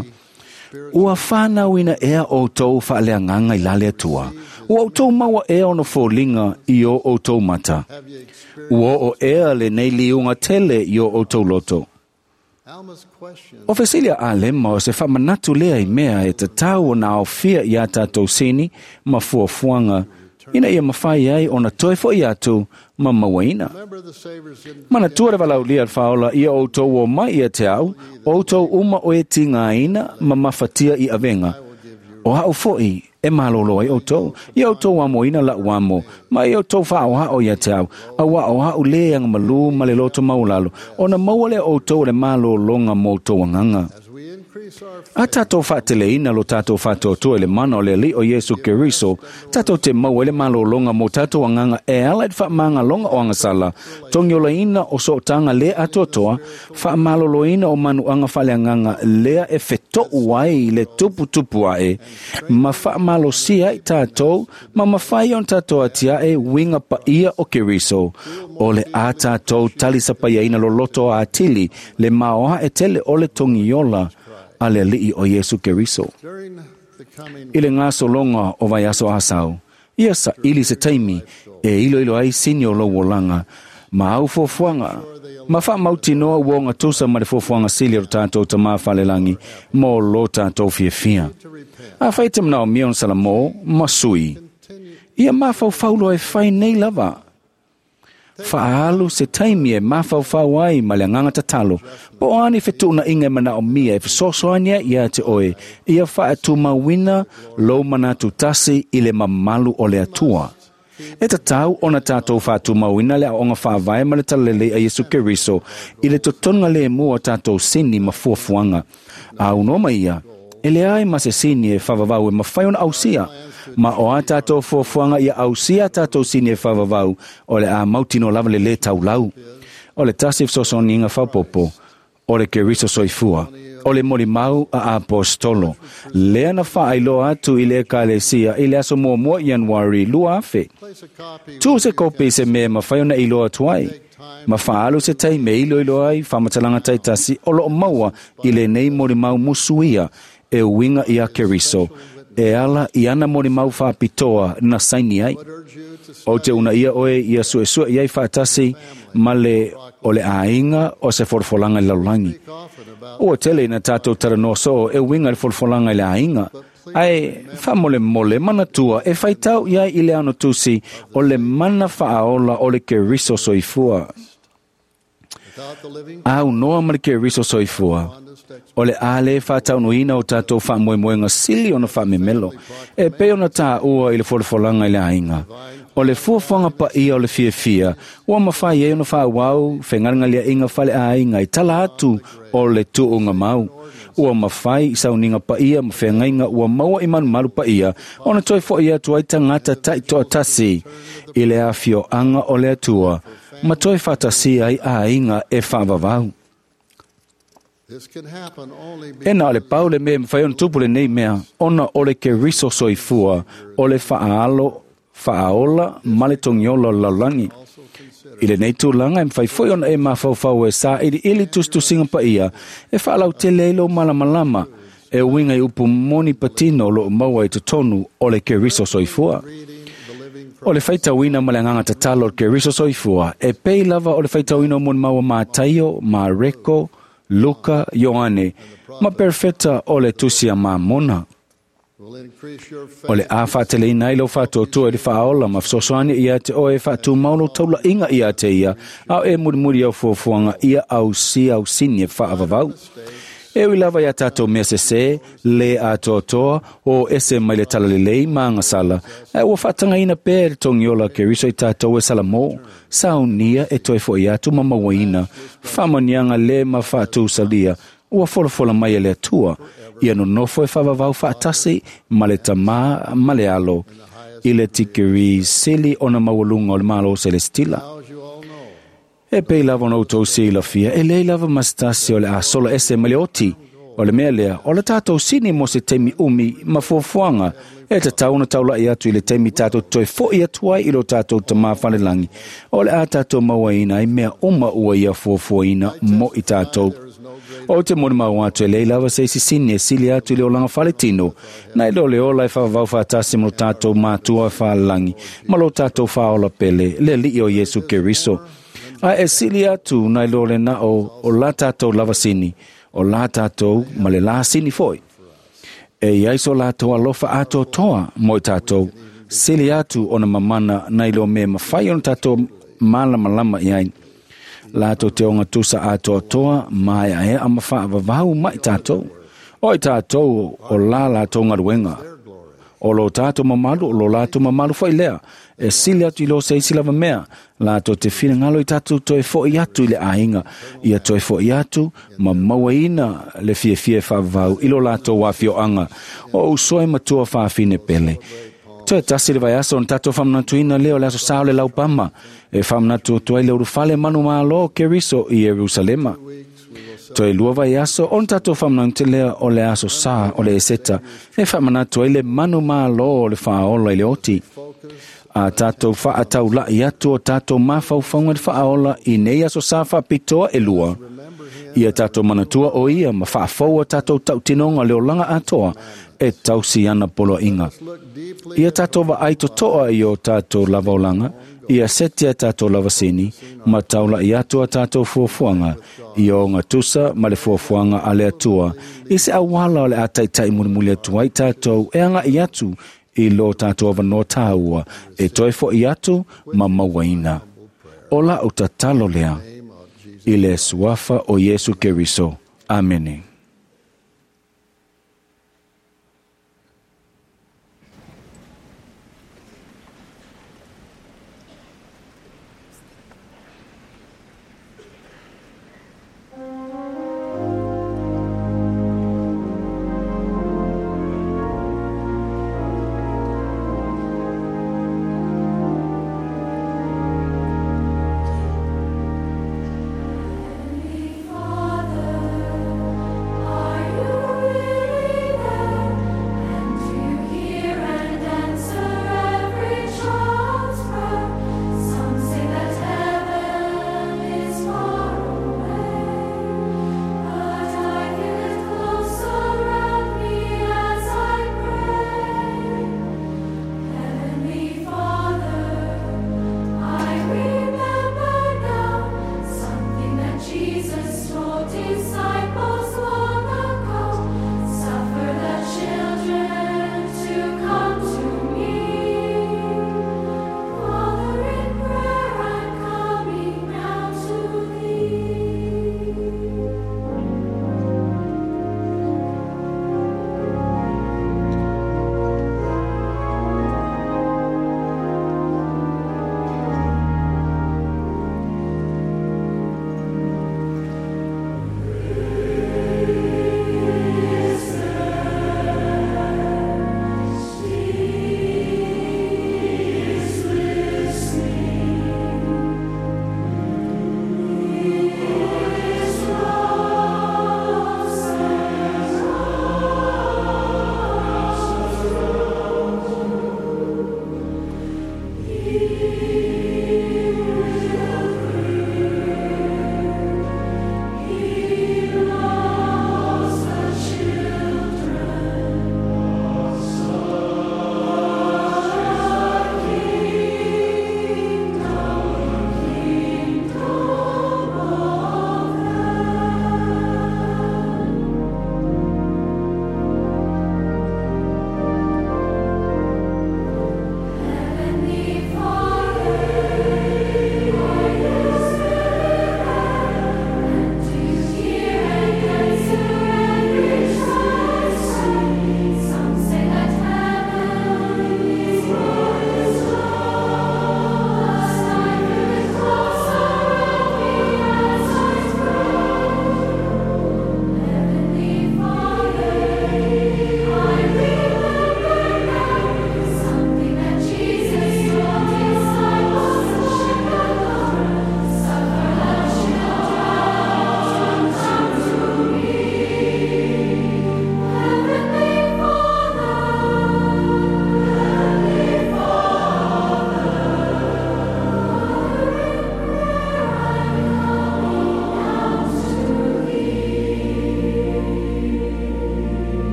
Ua whānauina ea o tō whaaleanganga i lale atua. Ua o tō maua ea ono fōlinga i o o tō mata. Ua o ea le nei liunga tele i o o tō loto. O fesilia a lema o se whamanatu lea i mea e tatau o nā aofia i a tātou sini ma fuafuaga ina ia mawhai ai ona toe fo'i atu ma mauaina. Manatua le valaulia le whaola ia o tō o mai ia te au, o tō uma o e tīngāina ma mafatia i avenga. O hao fo'i e malolo ai o tō, ia o tō amoina la uamo, ma ia o tō whao hao ia te au, a wa o hao le anga malu ma le loto maulalo, ona maua le o tō le malolonga mō tō anganga. A tātou whaateleina lo tātou whaatoatoa i le mana o le ali o Iesu Keriso, tātou te maua i le malolonga mō tātou anganga e ala i te whaamāngalonga o angasala, togiolaina o sootanga lea atoatoa, whaamaloloina o manuanga whaleanganga lea e wheto'u ai i le tuputupu ae, ma whaamalosia i tātou, ma mawhai on tātou atia e winga paia o Keriso, o le a tātou talisapaiaina loloto a atili, le maoa e tele o le togiola a le ali'i o Iesu Keriso. I le gasologa o vaiaso asau, ia sa'ili se taimi e iloilo ai sini o lou olaga ma au fuafuaga ma faamautinoa ua ogatusa ma le fuafuaga sili o lo tatou tamā falelagi mo lo tatou fiafia. Afai e te manaomia ona salamo ma sui, ia mafaufau loa e fai nei lava. Fa'aalu se taimi e mafaufau ai ma le agaga tatalo, po o a ni fetu'unaiga e manaomia e fesoasoani ai iā te oe, ia fa'atumauina lou manatu tasi i le mamalu o le Atua. E tatau ona tātou fa'atumauina le aoaoga faavae ma le talalelei a Iesu Keriso i le totoga lemu o tātou sini ma fuafuaga. A unoa mai ia, e leai ma se sini e faavavau e mafai ona ausia, ma o a tātou fuafuaga ia ausia a tātou sini e faavavau o le a mautino lava le lē taulau. O le tasi fesoasoaniga faaopoopo o le Keriso soifua, o le molimau a apostolo, lea na faailoa atu i le Ekalesia i le aso muamua Ianuari 2000. Tuu se kopi i se mea e mafai ona iloa atu ai, ma faaalu se taimi e iloilo ai faamatalaga taitasi o loo maua i lenei molimau musuia e uiga iā Keriso e ala i ana molimau faapitoa na saini ai. Ou te uunaia oe ia suesue i ai faatasi ma le o le aiga o se folafolaga i le lalolagi. Ua tele ina tātou talanoa soo e uiga i le folafolaga i le aiga, ae faamolemole manatua e faitau i ai i le ano tusi o le mana faaola o le Keriso soifua. Aunoa ma le Keriso soifua, o le a lē faataunuina o tatou faamoemoega sili ona faamemelo, e pei ona tāua i le folafolaga i le aiga. O le fuafuaga paia o le fiafia, ua mafai ai ona faaauau fegalegaleaʻiga faleaiga i tala atu o le tuuga mau. Ua mafai i sauniga paia ma feagaiga ua maua i malumalu paia ona toe fo'i atu ai tagata ta'itoatasi i le afioaga o le Atua ma toe faatasia ai aiga e faavavau. E na o le pau le mea e mafai ona tupu lenei mea, ona o le Keriso soifua, o le faaalo, faaola ma le togiola o le lalolagi. I lenei tulaga e mafai foi ona e mafaufau e sailiili tusitusiga paia e faalautele ai lou malamalama e uiga i upu moni patino o loo maua i totonu o le Keriso soifua. O le faitauina ma le agaga tatalo o le Keriso soifua e pei lava o le faitauina o molimau a Mataio, Mareko, Luka, Ioane ma perofeta o le tusi a Mamona. O le a faateleina ai lau faatuatua i le faaola ma fesoasoani ia te oe e faatumau lou taulaʻiga ia te ia, a o e mulimuli au fuafuaga ia ausia ausini e faavavau. E ui lava ia tātou mea sesē, lē atoatoa, o ese mai le talalelei ma agasala, ae ua faatagaina pea e le togiola a Keriso i tātou e Salamo, saunia e toe foʻi atu ma mauaina, faamanuiaga lē ma faatousalia, ua folafola mai e le Atua, ia nonofo e faavavau faatasi ma le Tamā ma le Alo, i le tikeri sili ona maualuga o le Malo Selestila. E pei lava ona outou silafia, e leai lava ma se tasi o le a sola ese mai le oti. O le mea lea, o le tātou sini mo se taimi umi ma fuafuaga, e tatau ona taulaʻi atu i le taimi tātou toe foʻi atu ai i lo tātou Tamā falelagi, o le a tātou mauaina ai mea uma ua ia fuafuaina mo i tātou. O te molimau atu e leai lava se isi sini e sili atu i le olaga faletino, nai lo le ola e faavavau faatasi ma lo tātou Matua falelagi, ma lo tātou Faaola pele, le Alii o Iesu Keriso. Ae e sili atu nai lo le na o la tātou lava sini, o la tātou ma le la sini foi. E iai so lātou alofa atoatoa mo i tātou, sili atu ona mamana nai lo me mawhai ona tātou malamalama i ai. Lātou te onga tusa atoatoa mai ae a mawha vavau mai tātou. O i tātou o la lātou ngaruenga. O lo tātou mamalu, o lo lātou mamalu foi lea. E sili atu i lo se isi lava mea. Lātou te whinangalo i tātou toe foʻi atu i le aiga. Ia toe foʻi atu ma mauaina le fiafia e faavavau i lo lātou afioaga. O uso e matua faafine pele. Toe tasi le vaiaso ona tātou faamanatuina lea o le aso sa o le laupama. E faamanatu atu ai le ulufale manumalo o Keriso i Ierusalema. Toe lua vaiaso ona tātou faamanatu lea o le aso sa o le Eseta. E faamanatu ai le manumalo o le faaola i le oti. A tātou faataulaʻi atu o tātou mafaufauga i le faaola i nei aso sa faapitoa e lua. Ia tātou manatua o ia ma faafou a tātou tautinoga le olaga atoa e tausi ana poloaiga. Ia tātou vaai totoa i o tātou lava olaga, ia seti a tātou lava sini, ma taulaʻi atu a tātou fuafuaga, i o gatusa ma le fuafuaga a le Atua, i se auala o le a taitaʻi mulimuli atu ai tātou e agaʻi atu i lo tātou avanoa tāua, e toe foʻi atu ma mauaina. O lau tatalo lea, i le suafa o Iesu Keriso. Amene. Father,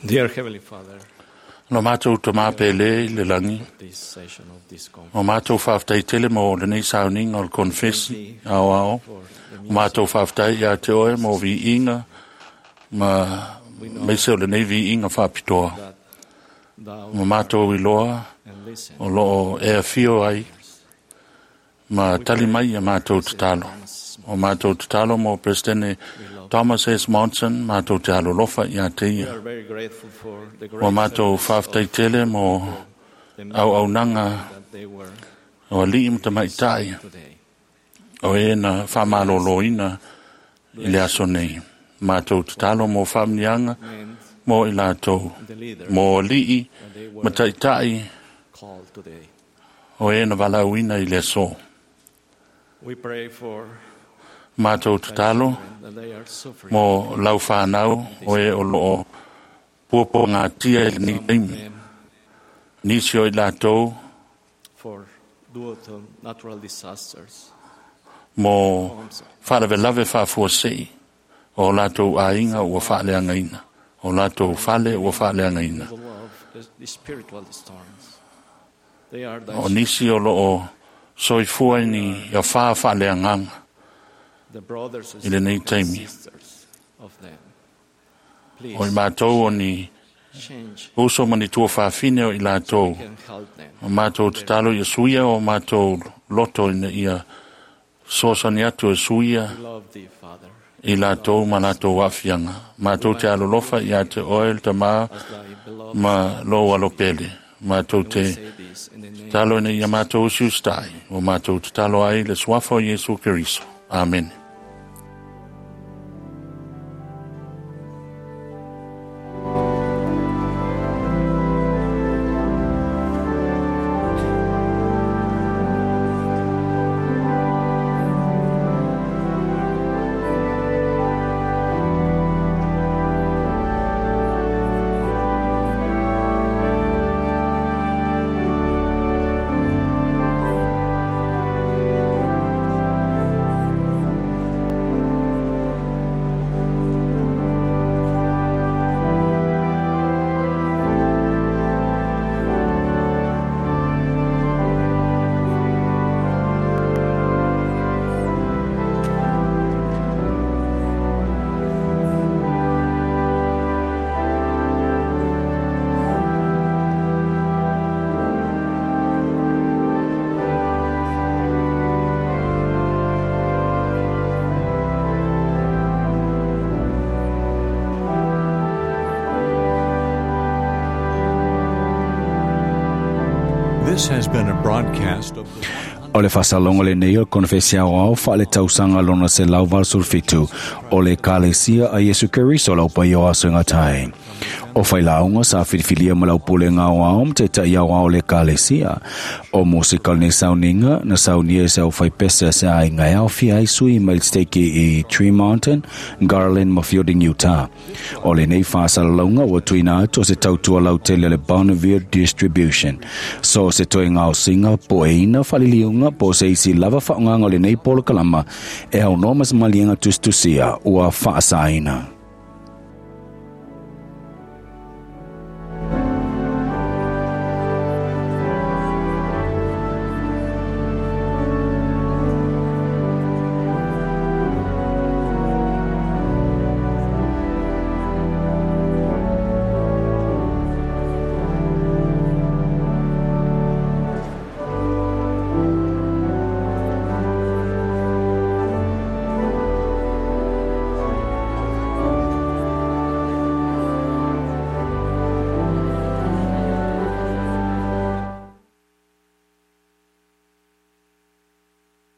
Dear Heavenly Father, Lo mātou te māpele i le langi. this session of this conference. O mātou whāwhtai tele mo lenei sauninga o le konfesi ao ao. O mātou whāwhtai ia te oe mo vi inga ma meise o lenei vi inga whāpitoa. O mātou i loa o loo e whio ai ma tali mai ia mātou tatalo. O mātou tatalo mo Presidente Thomas S. Monson, mātou te alolofa ia te We ia. are very grateful for the O great mātou service whāwhtai tele mo the men au au nanga that they were o alii ma tamaitai today. o e na whamaloloina i le aso nei. Mātou tatalo mo whamnianga mo i lātou. The leaders Mo alii that they were ma taitai called today. o e na walauina i le aso. We pray for Mātou tatalo that they are suffering. mo lau whanau o e o loo puapo ngā tia i lenei taimi. Nisi o i lātou for due to natural disasters. mo wharawelawe whaafuasei o lātou āinga ua whaaleangaina, o lātou whale ua whaaleangaina. The love, the spiritual storms. They are thy O nisi o loo soifua ni ia wha whaaleanganga the brothers i lenei and taimi. sisters of them. Please O i mātou o ni change uso ma ni tua whaafine o i lātou. can help them. O mātou tatalo ia suia o mātou loto ina ia sosani atu e suia We love thee, Father, i lātou ma lātou afianga. Mātou te alolofa ia te oe le tamā as thy beloved. ma lo alopele. Mātou And te we say this in the name talo ina ia mātou usiustai. O mātou te talo ai le suafa o Yesu Keriso. Amen. This has been a broadcast of the O le faasalogo lenei o le konefesi aoao faaletausaga lona 187 o le Ekalesia a Iesu Keriso lau paia o aso e gatai. O failauga sa filifilia ma lau pulega aoao ma taitaʻi aoao o le Ekalesia. O musika o lenei sauniga na saunia e se aufaipese se aiga e aofia ai sui mai le steiki i Tree Mountain, Garland ma Fielding, Utah. O lenei faasalalauga ua tuuina atu o se tautua lautele o le Bonneville Distribution. So se toe gaosiga po o eina faaliliuga po o se isi lava faaaogaga o lenei polokalama e aunoa ma se maliega tusitusia ua faasaina.